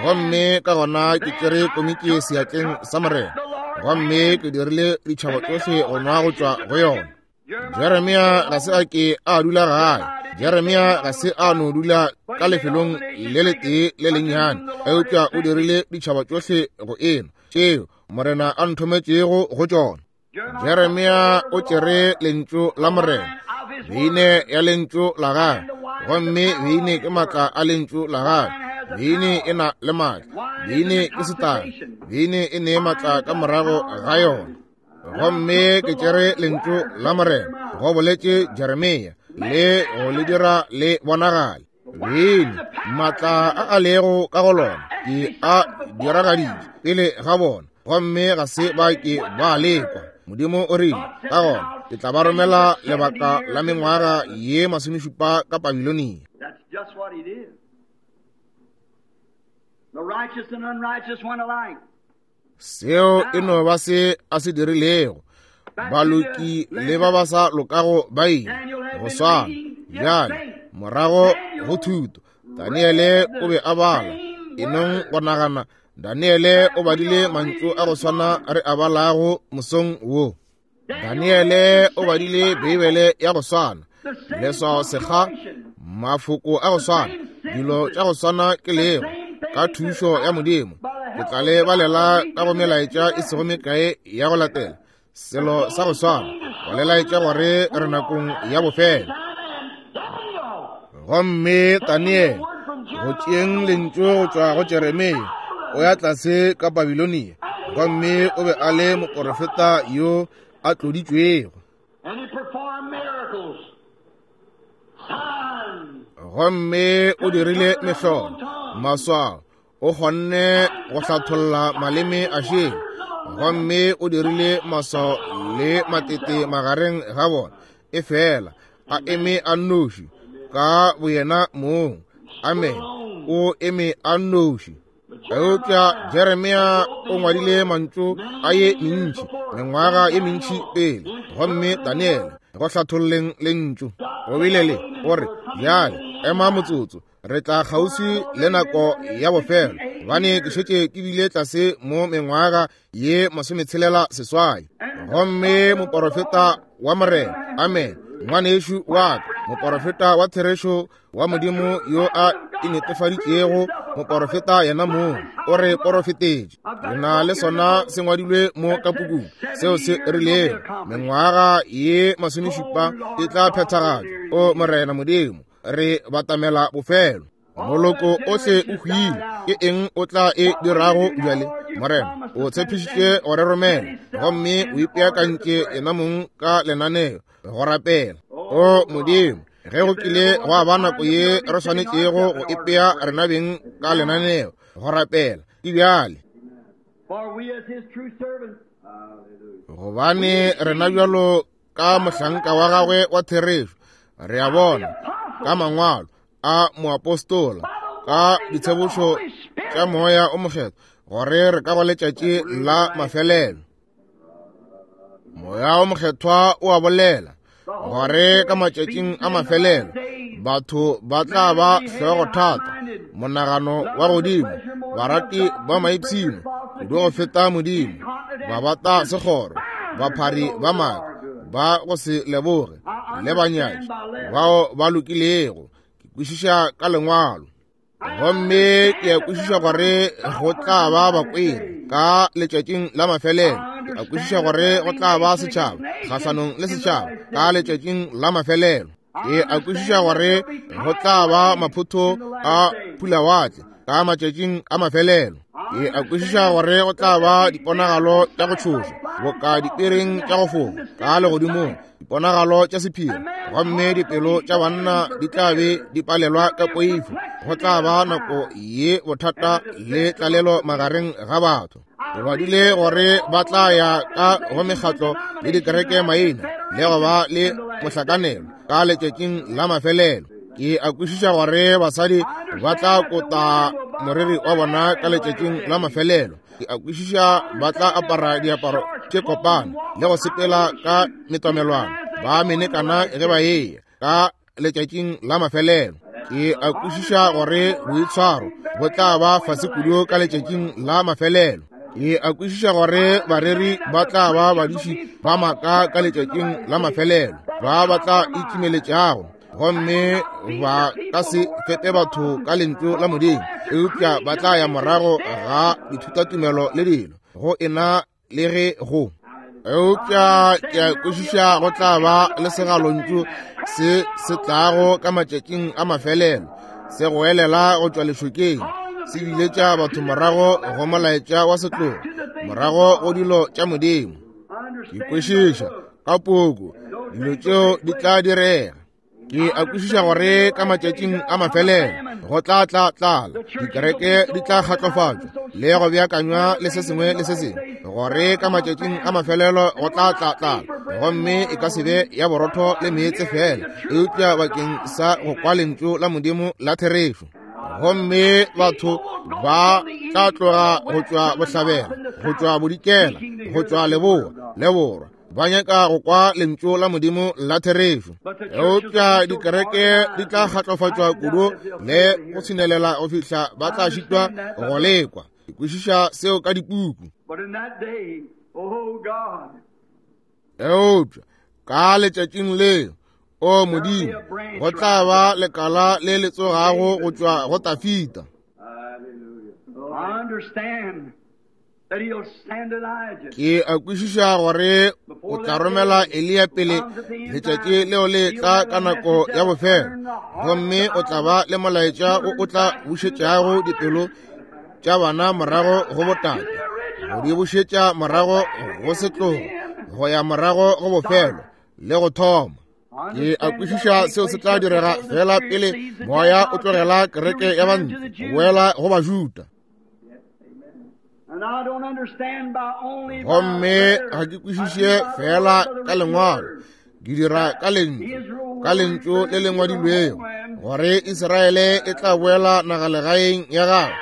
Gomme ka gona ke tšere komiki seatleng sa Morena, gomme ke dirile ditšhaba tšohle go nwa go tšwa go yona. Jeremia ga se a ke a dula gae. Jeremia ga se a no dula ka lefelong le letee le lennyane, eupša o dirile ditšhaba tšohle go enwa tšeo Morena a nthometšego go tšona. Jeremia o tšere lentšu la Morena, beine ya lentšu la gagwe, gomme beine ke maatla a lentšu la gagwe. Beine e na le maatla, beine ke setagi, beine e ne maatla ka morago ga yona. Gomme ke tšere lentšu la Morena, go boletše Jeremia, le go le dira le bonagale. Beine, maatla a a lego ka go lona, ke a diragaditše pele ga bona, gomme ga se ba ke ba lekwa. Modimo o rile, ka gona ke tla ba romela lebaka la mengwaga ye masomešupa ka Babilonia. That's just what he did. The righteous and unrighteous went alike. Seo e no ba se a se dirilego. Baloki le ba ba sa lokago ba ile go swana. Bjale morago go thuto, Daniele o be a bala. E nong go nagana, Daniele o badile mantšu a go swana re a balago mosong wo. Daniele o badile Beibele ya go swana, leswao sekga, mafoko a go swana, dilo tša go swana ke lego, ka thušo ya Modimo. Ke tla le balela ka go melaetša e sego mekae ya go latela, selo sa go swana, go le laetša gore re nakong ya bofelo. Gomme Daniele, go tšeeng lentšu go tšwa go Jeremia, o ya tlase ka Babilonia, gomme o be a le moporofeta yo a tloditšwego. And he performed miracles, signs. Gomme o dirile mehlolo, maswao, o kgonne go hlatholla maleme a šele, gomme o dirile maswao le matete magareng ga bona, e fela a eme a nnoši ka boyena mong. Amen. O eme a nnoši. Eupša Jeremia o ngwadile mantšu a ye mentši, mengwaga ye mentši pele, gomme Daniele go hlatholleng lentšu o bile le o re, bjale ema motsotso, re tla kgauswi le nako ya bofelo, gobane ke šetše ke bile tlase mo mengwaga ye masometshelela seswai. Gomme moporofeta wa Morena, amen, ngwanešu wa ka, moporofeta wa therešo wa Modimo yo a inetefaditšego, moporofeta yena mong o re porofetetše. Re na le sona se ngwadilwe mo ka pukung, seo se rilego mengwaga ye masomešupa e tla phethagatšwa. O Morena Modimo, re batamela bofelo. Moloko ohle o hwile. Ke eng o tla e dirago bjale? Morena o tshepišitše go re romela, gomme o ipeakantše yena mong ka lenaneo go rapela. O Modimo, ge go kile gwa ba nako ye re swanetšego go ipea rena beng ka lenaneo go rapela, ke bjale. For we as his true servants, Gobane rena bjalo ka mohlanka wa gagwe wa therešo, re a bona ka mangwalo a moapostola, ka ditshebošo tša Moya o Mokgethwa, gore re ka go letšatši la mafelelo. Moya o Mokgethwa o a bolela gore ka matšatšing a mafelelo batho ba tla ba hlogothata, monagano wa godimo, barati ba maipshino kudu go feta Modimo, ba bata sekgoro, baphari ba maaka, ba go se leboge, le banyatši bao ba lokilego. Ke kwešiša ka lengwalo, gomme ke a kwešiša gore go tla ba bakweri ka letšatšing la mafelelo. Ke a kwešiša gore go tla ba setšhaba kgahlanong le setšhaba ka letšatšing la mafelelo. Ke a kwešiša gore go tla ba maphotho a pulawatle ka matšatšing a mafelelo. Ke a kwešiša gore go tla ba diponagalo tša go tšhoša boka dipereng tša go fofa ka legodimong, diponagalo tša sephiri, gomme dipelo tša banna di tla be di palelwa ka poifo. Go tla ba nako ye bothata le tlalelo magareng ga batho. Ke badile gore ba tla ya ka go mekgatlo le dikereke maina le go ba le mohlakanelo ka letšatšing la mafelelo. Ke a kwešiša gore basadi ba tla kota moriri wa bona ka letšatšing la mafelelo. Ke a kwešiša ba tla apara diaparo tše kopana le go sepela ka metomelwana, ba menekana ge ba eya ka letšatšing la mafelelo. Ke a kwešiša gore boitshwaro bo tla ba fase kudu ka letšatšing la mafelelo. Ke a kwešiša gore bareri ba tla ba badiši ba maaka ka letšatšing la mafelelo, ba ba tla itšimeletšago, gomme ba ka se fepe batho ka lentšu la Modimo, eupša ba tla ya morago ga dithutatumelo le dilo go ena le ge go. Eupša ke a kwešiša go tla ba le segalontšu se se tlago ka matšatšing a mafelelo, se goelela go tšwa lešokeng, se biletša batho morago go molaetša wa setlogo, morago go dilo tša Modimo. Ke kwešiša ka puku dilo tšeo di tla direga. Ke a kwešiša gore ka matšatšing a mafelelo go tla tla tlala, dikereke di tla kgatlofatšwa le go beakanywa le se sengwe le se sengwe, gore ka matšatšing a mafelelo go tla tla tlala, gomme e ka se be ya borotho le meetse fela, eupša bakeng sa go kwa lentšu la Modimo la therešo. Gomme batho ba tla tloga go tšwa bohlabela, go tšwa bodikela, go tšwa leboa le borwa, ba nyaka go kwa lentšu la Modimo la therešo. Eupša dikereke di tla kgatlofatšwa kudu le go tshinelela go fihla ba tla šitwa go lekwa. Ke kwešiša seo ka dipuku. Eupša ka letšatšing leo, o Modimo, go tla ba lekala le le tsogago go tšwa go Tafita. Ke a kwešiša gore o tla romela Eliya pele letšatši leo le tla ka nako ya bofelo, gomme o tla ba le molaetša o o tla bušetšago dipelo tša bana morago go botate, go di bušetša morago go setlogo, go ya morago go bofelo le go thoma. Ke a kwešiša seo se tla direga fela pele moya o tlogela kereke ya bantle go boela go Bajuda. Gomme ga ke kwešiše fela ka lengwalo, ke dira ka lentšu, ka lentšu le le ngwadilwego, gore Israele e tla boela nagalegaeng ya gagwe,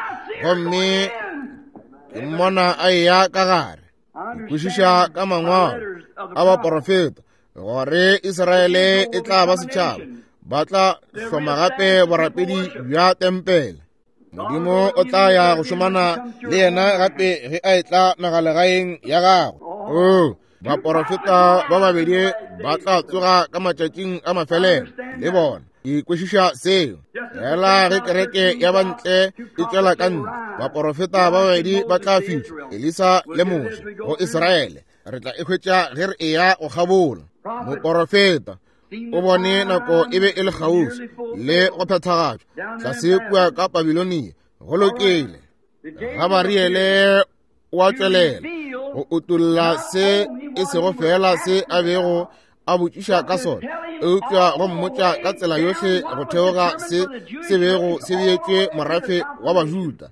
gomme ke mmona a eya ka gare. Ke kwešiša ka mangwalo a baporofeta gore Israele e tla ba setšhaba, ba tla hloma gape borapedi bja tempele. Modimo o tla ya go šomana le yena gape ge a etla nagalegaeng ya gagwe. O baporofeta ba babedi ba tla tsoga ka matšatšing a mafelelo le bona. Ke kwešiša seo. Fela ge kereke ya bantle e tšwela ka ntle, baporofeta ba babedi ba tla fihla, Elisa le Moshe, go Israele. Re tla e hwetša ge re eya go kgabola. Moporofeta o bone nako e be e le kgauswi le go phethagatšwa tlase kua ka Babilonia. Go lokile. Gabariele o a tšwelela go utolla se e sego fela se a bego a botšiša ka sona, eupša go mmotša ka tsela yohle go theoga se se bego se beetšwe morafe wa Bajuda,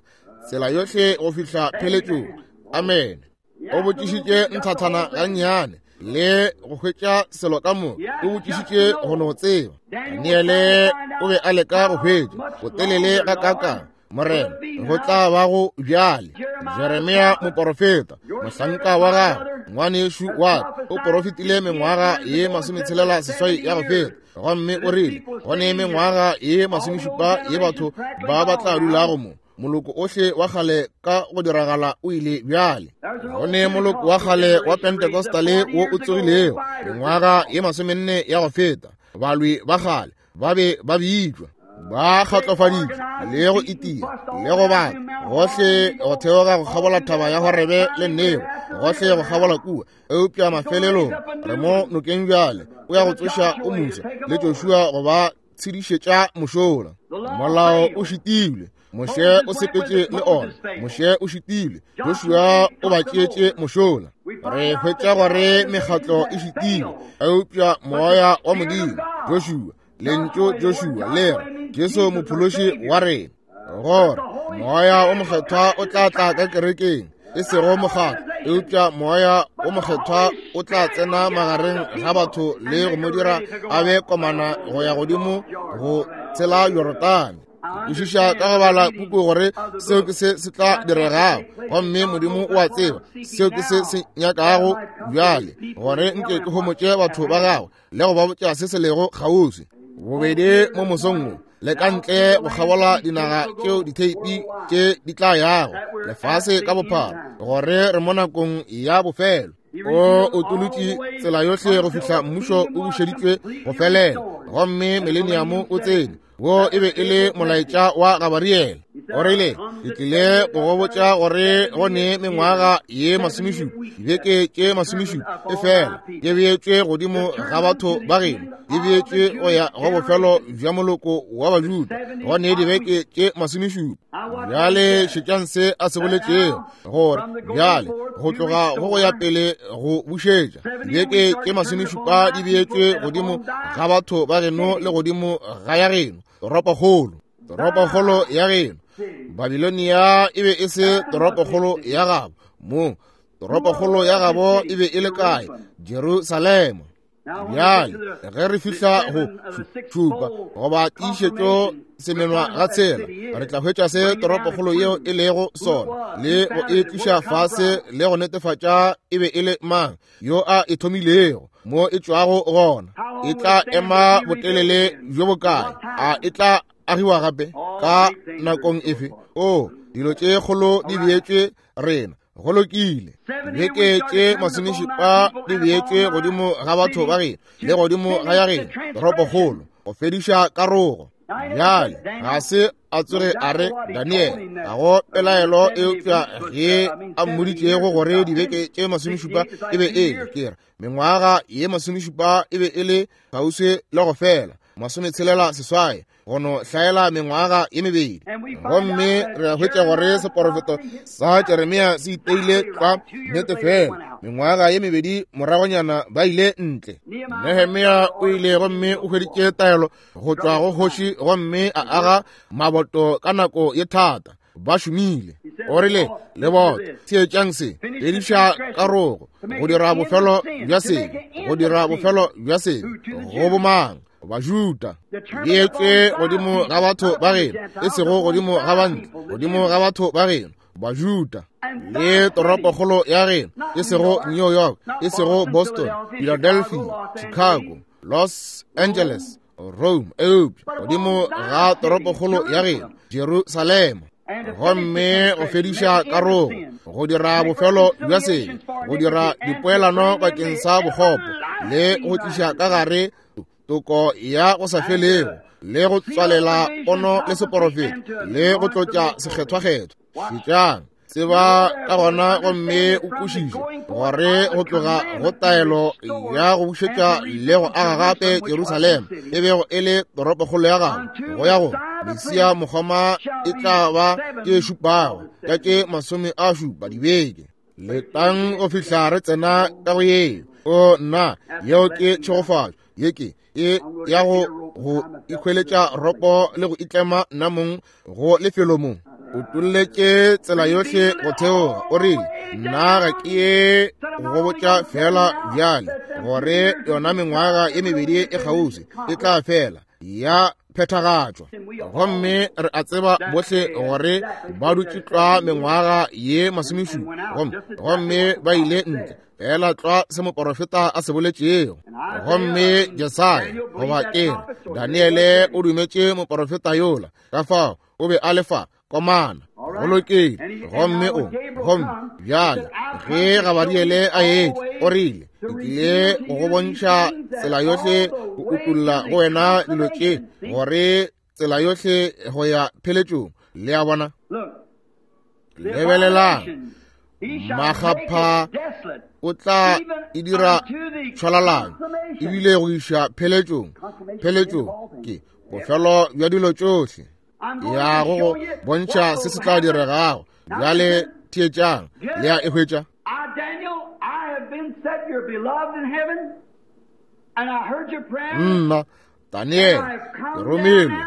tsela yohle go fihla pheletšong. Amen. O botšišitše nthathana gannyane le go hwetša selo ka moka, o botšišitše go no tseba. Daniele o be a leka go hwetša botelele ga kakang Morena go tla ba go bjale. Jeremia moporofeta, mohlanka wa gagwe, ngwanešu wa ka, o porofetile mengwaga ye masometshelela seswai ya go feta, gomme o rile go ne mengwaga ye masomešupa ye batho ba ba tla dulago mo. Moloko ohle wa kgale ka go diragala o ile bjale. Go ne moloko wa kgale wa Pentecostale wo o tsogilego mengwaga ye masomenne ya go feta. Balwi ba kgale ba be ba bitšwa, ba kgatlofaditšwe le go itia le go baka gohle go theoga go kgabola thaba ya Horebe le Nebo, gohle go kgabola kua. Eupša mafelelong re mo nokeng bjale, o ya go tsoša o Musa le Joshua go ba tshedišetša mošola. Molao o šitilwe, Moshe o sepetše le ona, Moshe o šitilwe, Joshua o ba tšeetše mošola. Re hwetša gore mekgatlo e šitilwe, eupša moya wa Modimo, Joshua, lentšu Joshua le re Jesu mophološi wa rena, gore moya o mokgethwa o tla tla ka kerekeng, e sego mokgatlo, eupša moya o mokgethwa o tla tsena magareng ga batho le go mo dira a be komana go ya godimo go tshela Jorodane. Kwešiša ka go bala puku gore seo ke se se tla diregago, gomme Modimo o a tseba seo ke se se nyakago bjale, gore nke ke homotše batho ba gagwe le go ba botša se se lego kgauswi. Bobedi mo mosong wo le ka ntle go kgabola dinaga tšeo ditheipi tše di tla yago lefase ka bophara, gore re mo nakong ya bofelo. O otolotše tsela yohle go fihla mmušo o bušeditšwe go felela, gomme mileniamo o tsene. Wo e be e le molaetša wa Gabariele. O rile, Ke tlile go go botša gore go ne mengwaga ye masomešupa, dibeke tše masomešupa, efela di beetšwe godimo ga batho ba geno, di beetšwe go ya go bofelo bja moloko wa Bajuda, go ne dibeke tše masomešupa. Bjale šetšang se a se boletšego, gore bjale go tloga go go ya pele go bušetša dibeke tše masomešupa di beetšwe godimo ga batho ba geno le godimo ga ya geno, toropokgolo, toropokgolo ya geno. Babilonia e be e se toropokgolo ya gabo mo, toropokgolo ya gabo e be e le kae? Jerusalema. Bjale ge re fihla go šupa goba tiišetšo semenwa ga tshela, re tla hwetša se toropokgolo yeo e lego sona le go e tliša fase le go netefatša e be e le mang yo a e thomilego, mo e tšwago gona, e tla ema botelele bjo bokae, a e tla agiwa gape ka nakong efe. O, dilo tše kgolo di beetšwe rena. Go lokile. Dibeke tše masomešupa di beetšwe godimo ga batho ba geno le godimo ga ya geno, toropokgolo, go fediša karogo. Bjale ga se a tsoge a re Daniele, ga go pelaelo eupša ge a mmoditšego gore dibeke tše masomešupa e be e le, ke re mengwaga ye masomešupa e be e le kgauswi le go fela, masometshelela seswai, go no hlaela mengwaga ye mebedi. Gomme re a hwetša gore seporofeto sa Jeremia se iteile tlwa nnete fela. Mengwaga ye mebedi moragonyana ba ile ntle. Nehemia o ile gomme o hweditše taelo go tšwa go kgoši gomme a aga maboto ka nako ye thata. Ba šomile. O rile, leboto, theetšang se, fediša karogo, go dira bofelo bja sebe, go dira bofelo bja sebe, go bomang? Bajuda. Beetšwe godimo ga batho ba geno, e sego godimo ga bantle, godimo ga batho ba geno, Bajuda. Le toropokgolo ya geno, e sego New York, e sego Boston, Philadelphia, Chicago, Los Angeles, Rome, eupša godimo ga toropokgolo ya geno, Jerusalema. Gomme go fediša karogo, go dira bofelo bja sebe, go dira dipoelano bakeng sa bokgopo, le go tliša ka gare toko ya go sa felego, le go tswalela pono le seporofeto, le go tlotša sekgethwakgethwa. Šetšang, tseba ka gona gomme o kwešiše gore go tloga go taelo ya go bušetša le go aga gape Jerusalema e bego e le toropokgolo ya gagwe, go ya go Mesia mokgoma e tla ba tše šupago ka tše masome a šupa dibeke. Letang go fihla re tsena ka go yeo. O nna, yeo ke tšhegofatšo. Ye ke e ya go go ikhweletša ropo le go itlema nna mong go lefelo mo. O tolletše tsela yohle go theoga. O rile, nna ga ke ye go botša fela bjale gore yona mengwaga ye mebedi e kgauswi e tla fela ya phethagatšwa. Gomme re a tseba bohle gore ba dutše tlwa mengwaga ye masomešupa, gomme gomme ba ile ntle fela tlwa se moporofeta a se boletšego. Gomme Jesaya, goba ke re Daniele, o dumetše moporofeta yola, ka fao o be a le fa komana. Go lokile. Gomme o, gomme bjale ge Gabariele a etla, o rile, ke tlile go go bontšha tsela yohle, go utolla go wena dilo tše, gore tsela yohle go ya pheletšong. Le a bona? Lebelelang, makgapha o tla e dira tšhwalalanyo, ebile go iša pheletšong. Pheletšong ke bofelo bja dilo tšohle. Ya go go bontšha se se tla diregago. Bjale theetšang, le a e hwetša. Nna Daniele ke romilwe,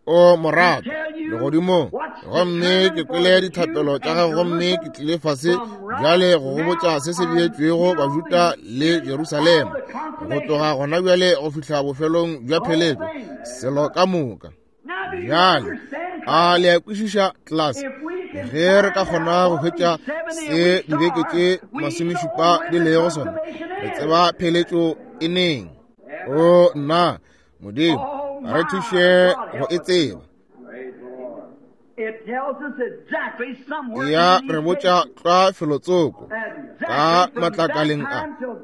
o morato legodimong, gomme ke kwele dithapelo tša gago, gomme ke tlile fase bjale go go botša se se beetšwego Bajuda le Jerusalema, go tloga gona bjale go fihla bofelong bja pheletšo, selo ka moka. Bjale a le a kwešiša, class? Ge re ka kgona go hwetša se dibeke tše masomešupa di lego sona, re tseba pheletšo e neng. O nna, Modimo, re thuše go e tseba. Ya re botša tlwa felotsoko ka matlakaleng a,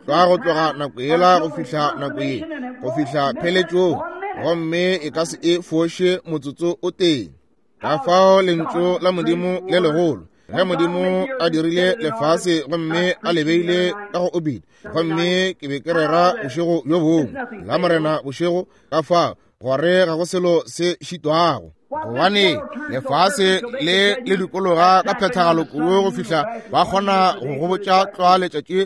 tlwa go tloga nako yela go fihla nako ye, go fihla pheletšong, gomme e ka se e foše motsotso o tee. Ka fao lentšu la Modimo le legolo, ge Modimo a dirile lefase gomme a le beile ka go obit, gomme ke be ke rera bošego bjo bongwe la Morena bošego, ka fao gore ga go selo se šitwago. Gobane lefase le le dikologa ka phethagalo kudu go fihla ba kgona go go botša tlwa letšatši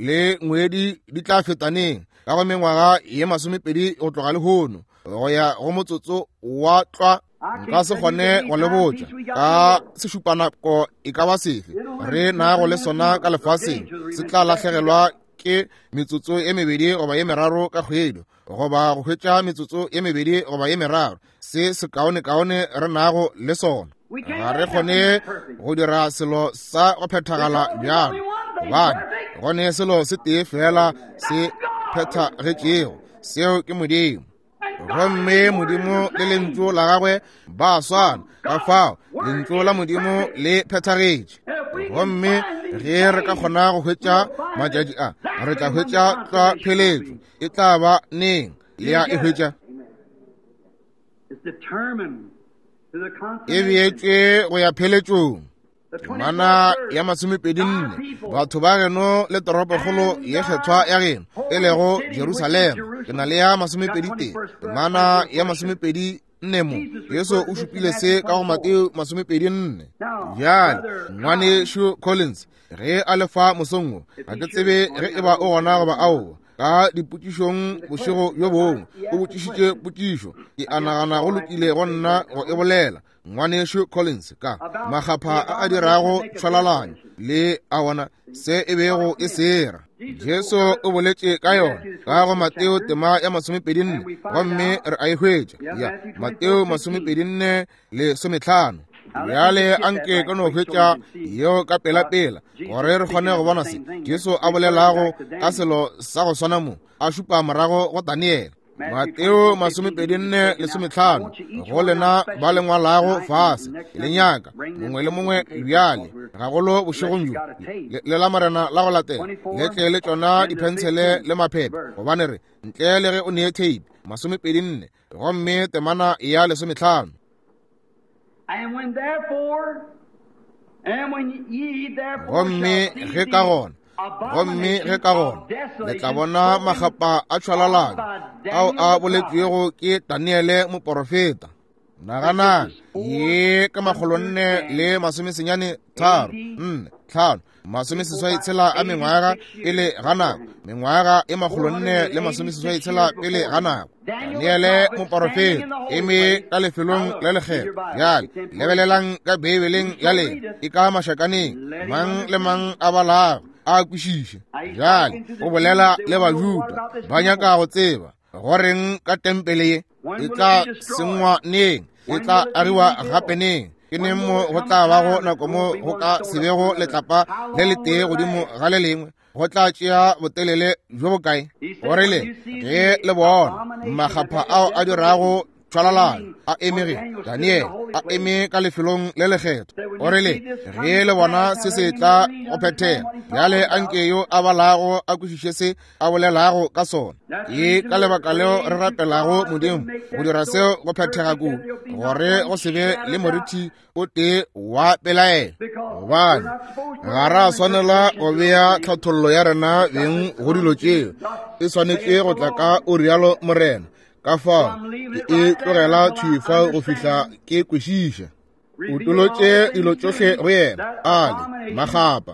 le ngwedi di tla fetaneng ka go mengwaga ye masomepedi go tloga lehono go ya go motsotso wa tlwa. Nka se kgone go le botša ka sešupanako e ka ba sefe re nago le sona ka lefaseng, se tla lahlegelwa ke metsotso e mebedi goba ye meraro ka kgwedi, goba go hwetša metsotso ye mebedi goba ye meraro. Se se kaone-kaone re nago le sona. Ga re kgone go dira selo sa go phethagala bjalo, gobane go ne selo se tee fela se phethagetšego, seo ke Modimo. Gomme Modimo le lentšu la gagwe ba swana, ka fao lentšu la Modimo le phethagetše. Gomme ge re ka kgona go hwetša matšatši a, re tla hwetša tlwa pheletšo. E tla ba neng? Le a e hwetša? E beetšwe go ya pheletšong. Temana ya masomepedi nne, batho ba geno le toropokgolo ye kgethwa ya geno e lego Jerusalema. Ke na le ya masomepedi tee, temana ya masomepedi nne mo. Jesu o šupile se ka go Mateo masomepedi nne. Bjale ngwanešu Collins ge a le fa mosong wo, ga ke tsebe ge e ba o gona goba aowa. Ka dipotšišong bošego bjo bongwe o botšišitše potšišo, ke a nagana go lokile go nna go e bolela. Ngwanešu Collins ka makgapha a a dirago tšhwalalanyo le a ona se e bego e sera. Jesu o boletše ka yona ka go Mateo tema ya masomepedi nne, gomme re a e hwetša ya Mateo masomepedi nne le sometlhano. Bjale anke ka no hwetša yeo ka pela-pela gore re kgone go bona se Jesu a bolelago ka selo sa go swana mo, a šupa morago go Daniele. Mateo masomepedi nne le sometlhano, go lena ba le ngwalago fase le nyaka mongwe le mongwe bjale gagolo bošegong bjo le la Morena la go latela le tle le tšona diphensele le maphephe, gobane re ntle le ge o nee tape. Masomepedi nne gomme temana ya lesometlhano. Gomme ge ka gona gomme ge ka gona le tla bona makgapa a tšhwalalanyo ao a boletšwego ke Daniele moporofeta. Naganang ye ka makgolonne le masomesenyane tharo nne tlhano masomeseswai tshela a mengwaga pele ga nako, mengwaga e makgolonne le masomeseswai tshela pele ga nako. Daniele moporofeta eme ka lefelong le lekgethwa. Bjale lebelelang ka Beibeleng ya lena, e ka mašakaneng, mang le mang a balago a kwešiše. Bjale o bolela le Bajuda, ba nyaka go tseba goreng ka tempele ye e tla sengwa neng, e tla agiwa gape neng, ke neng mo go tla bago nako mo go ka se bego letlapa le letee godimo ga le lengwe, go tla tšea botelele bjo bokae. O rile ge le bona makgapha ao a dirago tšhwalalanyo a emege, Daniele a eme ka lefelong le lekgethwa. O rile ge le bona se se tla go phethega, bjale anke yo a balago a kwešiše se a bolelago ka sona. Ke ka lebaka leo re rapelago Modimo go dira seo go phethega kudu, gore go se be le moriti o tee wa pelaelo, gobane ga ra swanela go bea tlhathollo ya rena beng go dilo tšeo. E swanetše go tla ka o rialo Morena. Ka fao ke e tlogela thwi fao go fihla ke kwešiša. O tolotše dilo tšohle go yena a le makgapa.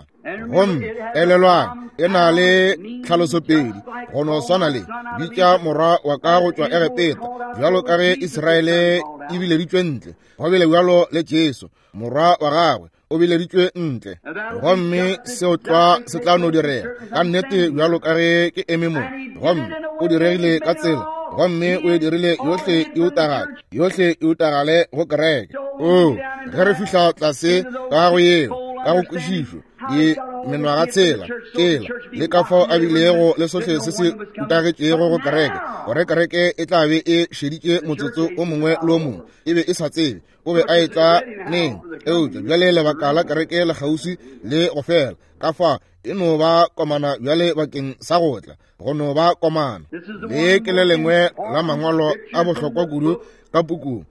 Gomme elelwang e na le tlhalosopedi go no swana le bitša morwa wa ka go tšwa Egepeta, bjalo ka ge Israele e bileditšwe ntle, go bile bjalo le Jesu morwa wa gagwe o bileditšwe ntle. Gomme seo tlwa se tla no direga ka nnete bjalo ka ge ke eme mo. Gomme o diregile ka tsela, gomme o e dirile yohle e utagale, yohle e utagale go kereke. O ge re fihla tlase ka go yeo ka go kwešišo di menwagatshela tšela le ka fao a bilego le sohle se se utagetšego go kereke, gore kereke e tla be e šeditše motsotso o mongwe le o mongwe, e be e sa tsebe o be a etla neng. Eupša bjale lebaka la kereke le kgauswi le go fela, ka fa e no ba komana bjale bakeng sa go tla, go no ba komana. Le ke le lengwe la mangwalo a bohlokwa kudu ka pukung.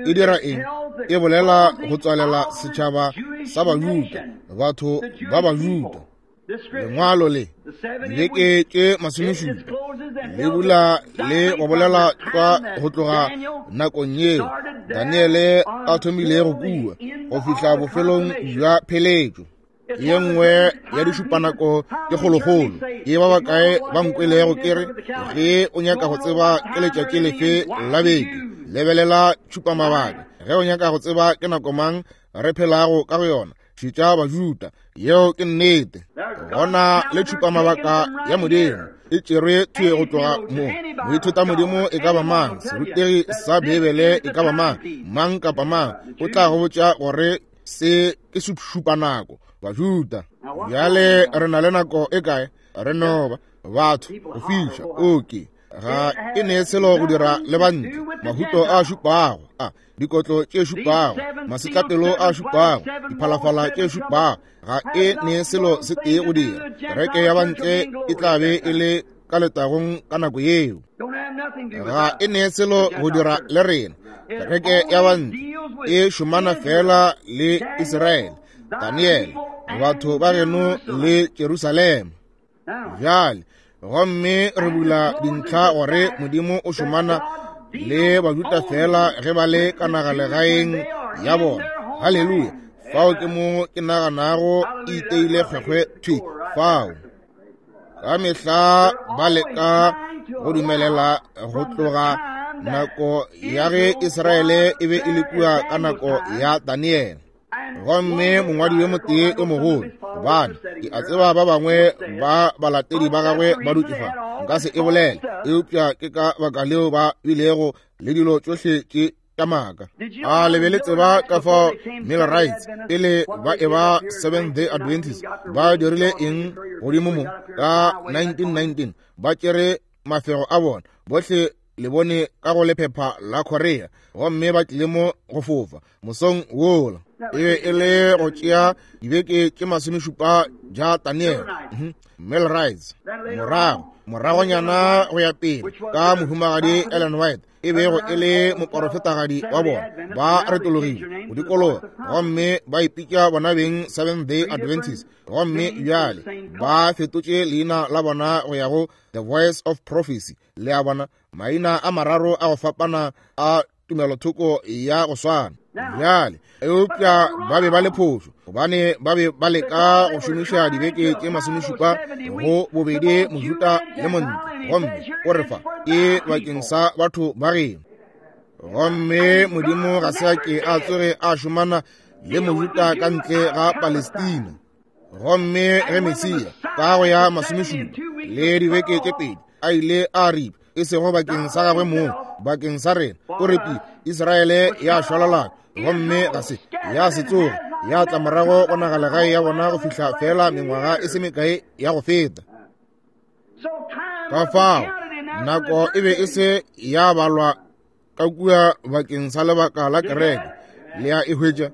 E dira eng? E bolela go tswalela setšhaba sa Bajuda, batho ba Bajuda. Lengwalo le dibeke tše masomešupa le bula le go bolela tlwa go tloga nakong yeo Daniele a thomilego kua go fihla bofelong bja pheletšo. Ye nngwe ya dišupanako ke kgolokgolo. Ke ba bakae ba nkwelego ke re ge o nyaka go tseba ke letšatši lefe la beke, lebelela tšhupamabaka. Ge o nyaka go tseba ke nako mang re phelago ka go yona, šetša Bajuda. Yeo ke nnete. Gona le tšhupamabaka ya Modimo e tšerwe thwe go tloga mo. Moithuta Modimo e ka ba mang, serutegi sa Bibele e ka ba mang, mang kapa mang o tla go botša gore se ke šupanako Bajuda. Bjale re na le nako e kae? Re no ba batho go fiša. Okay, ga e ne selo go dira le bantle. Mahuto a šupago, a dikotlo tše šupago, masetlapelo a šupago, diphalafala tše šupago, ga e ne selo se tee go dira. Kereke ya bantle e tla be e le ka letagong ka nako yeo. Ga e ne selo go dira le rena. Kereke ya bantle e šomana fela le Israele, Daniele, batho ba geno le Jerusalema. Bjale gomme re bula dintlha gore Modimo o šomana le Bajuda fela ge ba le ka nagalegaeng ya bona. Haleluya! Fao ke mo ke naganago e iteile kgwekgwe thwi fao. Ka mehla ba leka go dumelela go tloga nako ya ge Israele e be e le kua ka nako ya Daniele. Gomme mongwadi yo motee yo mogolo, gobane ke a tseba ba bangwe ba balatedi ba gagwe ba dutše fa, nka se e bolele, eupša ke ka baka leo ba bilego le dilo tšohle tše tša maaka. A le be le tseba ka fao Millerites pele ba e ba Seventh Day Adventist ba dirile eng godimo mo ka nineteen nineteen? Ba tšere mafego a bona bohle le bone ka go lephepha la Korea, gomme ba tlile mo go fofa mosong wola. E be e le go tšea dibeke tše masomešupa ja Daniel. Millerites morago moragonyana go ya pele ka mohumagadi Ellen White e bego e le moporofetagadi wa bona, ba retologile go dikologa gomme ba ipitša bona beng Seventh Day Adventist, gomme bjale ba fetotše leina la bona go ya go The Voice of Prophecy. Le a bona, maina a mararo a go fapana a tumelothoko ya go swana. Bjale eupša ba be ba le phošo, gobane ba be ba leka go šomiša dibeke tše masomešupa go bobedi Mojuda le montle, gomme o re fa ke bakeng sa batho ba geno. Gomme Modimo ga se a ke a tsoge a šomana le Mojuda ka ntle ga Palestina. Gomme ge Mesia ka go ya masomešupa le dibeke tše pedi a ile a ripa, e sego bakeng sa gagwe mong, bakeng sa rena, o repile Israele ya šwalalana, gomme ga se ya se tsoge ya tla morago go nagalegae ya bona go fihla fela mengwaga e se mekae ya go feta. Ka fao nako e be e se ya balwa ka kua bakeng sa lebaka la kereke. Le a e hwetša?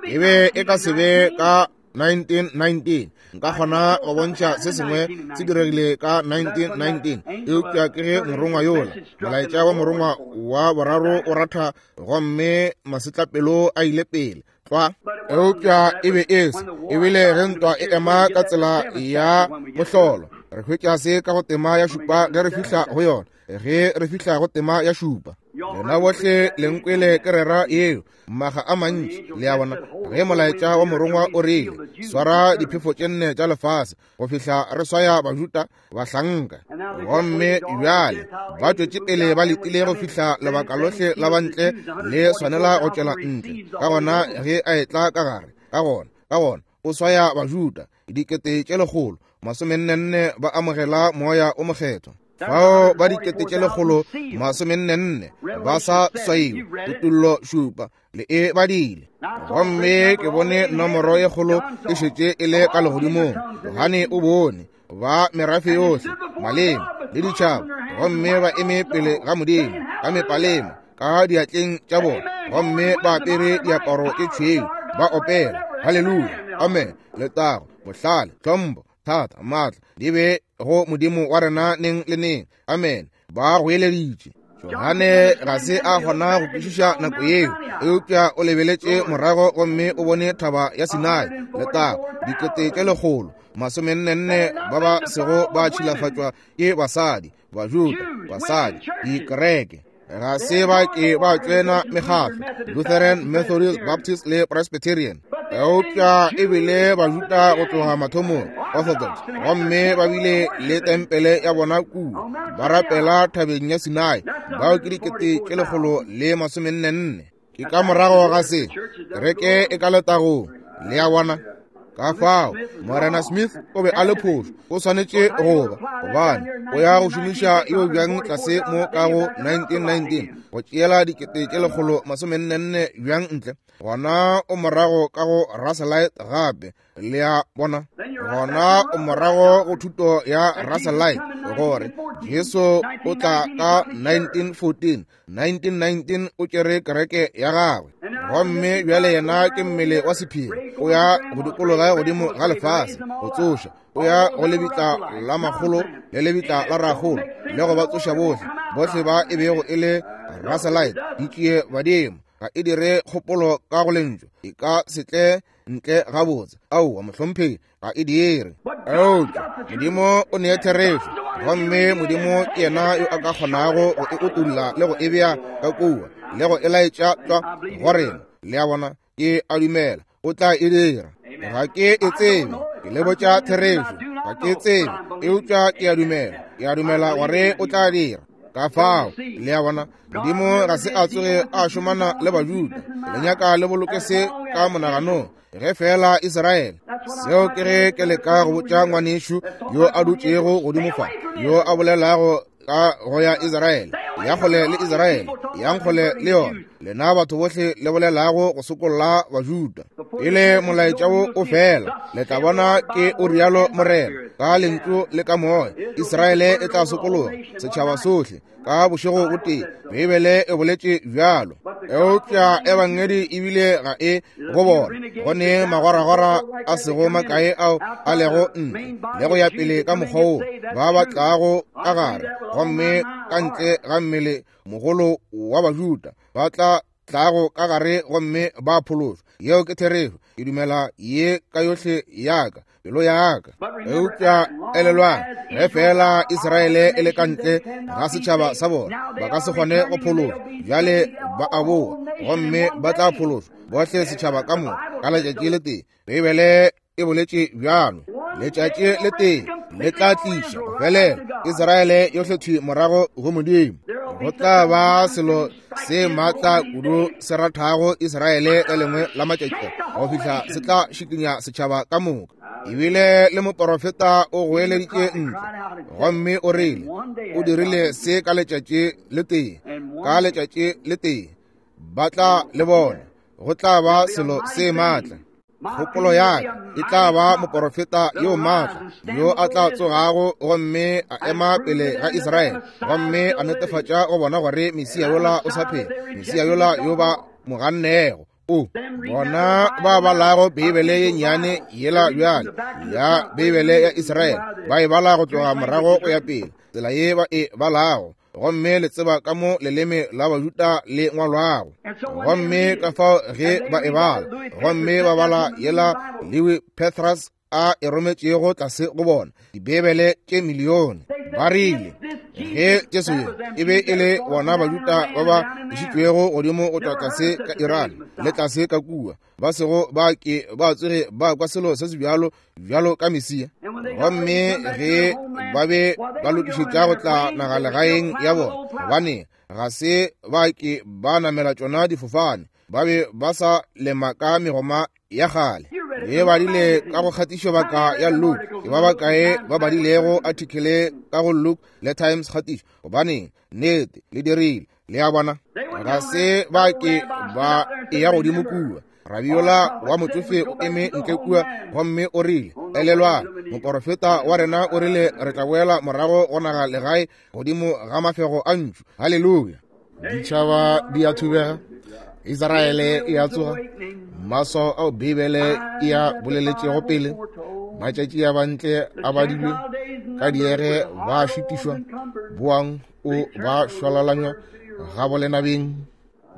E be e ka se be ka nineteen nineteen. Nka kgona go bontšha se sengwe se diregile ka nineteen nineteen, eupša ke ge morongwa yola, molaetša wa morongwa wa boraro o ratha, gomme masetlapelo a ile pele tlwa. Eupša e be e se, ebile ge ntwa e ema ka tsela ya mohlolo, re hwetša se ka go tema ya šupa ge re fihla go yona. Ge re fihla go tema ya šupa, lena bohle le nkwele ke rera yeo maga a mantši. Le a bona, ge molaetša wa morongwa o rile swara diphefo tše nne tša lefase go fihla re swaya Bajuda bahlanka, gomme bjale ba tšwetše pele ba letile go fihla lebaka lohle la bantle le swanela go tšwela ntle. Ka gona ge a etla ka gare, ka gona ka gona o swaya Bajuda dikete tše lekgolo masomennenne ba amogela moya o mokgethwa. Fao ba dikete tše lekgolo masomennenne ba sa swaiwe, Kutollo šupa, le e badile. Gomme ke bone nomoro ye kgolo e šetše e le ka legodimong. Johane o bone ba merafe yohle, maleme le ditšhaba, gomme ba eme pele ga Modimo ka mepalema ka diatleng tša bona, gomme ba apere diaparo tše tšhweu, ba opela haleluya, amen, letago, bohlale, tlhompho, thata, maatla di be go Modimo wa rena neng le neng, amen. Ba goeleditše. Johane ga se a kgona go kwešiša nako yeo, eupša o lebeletše morago gomme o bone thaba ya Sinai, letago, dikete tše lekgolo masomennenne ba ba sego ba tšhilafatšwa ke basadi, Bajuda, basadi, dikereke. Ga se ba ke ba tsena mekgatlo, Lutheran, Methodist, Baptist le Presbyterian, eupša ebile Bajuda go tloga mathomong, Orthodox, gomme ba bile le tempele ya bona kua, ba rapela thabeng ya Sinai. Bao ke dikete tše lekgolo le masomennenne. Ke ka morago ga se kereke e ka letagong, le a bona. Ka fao Morena Smith o be a le phošo, o swanetše go ba, gobane o ya go šomiša yeo bjang tlase mo ka go nineteen nineteen go tšeela dikete tše lekgolo masomennenne bjang ntle. Gona o morago ka go Russellite gape, le a bona. Gona o morago go thuto ya Russellite gore Jesu o tla ka nineteen fourteen, nineteen nineteen o tšere kereke ya gagwe, gomme bjale yena ke mmele wa sephiri, o ya go dikologa godimo ga lefase go tsoša, o ya go lebitla la makgolo le lebitla la rakgolo le go ba tsoša bohle, bohle ba e bego e le Russellite, di tšee badimo. Ga e dire kgopolo ka go lentšu, e ka se tle ntle gabotse. Aowa mohlomphegi, ga e dire. Eupša Modimo o nee therešo, gomme Modimo ke yena yo a ka kgonago go e utolla le go e bea ka kua le go e laetša tšwa go rena. Le a bona, ke a dumela o tla e dira. Ga ke e tsebe, ke le botša therešo, ga ke tsebe, eupša ke a dumela, ke a dumela gore o tla dira. Ka fao, le a bona, Modimo ga se a tsoge a šomana le Bajuda. Le nyaka le boloke se ka monaganong ge fela Israele. Seo ke ge ke leka go botša ngwanešu yo a dutšego godimo fa, yo a bolelago ka go ya Israele, ya kgole le Israele, yang kgole le yona. Lena batho bohle le bolelago go sokolla Bajuda, pele molaetša wo o fela, le tla bona ke o rialo Morena, ka lentšu le ka moya, Israele e tla sokologa, setšhaba sohle ka bošego bo tee. Beibele e boletše bjalo. Eupša ebangedi ebile ga e go bona, go ne magwaragwara a sego makae ao a lego ntle le go ya pele ka mokgwa wo ba ba tlago ka gare, gomme ka ntle ga mmele mogolo wa Bajuda ba tla tlago ka gare gomme ba phološwa. Yeo ke therešo. Ke dumela ye ka yohle ya ka, pelo ya ka. Eupša elelwang, ge fela Israele e le ka ntle ga setšhaba sa bona, ba ka se kgone go phološwa. Bjale ba a boa gomme ba tla phološwa bohle setšhaba ka moka ka letšatši le tee. Beibele e boletše bjalo, letšatši le tee le tla tliša go felela Israele yohle thwi morago go Modimo. Go tla ba selo se maatla kudu se rathago Israele le lengwe la matšatši go fihla se tla šikinya setšhaba ka moka. Ebile le moporofeta o goeleditše ntle gomme o rile o dirile se ka letšatši le tee, ka letšatši le tee ba tla le bona. Go tla ba selo se maatla. Kgopolo ya ka e tla ba moporofeta yo maatla yo a tla tsogago gomme a ema pele ga Israele gomme a netefatša go bona gore Mesia yola o sa phela, Mesia yola yo ba mo gannego. O bona ba balago Beibele ye nnyane yela bjale ya Beibele ya Israele, ba e bala go tloga morago go ya pele, tsela ye ba e balago, gomme le tseba ka mo leleme la Bajuda le ngwalwago. Gomme ka fao ge ba e bala, gomme ba bala yela Lewi Pethrus a e rometšego tlase go bona Dibeibele tše milione, ba rile ge Jesu yo e be e le bona Bajuda ba ba išitšwego godimo go tšwa tlase ka Iran le tlase ka kua, ba sego ba ke ba tsoge ba kwa selo se se bjalo bjalo ka Mesia. Gomme ge ba be ba lokišetša go tla nagalegaeng ya bona, gobane ga se ba ke ba namela tšona difofane, ba be ba sa lema ka megoma ya kgale. Le badile ka go kgatišobaka ya Luke. Ke ba bakae ba badilego article ka go Luke le Times kgatišo? Gobaneng, nnete, le dirile. Le a bona? Ga se ba ke ba eya godimo kua. Rabiola wa motsofe o eme ntle kua gomme o rile, elelwang, moporofeta wa rena o rile re tla boela morago go naga legae godimo ga mafego a ntšu. Haleluya. Ditšhaba di a thubega, Israele e a tsoga, maswao ao Bibele e a boleletšego pele, matšatši a bantle a badilwe, ka diege ba šutišwa, boang o ba šwalalanywa ga bolenabeng.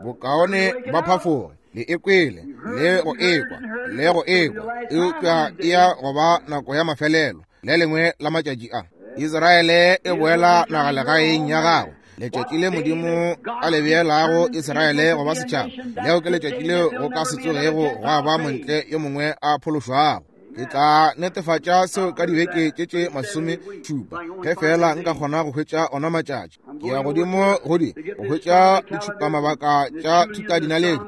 Bokaone ba phafoge, le ekwele, le go ekwa, le go ekwa, eupša e ya go ba nako ya mafelelo, le lengwe la matšatši a. Israele e boela nagalegaeng ya gagwe. Letšatši le Modimo a le beelago Israele go ba setšhaba, leo ke letšatši leo go ka se tsogego gwa ba montle yo mongwe a phološwago. Ke tla netefatša seo ka dibeke tše tše masome šupa, ge fela nka kgona go hwetša ona matšatši. Ke ya godimo go di go hwetša ditšhupamabaka tša thutadinaledi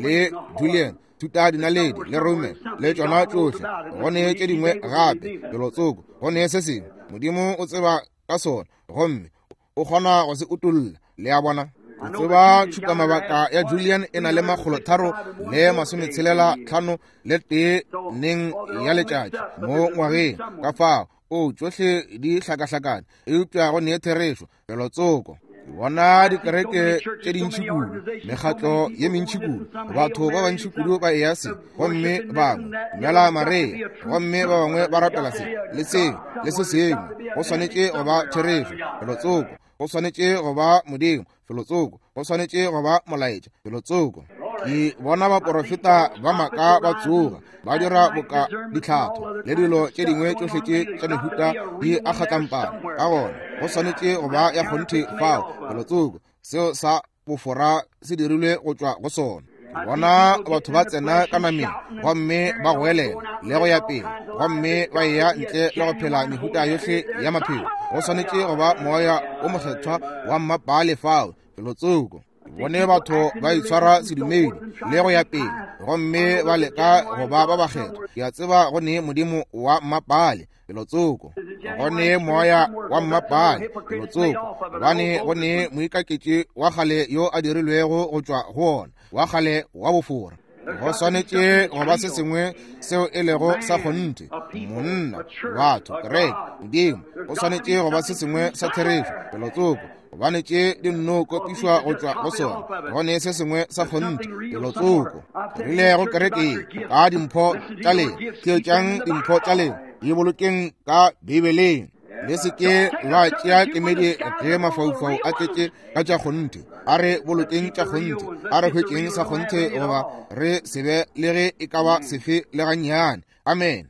le Julian, thutadinaledi le Roman le tšona tšohle. Go ne tše dingwe gape felotsoko, go ne se sengwe Modimo o tseba ka sona gomme o kgona go se utolla. Le a bona? Ke tseba tšhupamabaka ya Julian e na le makgolo tharo le masometshelela tlhano le tee neng ya letšatši mo ngwageng. Ka fao o tšohle di hlakahlakane, eupša go ne therešo felotsoko. Ke bona dikereke tše dintši kudu, mekgatlo ye mentši kudu, batho ba bantši kudu ba eya se, gomme bangwe dumela Maria, gomme ba bangwe ba rapela se le se le se sengwe. Go swanetše go ba therešo felotsoko, go swanetše go ba Modimo felotsoko, go swanetše go ba molaetša felotsoko. Ke bona baporofeta ba maaka ba tsoga, ba dira boka ditlhatho le dilo tše dingwe tšohle tše tša mehuta di a kgatlampana. Ka gona go swanetše go ba ya kgonthe fao felotsoko, seo sa bofora se dirilwe go tšwa go sona. Ke bona batho ba tsena ka nameng gomme ba goelela le go ya pele, gomme ba eya ntle le go phela mehuta yohle ya maphelo. Go swanetše go ba moya o mokgethwa wa mmapale fao felotsoko. Bone batho ba itshwara sedumedi le go ya pele, gomme ba leka go ba ba bakgethwa. Ke a tseba go ne Modimo wa mmapale felotsoko, go ne moya wa mmapale felotsoko, gobane go ne moikaketši wa kgale yo a dirilwego go tšwa go ona, wa kgale wa bofora. Go swanetše go ba se sengwe seo e lego sa kgonthe, monna, batho, kereke, Modimo. Go swanetše go ba se sengwe sa therešo felotsoko, gobane tše di nno kopišwa go tšwa go sona. Go ne se sengwe sa kgonthe felotsoko. Rile go kereke ka dimpho tša lena, theetšang dimpho tša lena, di bolokeng ka Bibeleng. Le se ke la tšea kemedi ge mafaufau a tletše ka tša kgonthe. A re bolokeng tša kgonthe, a re hwetšeng sa kgonthe, goba re se be le ge e ka ba sefe le gannyane. Amen.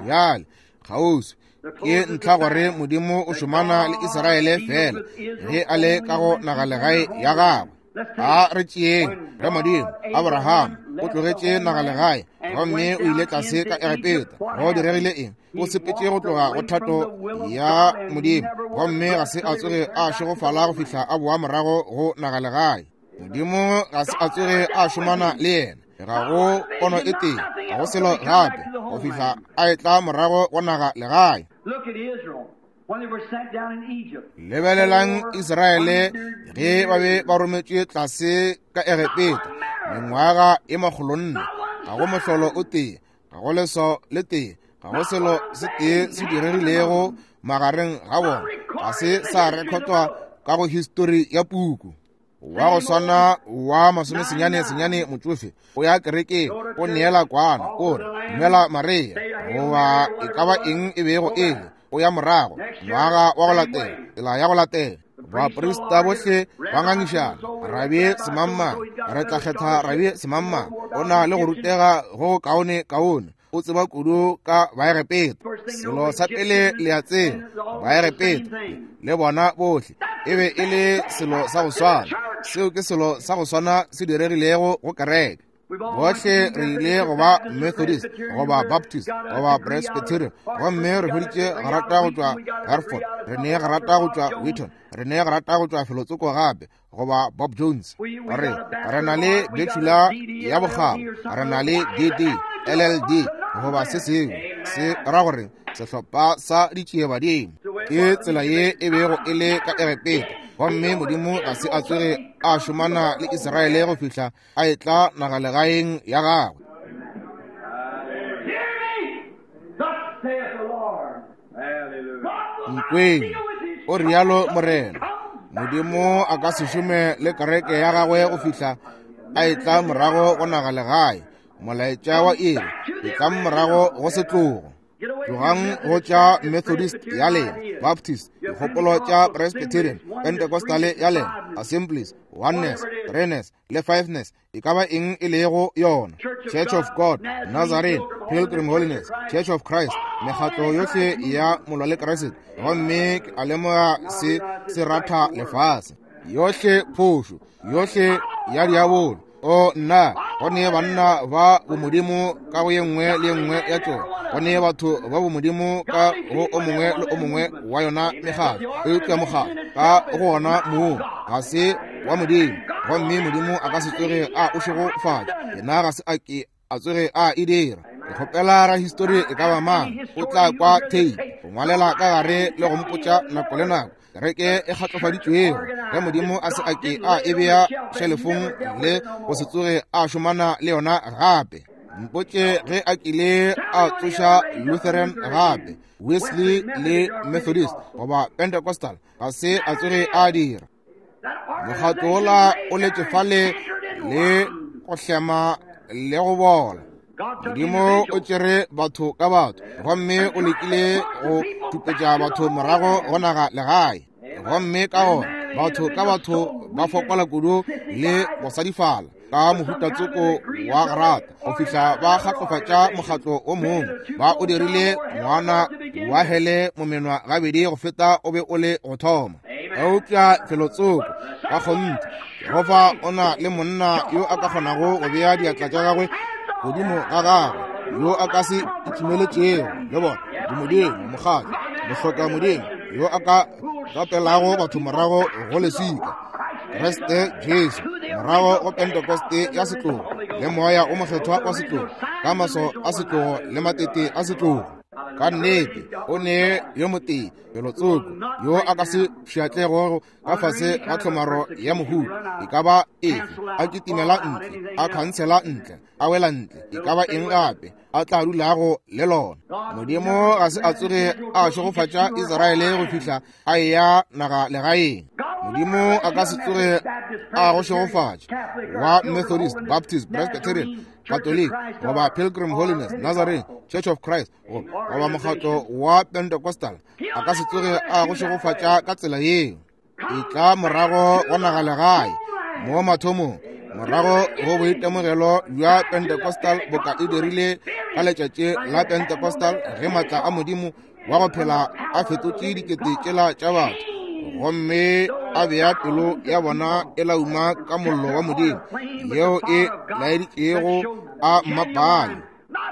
Bjale kgauswi ke ntlha gore Modimo o šomana le Israele fela ge a le ka go nagalegae ya gagwe. A re tšeeng ge Modimo Abraham o tlogetše nagalegae gomme o ile tlase ka Egepeta. Go diregile eng? O sepetše go tloga go thato ya Modimo gomme ga se a tsoge a šegofala go fihla a boa morago go nagalegae. Modimo ga se a tsoge a šomana le yena, ga go pono e tee, ga go selo gape, go fihla a etla morago go naga legae. Lebelelang Israele ge ba be ba rometšwe tlase ka Egepeta mengwaga e makgolonne, ga go mohlolo o tee, ga go leswao le tee, ga go selo se tee se diregilego magareng ga bona, ga se sa rekhotwa ka go histori ya puku. Wa go swana wa masomesenyane senyane motsofe o ya kerekeng, o neela kwana, o re dumela Maria, goba e ka ba eng e bego e le, o ya morago ngwaga wa go latela, tsela ya go latela. Baprista bohle ba ngangišana, Rabie semangmang, re tla kgetha Rabie semangmang, o na le go rutega go kaone kaone, o tseba kudu ka Baegepeta. Selo sa pele le a tseba, Baegepeta le bona bohle e be e le selo sa go swana. Seo ke selo sa go swana se diregilego go kereke. Bohle re ile go ba Methodist goba Baptist goba Presbyterian, gomme re hweditše grata go tšwa Hartford, re ne grata go tšwa Wheaton, re ne grata go tšwa felotsoko gape, goba Bob Jones. Re re na le bachelor ya bokgabo, re na le D D, L L D goba se sengwe. Se ra gore sehlopha sa ditšiebadimo. Ke tsela ye e bego e le ka Egepeta, gomme Modimo ga se a tsoge a šomana le Israele go fihla a etla nagalegaeng ya gagwe. Nkweng, o rialo Morena. Modimo a ka se šome le kereke ya gagwe go fihla a etla morago go nagalegae. Molaetša wa iri e tla morago go setlogo. Tlogang go tša Methodist ya lena, Baptist, dikgopolo tša Presbyterian, Pentecostal ya lena, Assemblies, Oneness, Threeness le Fiveness, e ka ba eng e lego yona, Church of God, Nazarene, Pilgrim Holiness, Church of Christ, mekgatlo yohle ya molwa le Kriste. Gomme ke a lemoga se se ratha lefase. Yohle phošo, yohle ya diabolo. O nna, go ne banna ba bomodimo ka go ye nngwe le ye nngwe ya tšona, go ne batho ba bomodimo ka go o mongwe le o mongwe wa yona mekgatlo, eupša mokgatlo ka go ona moo ga se wa Modimo, gomme Modimo a ka se tsoge a o šegofatša. Yena ga se a ke a tsoge a e dira. Ke kgopela rahistori e ka ba mang o tla kwa tape go ngwalela ka gare le go mpotša nako le nako kereke e kgatlofaditšwego ge Modimo a se a ke a e bea šelefong le go se tsoge a šomana le yona gape. Mpotše ge a kile a tsoša Lutheran gape, Wesley le Methodist goba Pentecostal, ga se a tsoge a dira. Mokgatlo wola o letše fale le go hlema le go bola. Modimo o tšere batho ka batho, gomme o lekile go tupetša batho morago go naga legae. Gomme ka gona batho ka batho ba fokola kudu le go sadifala ka mohutatsoko wa grata go fihla ba kgatlofatša mokgatlo o mongwe. Ba o dirile ngwana wa hele momenwa gabedi go feta o be o le go thoma. Eupša felotsoko ka kgonthe Jehofa o na le monna yo a ka kgonago go bea diatla tša gagwe godimo ga gagwe, yo a ka se ithumeletšego le bona dimodimo, mokgatlo, mohloka modimo, yo a ka rapelago batho morago go leswika, Kriste Jesu, morago go Pentekoste ya setlogo le moya o mokgethwa wa setlogo, ka maso a setlogo le matete a setlogo. Ka nnete o ne yo motee felotsoko yo a ka se pšhatlego ka fase ga tlhomaro ya mohuta e ka ba efe, a kitimela ntle, a khansela ntle, a wela ntle, e ka ba eng gape a tla dulago le lona. Modimo ga se a tsoge a šegofatša Israele go fihla a eya naga legaeng. Modimo a ka se tsoge a go šegofatša wa Methodist, Baptist, Presbyterian, Catholic goba Pilgrim Holiness, Nazarene, Church of Christ goba mokgatlo wa Pentecostal, a ka se tsoge a go šegofatša ka tsela yeo. E tla morago go naga legae mo mathomong, morago go boitemogelo bja Pentecostal boka e dirile ka letšatši la Pentecostal ge maatla a Modimo wa go phela a fetotše dikete tšela tša batho, gomme a bea pelo ya bona e lauma ka mollo wa Modimo yeo e laeditšego a mmapale,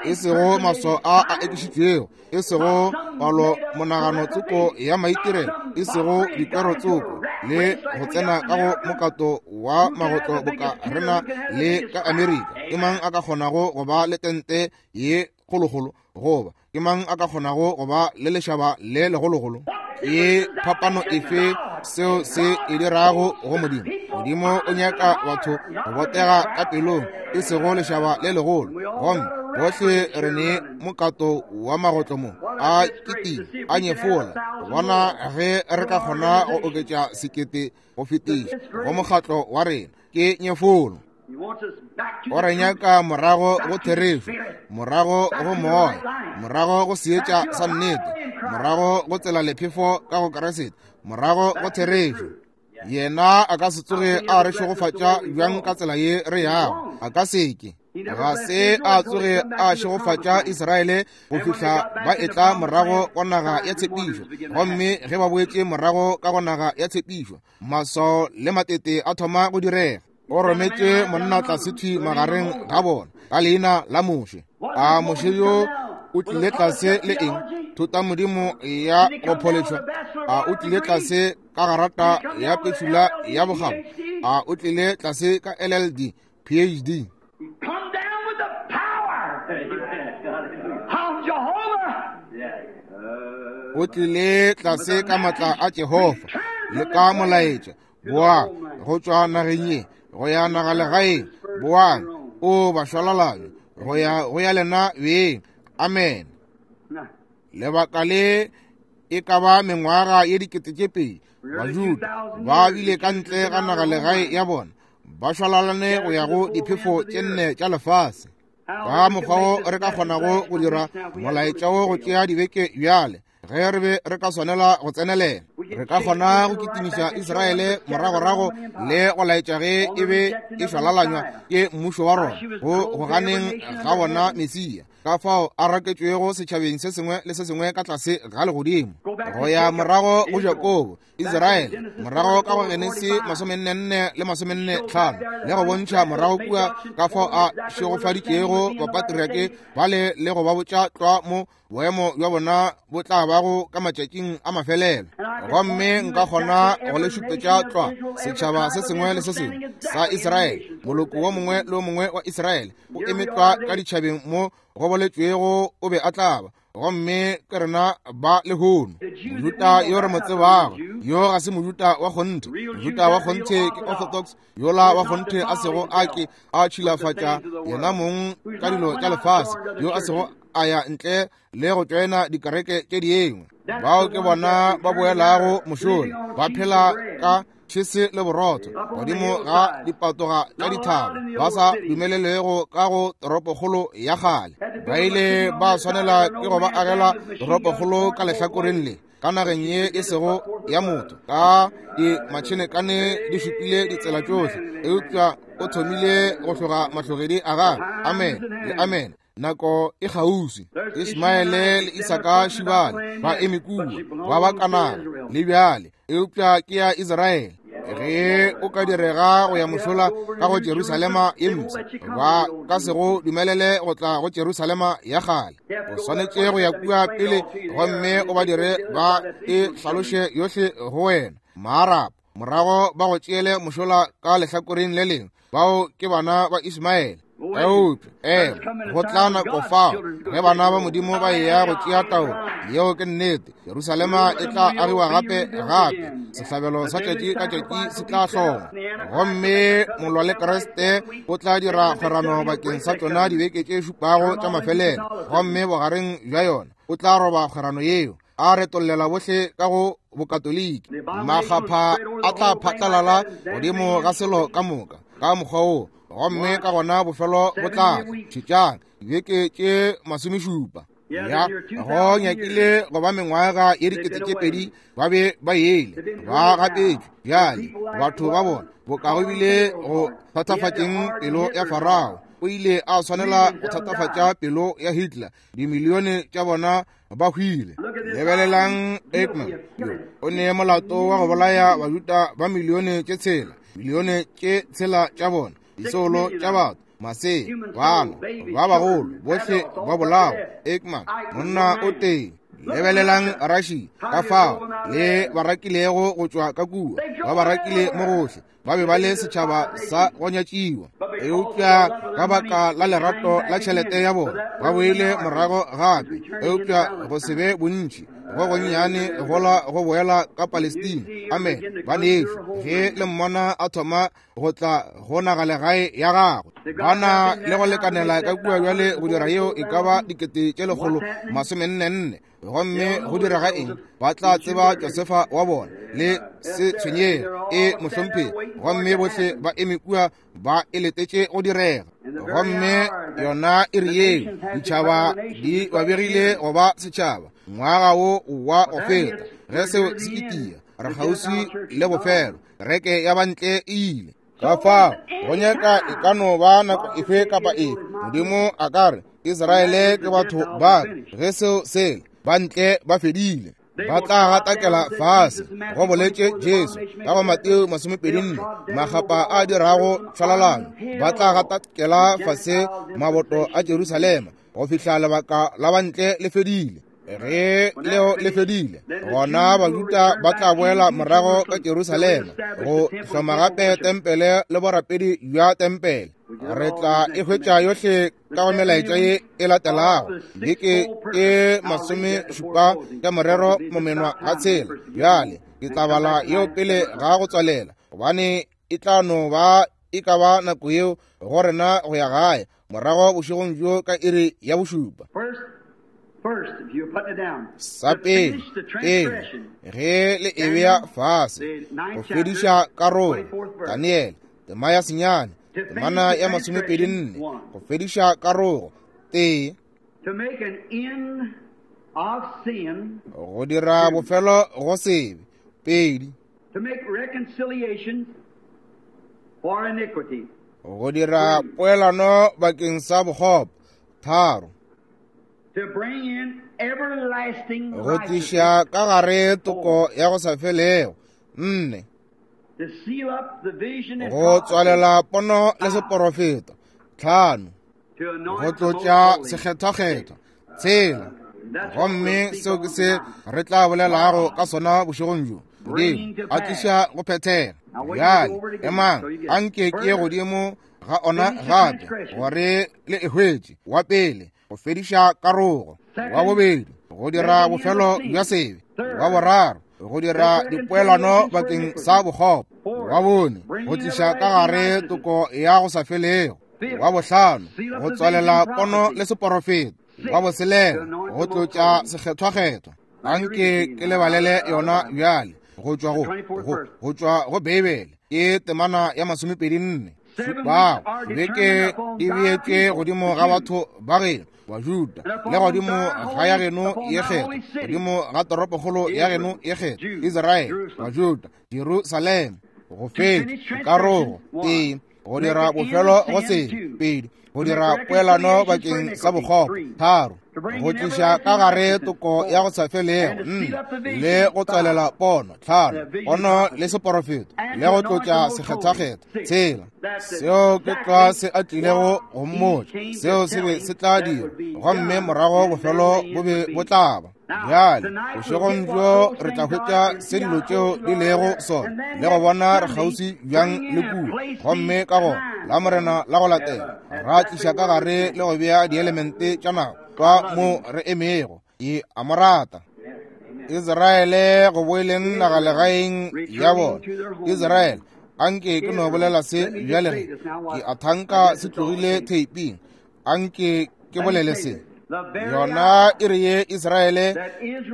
e sego maswao a a ekišitšwego, e sego palo monagano tsoko ya maitirelo, e sego dikwero tsoko le go tsena ka go mokato wa magotlo boka rena le ka Amerika. Ke mang a ka kgonago go ba le tente ye kgolokgolo, goba ke mang a ka kgonago go ba le lešaba le legologolo? Ke phapano efe seo se e dirago go Modimo? Modimo o nyaka batho go botega ka pelong, e sego lešaba le legolo. Gomme bohle re ne mokato wa magotlo mo a kitima a nyefola bona ge re ka kgona go oketša sekete go fetiša go mokgatlo wa rena. Ke nyefolo. O re nyaka morago go therešo, morago go moya, morago go seetša sa nnete, morago go tsela lephefo ka go Kriste, morago go therešo. Yena a ka se tsoge a re šegofatša bjang ka tsela ye re yago? A ka se ke. Ga se a tsoge a šegofatša Israele go fihla ba etla morago go naga ya tshepišo. Gomme ge ba boetše morago ka go naga ya tshepišo, maswao le matete a thoma go direga. O rometše monna tlase thwi magareng ga bona ka leina la Moshe. A Moshe yo o tlile tlase le eng? Thutamodimo ya go pholetšwa. A o tlile tlase ka garata ya pešula ya bokgabo? A o tlile tlase ka L L D, P H D? Come down with the power of Jehovah. O tlile tlase ka matla a Jehofa le ka molaetša. Boa go tšwa nageng ye go ya nagalegaeng. Boang o bašwalalanywa go ya go ya lena beng. Amen. Lebaka le e ka ba mengwaga ye dikete tše pedi Bajuda ba bile ka ntle ga nagalegae ya bona, ba šwalalane go ya go diphefo tše nne tša lefase. Ka mokgwa wo re ka kgonago go dira molaetša wo go tšea dibeke bjale, ge re be re ka swanela go tsenelela, re ka kgona go kitimiša Israele moragorago le go laetša ge e be e šwalalanywa ke mmušo wa Roma go go ganeng ga bona Mesia, ka fao a raketšwego setšhabeng se sengwe le se sengwe ka tlase ga legodimo. Go ya morago go Jakobo, Israele, morago ka go Genesi masomenne le masomenne tlhano, le go bontšha morago kua ka fao a šegofaditšego bapatriake bale le go ba botša tlwa mo boemo bja bona bo tla bago ka matšatšing a mafelelo. Gomme nka kgona go le šupetša tlwa setšhaba se sengwe le se sengwe sa Israele, moloko wo mongwe le wo mongwe wa Israele o eme tlwa ka ditšhabeng mo go boletšwego o be a tla ba. Gomme ke rena ba lehono. Mojuta yo re mo tsebago yo ga se mojuta wa kgonthe. Mojuta wa kgonthe ke Orthodox, yola wa kgonthe a sego a ke a tšhilafatša yena mong ka dilo tša lefase, yo a sego a ya ntle le go tšoena dikereke tše dingwe. Bao ke bona ba boelago mošola, ba phela ka tšhese le borotho godimo ga dipatoga tša dithaba, ba sa dumelelego ka go toropokgolo ya kgale. Ba ile ba swanela ke go ba agela toropokgolo ka lehlakoreng le, ka nageng ye e sego ya motho, ka dimatšhenekane di šupile ditsela tšohle, eupša o thomile go hloga mahlogedi a gagwe. Amen le amen. Nako e kgauswi. Ismaele le Isaka šibale ba eme kua, ba ba Kanana le bjale, eupša ke ya Israele. Ge o ka direga go ya mošola ka go Jerusalema ye mpsha, ba ka se go dumelele go tla go Jerusalema ya kgale. O swanetše go ya kua pele gomme o ba dire ba e hlaloše yohle go wena. Maarapo morago ba go tšeele mošola ka lehlakoreng le lengwe. Bao ke bana ba Ismaele. Eupša ema, go tla nako fao ge bana ba Modimo ba eya go tšea taolo. Yeo ke nnete. Jerusalema e tla agiwa gape gape, sehlabelo sa tšatši ka tšatši se tla hlongwa, gomme molwa le Kriste o tla dira kgwerano bakeng sa tšona dibeke tše šupago tša mafelelo, gomme bogareng bja yona o tla roba kgwerano yeo, a retollela bohle ka go bokatoliki. Makgapha a tla phatlalala godimo ga selo ka moka ka mokgwa wo, gomme ka gona bofelo bo tla tla. Šetšang dibeke tše masomešupa. Ya go nyakile go ba mengwaga ye dikete tše pedi ba be ba ele ba gapetšwe. Bjale batho ba bona bokago bile go thatafatšeng pelo ya Farao, o ile a swanela go thatafatša pelo ya Hitler. Dimilione tša bona ba hwile. Lebelelang Eichmann, yo o ne molato wa go bolaya Bajuda ba milione tše tshela, milione tše tshela tša bona, disoulo tša batho, masea, bana ba bagolo, bohle ba bolawa. Eichmann, monna o tee. Lebelelang Russia, ka fao le ba rakilego go tšwa ka kua, ba ba rakile mo gohle. Ba be ba le setšhaba sa go nyatšiwa, eupša ka baka la lerato la tšhelete ya bona ba boile morago gape, eupša go se be bontši go gonnyane gola go boela ka Palestina. Amen. Banešu, ge le mmona a thoma go tla go nagalegae ya gagwe, ba na le go lekanela ka kua bjale go dira yeo e ka ba dikete tše lekgolo masomenne nne. Gomme go direga eng? Ba tla tseba Josefa wa bona le se tshwenyege e mohlomphegi, gomme bohle ba eme kua ba e letetše go direga. Gomme yona e re yeo ditšhaba di ba begile go ba setšhaba ngwaga wo wa go feta. Ge seo se itia, re kgauswi le bofelo. Kereke ya bantle e ile. Ka fao go nyaka e ka no ba nako efe kapa efe Modimo a ka re Israele ke batho ba ka. Ge seo sele, bantle ba fedile. Ba tla gatakela fase, go boletše Jesu ka go Mateo masomepedi nne, makgapa a dirago tšhwalalano. Ba tla gatakela fase maboto a Jerusalema go fihla lebaka la bantle le fedile. Ge leo le fedile, gona Bajuda ba tla boela morago ka Jerusalema go hloma gape tempele le borapedi bja tempele. Re tla e hwetša yohle ka go melaetša ye e latelago beke e masomešupa ka morero momenwa ga tshela. Bjale ke tla bala yeo pele ga go tswalela, gobane e tla no ba e ka ba nako yeo go rena go ya gae morago bošegong bjo ka iri ya bošupa. Sa pele, pele ge le e bea fase, go fediša karolo, Daniele tema ya senyane, temana ya masomepedi nne, go fediša karogo, tee, go dira bofelo go sebe, pedi, go dira poelano bakeng sa bokgopo, tharo, go tliša ka gare toko ya go sa felego, nne, go tswalela pono le seporofeta, tlhano, go tlotša sekgethwakgethwa, tshela. Gomme seo ke se re tla bolelago ka sona bošegong bjo. Modimo a tliša go phethega. Bjale emang, anke ke ye godimo ga ona gape gore le e hwetše. Wa pele, go fediša karogo. Wa bobedi, go dira bofelo bja sebe. Wa boraro, go dira dipoelano bakeng sa bokgopo. Wa bone, go tliša ka gare toko ya go sa felego. Wa bohlano, go tswalela pono le seporofeta. Wa boselela, go tlotša sekgethwakgethwa. Anke ke lebalele yona bjale go tšwa go go go tšwa go Beibele, ke temana ya masomepedi nne. Šupago beke di beetšwe godimo ga batho ba geno Bajuda, le godimo ga ya geno ye kgethwa, godimo ga toropokgolo ya geno ye kgethwa, Israele, Bajuda, Jerusalema. Go fetša karogo, tee, go dira bofelo go sebe, pedi, go dira poelano bakeng sa bokgopo, tharo, go tliša ka gare toko ya go sa felego, nne, le go tswalela pono, tlhano, pono le seporofeto, le go tlotša sekgethwakgethwa, tshela. Seo ke tlwa se a tlilego go mmotša, seo se be se tla dira, gomme morago bofelo bo be bo tla ba. Bjale bošegong bjo re tla hwetša se dilo tšeo di lego sona, le go bona re kgauswi bjang le kua. Gomme ka gona la Morena la go latela ra tliša ka gare le go bea dielemente tša nako tlwa mo re emego. Ke a mo rata. Israele go boeleng nagalegaeng ya bona. Israele, anke ke no bolela se bjale ge ke a thanka se tlogile theiping. Anke ke bolele se. Yona e re ye Israele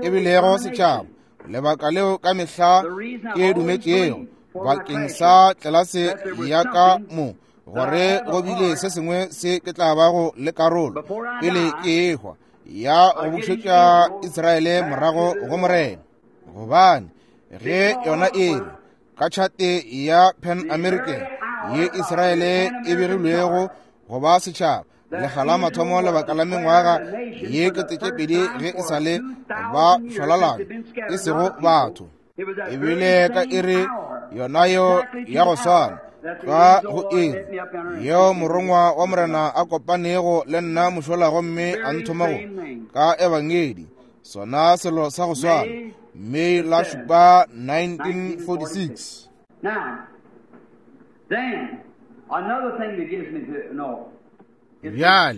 e bilego setšhaba, lebaka leo ka mehla ke dumetšego bakeng sa tlelase ya ka mo, gore go bile se sengwe se ke tla bago le karolo pele ke ehwa ya go bušetša Israele morago go Morena. Gobane ge yona e re ka tšhate ya Pan American ye Israele e begilwego go ba setšhaba lekga la mathomo lebaka la mengwaga ye kete tše pedi ge e sa le ba šwalalana e sego batho, ebile ka iri yona yeo ya go swana ka go iri yeo morongwa wa Morena a kopanego le nna mošola gomme a nthoma go ka ebangedi, sona selo sa go swana, May la šupa nineteen forty-six. Bjale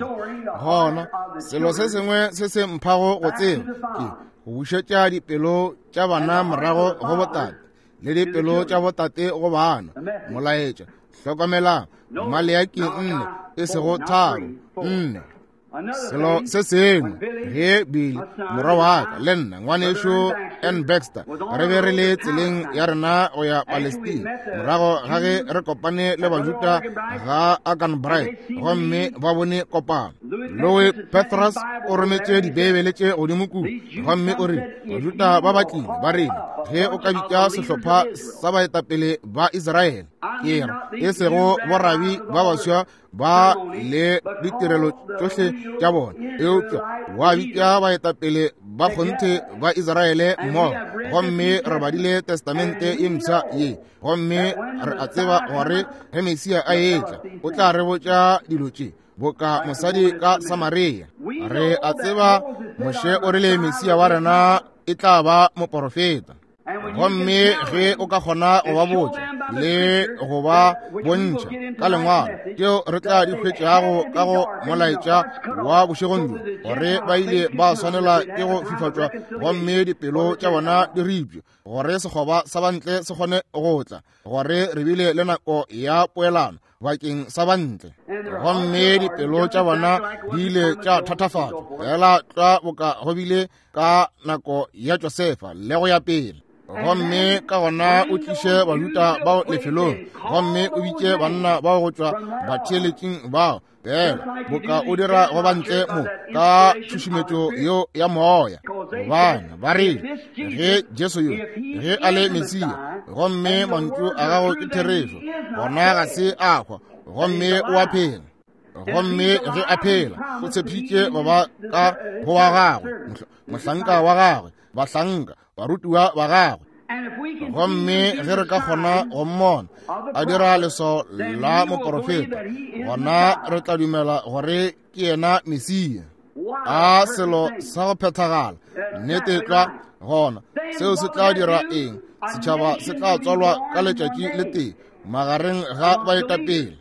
gona selo se sengwe se se mphago go tseba ke go bušetša dipelo tša bana morago go botate, le dipelo tša botate go bana. Molaetša, hlokomelang, Maleaki nne, e sego tharo, nne. Selo se sengwe, ge Billy morwa wa ka le nna ngwanešo N Baxter re be re le tseleng ya rena go ya Palestine morago ga ge re kopane le Bajuda ga Akanbright, gomme ba bone kopano. Louis Petrus o rometše dibeibele tše godimo kua, gomme o rile Bajuda ba ba tlile ba rile, ge o ka bitša sehlopha sa baetapele ba Israele, ke re e sego borabi ba baswa ba le ditirelo tšohle tša bona, eupša wa bitša baetapele ba kgonthe ba Israele mmogo, gomme re badile Testamente ye mpsha ye, gomme re a tseba gore ge Mesia a etla o tla re botša dilo tše boka mosadi ka Samaria. Re a tseba Moshe o rile Mesia wa rena e tla ba moporofeta. Gomme ge o ka kgona go ba botša le go ba bontšha ka lengwalo tšeo re tla di hwetšago ka go molaetša wa bošegong bjo, gore ba ile ba swanela ke go fifatšwa gomme dipelo tša bona di ripše, gore sekgoba sa bantle se kgone go tla, gore re bile le nako ya poelano bakeng sa bantle, gomme dipelo tša bona di ile tša thatafatšwa fela tlwa boka go bile ka nako ya Josefa le go ya pele. Gomme ka gona o tliše Bajuda bao lefelong, gomme o bitše banna bao go tšwa batheeletšing bao, fela boka o dira go bantle mo ka tšhušumetšo yeo ya moya. Gobane ba rile ge Jesu yo ge a le Mesia, gomme mantšu a gago ke therešo, gona ga se a hwa, gomme o a phela. Gomme ge a phela, o tshepišitše go ba ka go wa gagwe, mohlanka wa gagwe, bahlanka, barutiwa ba gagwe. Gomme ge re ka kgona go mmona a dira leswao la moporofeta, gona re tla dumela gore ke yena Mesia. A selo sa go phethagala, nnete tlwa. Gona seo se tla dira eng? Setšhaba se tla tswalwa ka letšatši le tee magareng ga baetapele.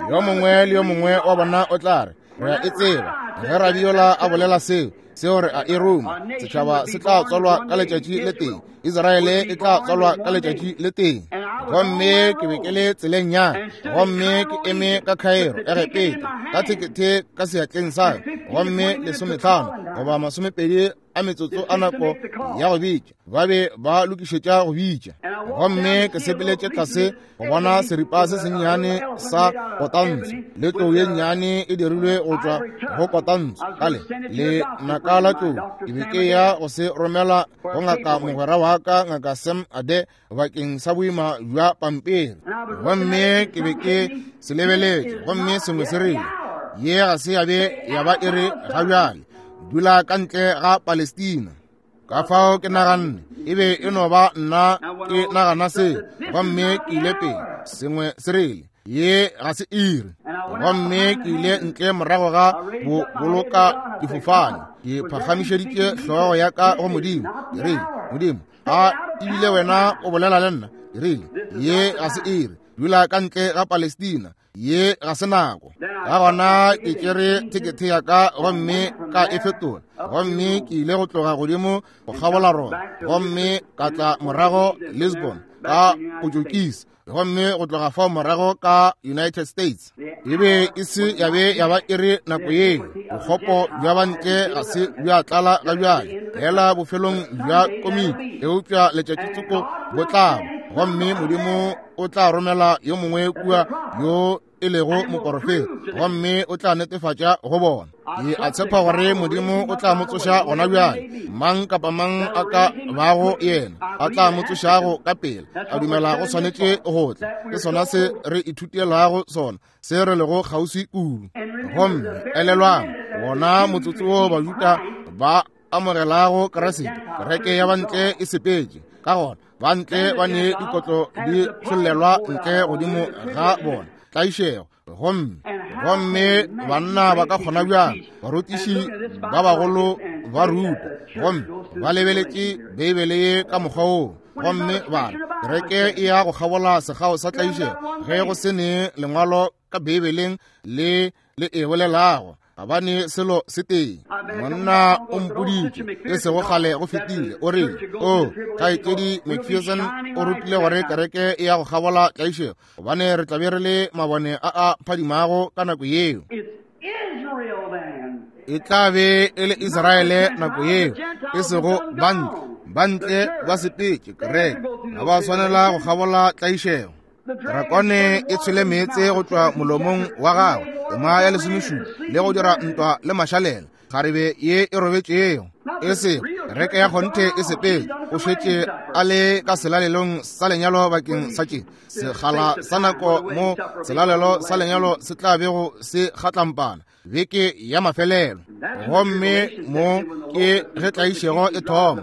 Yo mongwe le yo mongwe wa bona o tla re, re a e tseba ge Rabiola a bolela seo, seo re a e ruma. Setšhaba se tla tswalwa ka letšatši le tee, Israele e tla tswalwa ka letšatši le tee. Gomme ke be ke le tseleng ya, gomme ke eme ka Cairo, Egepeta, ka thekethe ka seatleng sa, gomme lesometlhano goba masomepedi a metsotso a nako ya go bitša, ba be ba lokišetša go bitša. Gomme ke sepeletše tlase go bona seripa se sennyane sa kotantsho le tlou ye nnyane e dirilwe go tšwa go kotantsho kale le naka la tlou. Ke be ke ya go se romela go ngaka mogwera wa ka, ngaka Sam Ade, bakeng sa boima bja pampiri. Gomme ke be ke se lebeletše, gomme sengwe se rile, ye ga se ya be ya ba e re ga bjale, dula ka ntle ga Palestina. Ka fao ke naganne e be e no ba nna ke nagana se, gomme ke ile pele, sengwe se rile, ye ga se iri. Gomme ke ile ntle morago ga bo boloka difofane, ke phagamišeditše hlogo ya ka go Modimo. Ke rile, Modimo, a ebile wena o bolela le nna? Ke rile, ye ga se iri, dula ka ntle ga Palestina, ye ga se nako. Ka gona ke tšere thekethe ya ka gomme ka e fetola, gomme ke ile go tloga godimo go kgabola Roma, gomme ka tla morago Lisbon ka Potokisi, gomme go tloga fao morago ka United States. E be e se ya be ya ba e re nako yeo bokgopo bja bantle ga se bja tlala ga bjale, fela bofelong bja komiti, eupša letšatši tsoko bo tla, gomme Modimo o tla romela yo mongwe kua yo e lego moporofeta, gomme o tla netefatša go bona. Ke a tshepa gore Modimo o tla mo tsoša gona bjale, mang kapa mang a ka bago yena a tla mo tsošago ka pele. A dumela go swanetše go tla, ke sona se re ithutelago sona, se re lego kgauswi kudu. Gomme elelwang, wona motsotso wo Bajuda ba amogelago Kriste, kereke ya bantle e sepetše. Ka gona bantle ba ne dikotlo di tšhollelwa ntle godimo ga bona, tlaišego. Gomme gomme banna ba ka kgona bjang, barutiši ba bagolo ba ruta, gomme ba lebeletše Beibele ye ka mokgwa woo, gomme ba re kereke e ya go kgabola sekgao sa tlaišego, ge go se ne lengwalo ka Beibeleng le le e bolelago, ga ba ne selo se tee. Monna o mpoditše e sego kgale go fetile, o rile, o kgaetšedi McPherson o rutile gore kereke e ya go kgabola tlaišego, gobane re tla be re le mabone a a phadimago ka nako yeo. E tla be e le Israele nako yeo, e sego bantle. Bantle ba sepetše kereke, ga ba swanela go kgabola tlaišego. Drakone e tshwele meetse go tšwa molomong wa gagwe, tema ya lesomešupa, le go dira ntwa le mašalela, kgarebe ye e robetšego. E se kereke ya kgonthe e sepetše, o šetše a le ka selalelong sa lenyalo bakeng sa tše sekgala sa nako mo selalelo sa lenyalo se tla bego se kgatlampana. beke ya mafelelo. Gomme mo ke ge tlaišego e thoma,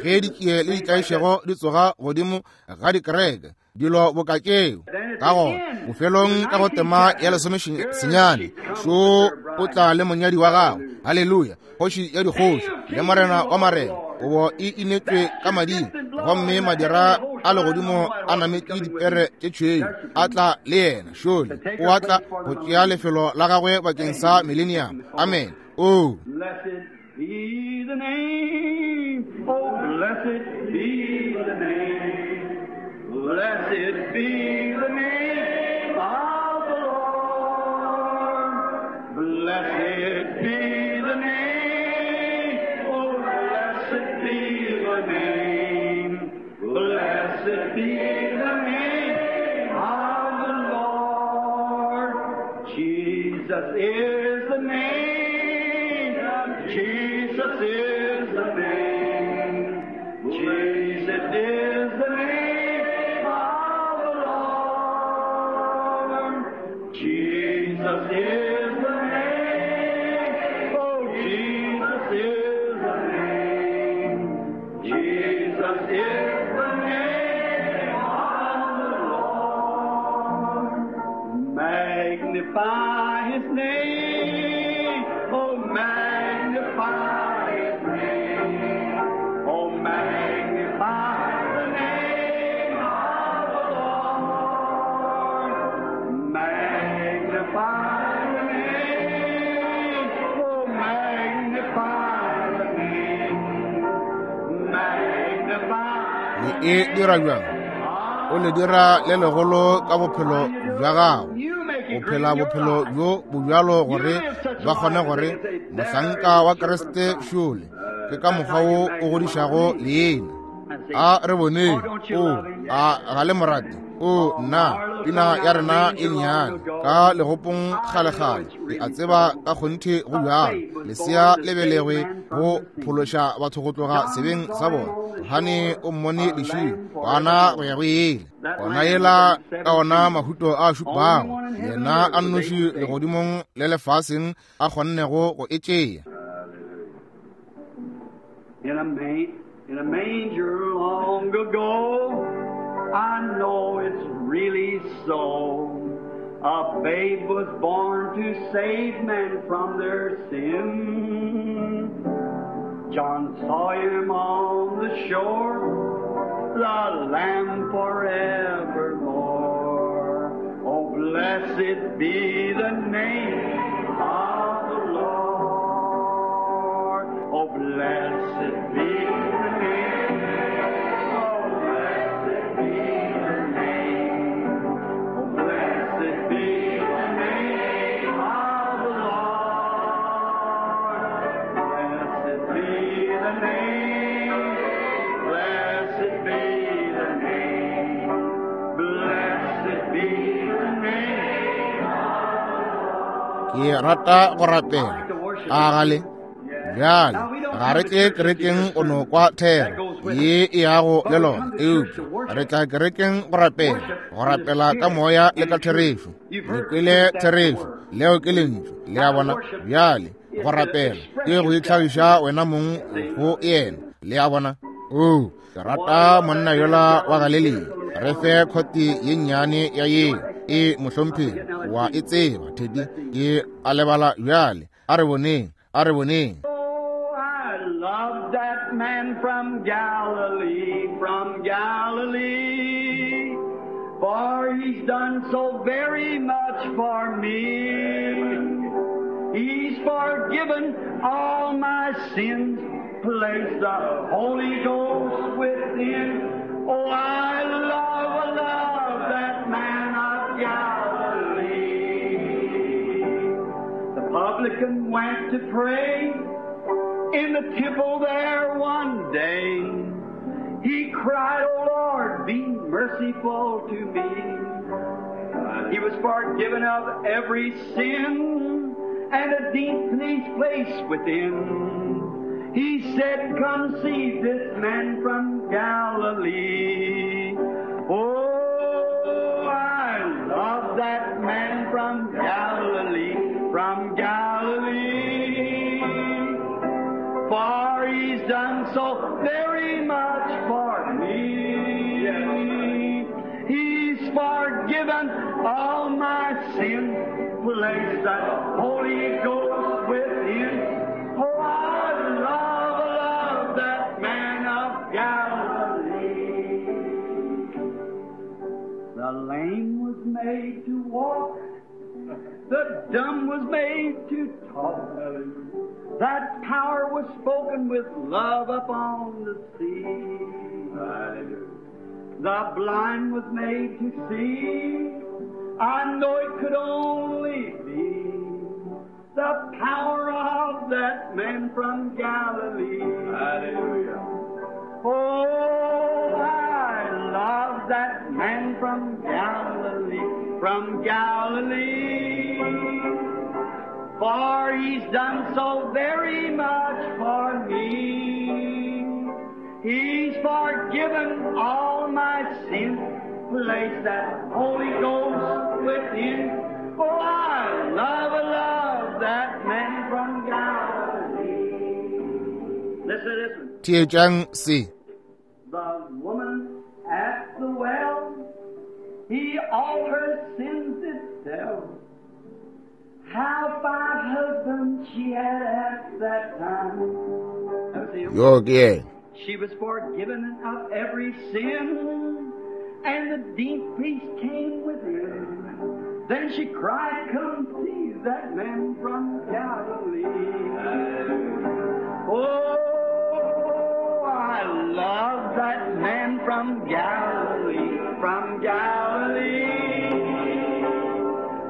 ge ditšie le ditlaišego di tsoga godimo ga dikereke, dilo boka tšeo. Ka gona bofelong ka go tema ya lesomesenyane, šo o tla le monyadi wa gagwe. Haleluya! Kgoši ya dikgoši le morena wa marena, kobo e inetšwe ka mading, gomme madira a legodimo a nametše dipere tše tšhweu, a tla le yena. Šole o a tla go tšea lefelo la gagwe bakeng sa millennium. Amen. Oh, Blessed be the name, oh, blessed be the name, blessed be the name of the Lord. Blessed be the name, oh, blessed be the name, blessed be the name of the Lord. Jesus is the name. Jesus is the name. Jesus is the name of the Lord. Jesus is the name. Oh, Jesus is the name. Jesus is the name of the Lord. Magnify his name. Oh, magnify his name. Oh, magnify the name of the Lord. Magnify the name. Oh, magnify the name. Magnify. Le e dira bjang? O le dira le legolo ka bophelo bja gago. O phela bophelo bjo bo bjalo gore ba kgone gore mohlanka wa Kriste šole ke ka mokgwa wo o godišago leina. A re boneng. O a ga le morate? O nna pina ya rena e nnyane ka legopong kgalekgale, ke a tseba ka kgonthe go bjalo. Lesea le belegwe go phološa batho go tloga sebeng sa bona. Johane o mmone lešilo gona go ya go ele gona yela ka ona mahuto a šupago, yena a nnoši legodimong le lefaseng a kgonnego go e tšea. In a, ma- in a manger long ago, I know it's really so. A babe was born to save men from their sin. John saw him on the shore, the Lamb forevermore. Oh, blessed be the name of the Lord. Oh, blessed be the name. Oh, blessed be the name. Oh, blessed be the name of the Lord. Blessed be the name. Blessed be the name. Blessed be the name. Ke rata go rapela. A gale bjale ga re tle kerekeng go no kwa thero ye e yago le lona, eupša re tla kerekeng go rapela, go rapela ka moya le ka therešo. Le kwele therešo, leo ke lentšu. Le a bona? Bjale go rapela ke go itlhagiša wena mong go yena. Le a bona? O ke rata monna yola wa Galilea. Re fe khoti ye nnyane ya yeo e mohlomphegi wa e tseba Teddy ke a lebala bjale. A re boneng, a re boneng. Oh, I love that man from Galilee, from Galilee, for he's done so very much for me. He's forgiven all my sins, placed the Holy Ghost within. Oh, I love, love that man of Galilee. The publican went to pray in the temple there one day. He cried, O Lord, be merciful to me. He was forgiven of every sin and a deep peace place within. He said, come see this man from Galilee. Oh, I love that man from Galilee, from Galilee. He's done so very much for me. He's forgiven all my sin, placed the Holy Ghost within. Oh, I love, love that man of Galilee. The lame was made to walk, the dumb was made to talk. That power was spoken with love upon the sea. The blind was made to see. I know it could only be the power of that man from Galilee. Hallelujah. Oh, I love that man from Galilee, from Galilee. For he's done so very much for me. He's forgiven all my sin, placed that Holy Ghost within. Oh, I love, love that man from Galilee. Listen to this one. Theetšang se. The woman at the well, he all her sins did tell. How five husbands she had at that time. Yo ke yena. She was forgiven of every sin, and the deep peace came within. Then she cried, "Come see that man from Galilee." Oh, I love that man from Galilee, from Galilee.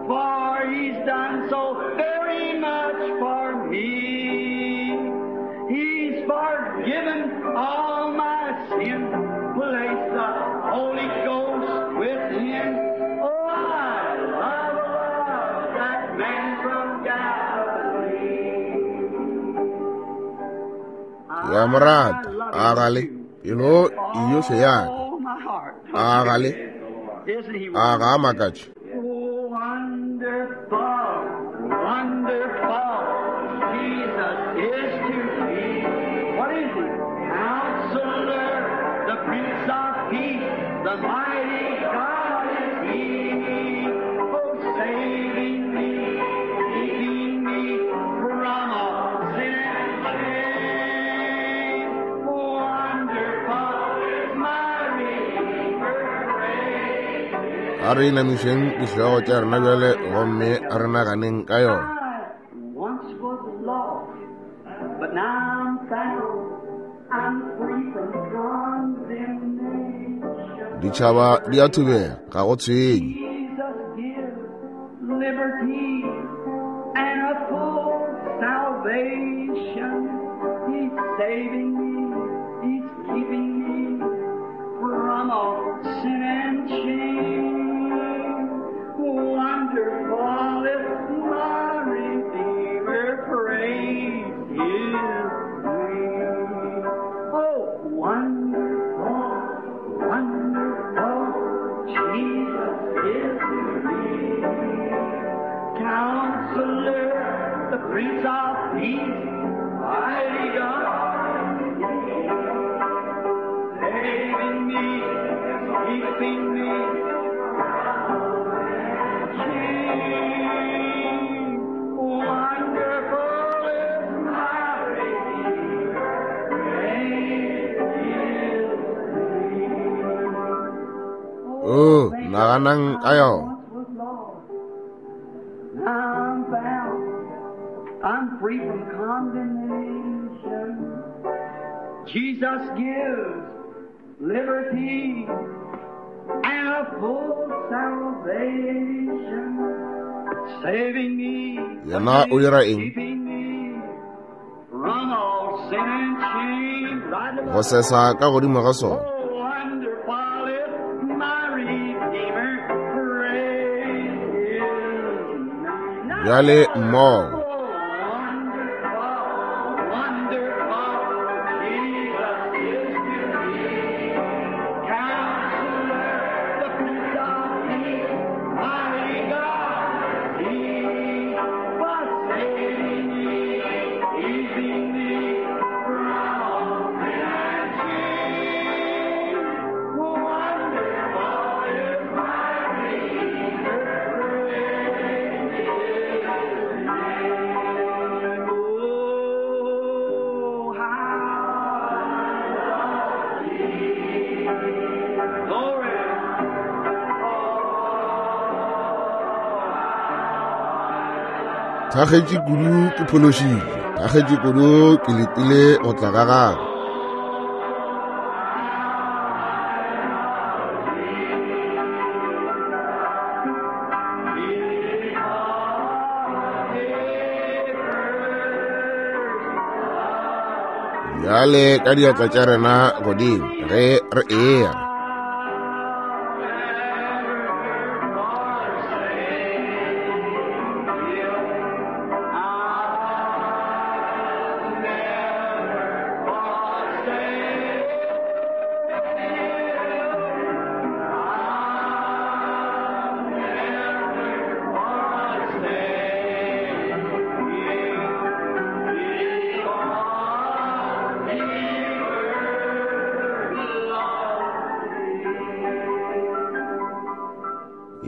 For he's done so very much for me. He's forgiven all my sin, placed the Holy Ghost within. Oh, I love, love that man from Galilee. Ya mo rata, a gale, pelo yohle ya ka. Oh, my heart. A gale, Isn't he a ga a makatše. Oh, wonderful, wonderful, Jesus is to me. What is he? Counselor, the Prince of Peace, the mighty God is he. Oh, saving me, keeping me from all sin and shame. Wonderful is my Redeemer, praise A re inamišeng dihlogo tša rena bjale gomme a re naganeng ka yona. I once was lost, but now I'm found. I'm free from condemnation. Ditšhaba di a thubega, ga go tshwenye. Jesus gives liberty and a full salvation. He's saving me, He's keeping me from all sin and shame. Wonderful is my Redeemer, praise His name. Oh, wonderful, wonderful, Jesus is to me. Counselor, the Prince of Peace, mighty God, saving me, keeping me from shame. Wonderful is my Redeemer, praise His name. Oh, naganang ka yona. Once was lost, now I'm found. I'm free from condemnation. Jesus gives liberty and a full salvation, saving me, Yena o dira eng? keeping me from all sin and shame. Right Go sesa ka godimo ga sona. Oh, wonderful is my Redeemer, praise His name. Bjale mmogo. Oh, wonderful, wonderful, Jesus is to me. Counselor, the Prince of Peace, mighty God, He was saving me, keeping me from all Thakgetše kudu ke phološitšwe, thakgetše kudu ke letile go tla ga gagwe. Bjale ka diatla tša rena godimo ge re eya.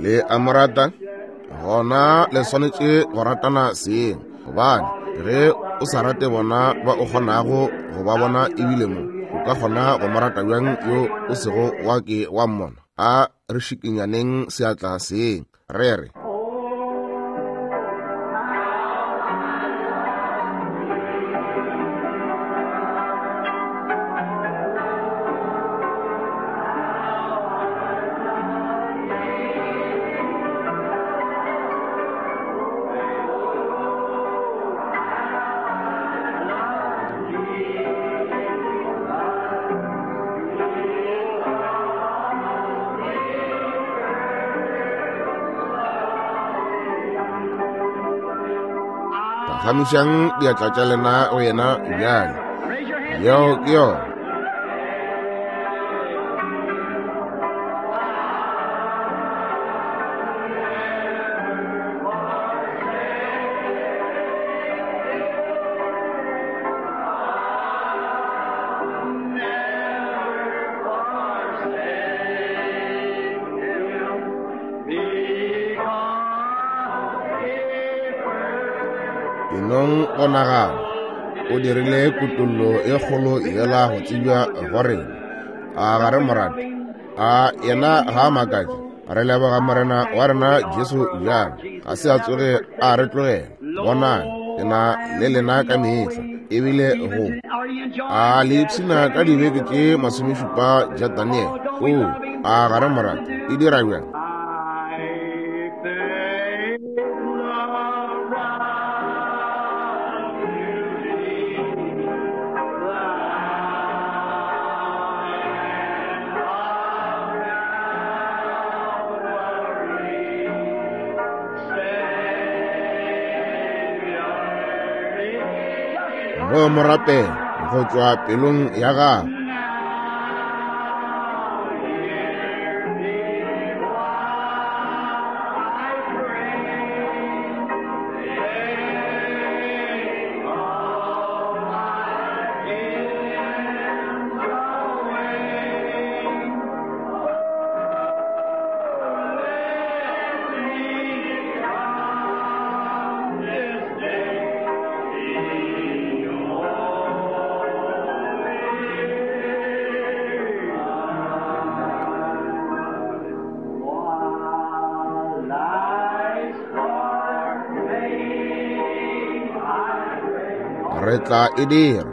Le a mo rata? Gona le swanetše go ratana seng, gobane ge o sa rate bona ba o kgonago go ba bona ebile mo o ka kgona go mo rata bjang yo o sego wa ke wa mmona? A re šikinyaneng seatla seng re re. Phagamišang diatla tša lena go yena bjale. Yeo ke yona. Enong go nagana o dirile kutollo e kgolo yela go tsebja go rena. A ga re mo rate? A yena ga a makatše? Re leboga Morena wa rena Jesu bjalo, ga se a tsoge a re tlogela. Bonang, ke na le lena ka mehla, ebile go a le ipshina ka dibeke tše masomešupa tša Daniel. O a ga re mo rate? E dira bjang? Mo mo rapela go tšwa pelong ya gago. Re tla e dira.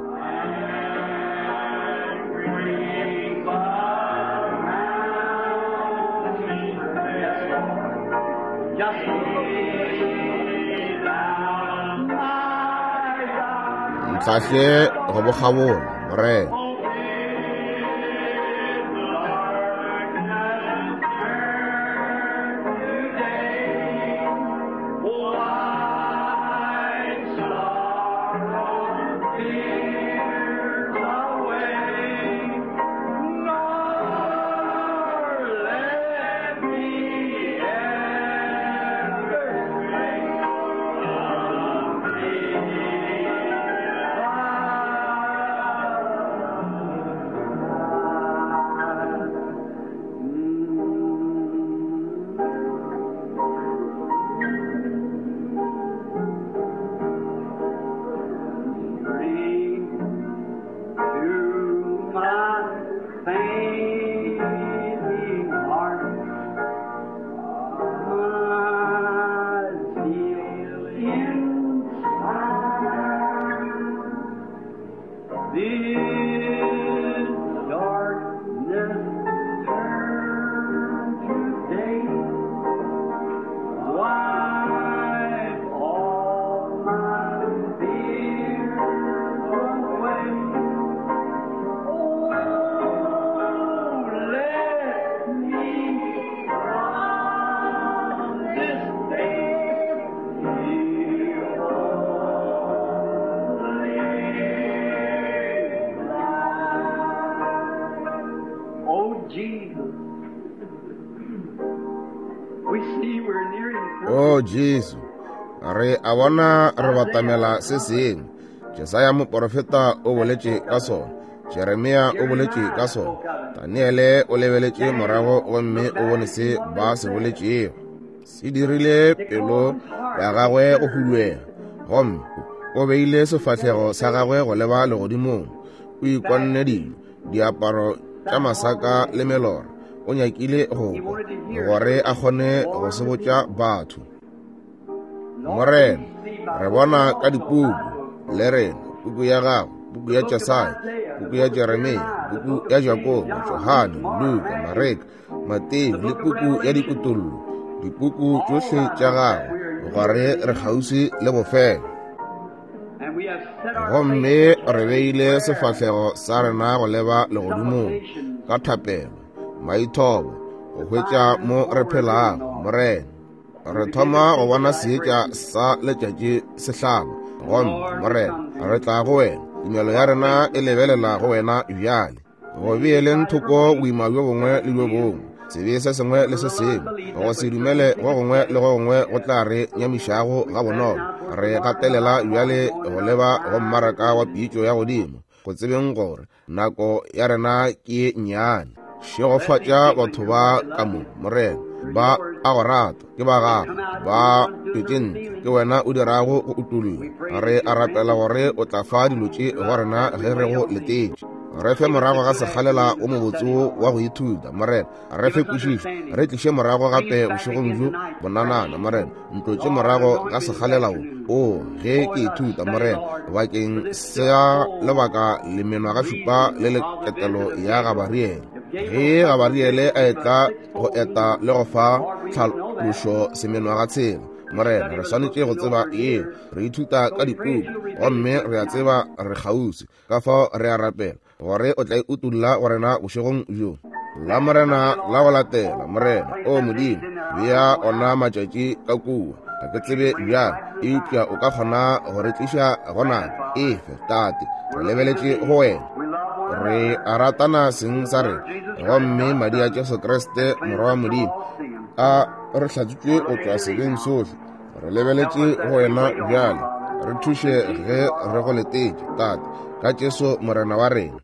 Ntlhahle go bokgabola, Morena. His darkness turn to day. Wipe all my fears away. Oh, let me from this day be wholly thine. Oh, Jesus, we see we're nearing something. O Jesu, re a bona re batamela se sengwe. Jesaya moporofeta o boletše ka sona, Jeremia o boletše ka sona, Daniele o lebeletše morago gomme o bone se ba se boletšego. Se dirile pelo ya gagwe go huduega, gomme o beile sefahlego sa gagwe go leba legodimong. O ikonne dilo, diaparo tša masaka le melora. O nyakile go kwa gore a kgone go se botša batho. Morena, re bona ka dipuku le rena, puku ya gago, puku ya Jesaya, puku ya Jeremia, puku ya Jakobo, Johane, Luka, Mareka, Mateo le puku ya Dikutollo, dipuku tšohle tša gago, gore re kgauswi le bofelo. And we have set our Gomme re beile sefahlego sa rena go leba legodimong ka thapelo, maithobo, go hwetša mo re phelago. Morena, re thoma go bona seetša sa letšatši se hlaba. Gomme Morena, re tla go wena. Tumelo ya rena e lebelela go wena bjale. Go beeleng thoko boima bjo bongwe le bjo bongwe, sebe se sengwe le se sengwe, go se dumele go gongwe le go gongwe go tla re nyamišago ga bonolo. Re gatelela bjale go leba go mmaraka wa pitšo ya godimo, go tsebeng gore nako ya rena ke ye nnyane. Šegofatša batho ba ka mo, Morena. Ba a go rata, ke ba gago, ba tšwetše ntle, ke wena o dirago go utolla. Re a rapela gore o tla fa dilo tše go rena ge re go letetše. Re fe morago ga sekgalela o mobotse wo wa go ithuta, Morena. Re fe kwešišo, re tliše morago gape bošegong bjo bonanana, Morena. Ntlotše morago ga sekgalela wo, o ge ke ithuta, Morena, bakeng sa lebaka le menwagašupa le leketelo ya Gabariele. Ge Gabariele a etla go eta le go fa tlhalošo semenwagatshela, Morena, re swanetše go tseba yeo. Re ithuta ka dipuku, gomme re a tseba re kgauswi. Ka fao re a rapela gore o tla e utolla go rena bošegong bjo. La Morena la go latela, Morena, o Modimo, bea ona matšatši ka kua. Ga ke tsebe bjang, eupša o ka kgona go re tliša go nako efe, Tate. Re lebeletše go wena. Re a ratana seng sa rena, gomme madi a Jesu Kriste Morwa wa Modimo a re hlatswitše go tšwa sebeng sohle. Re lebeletše go wena bjale. Re thuše ge re go letetše, Tate, ka Jesu Morena wa rena.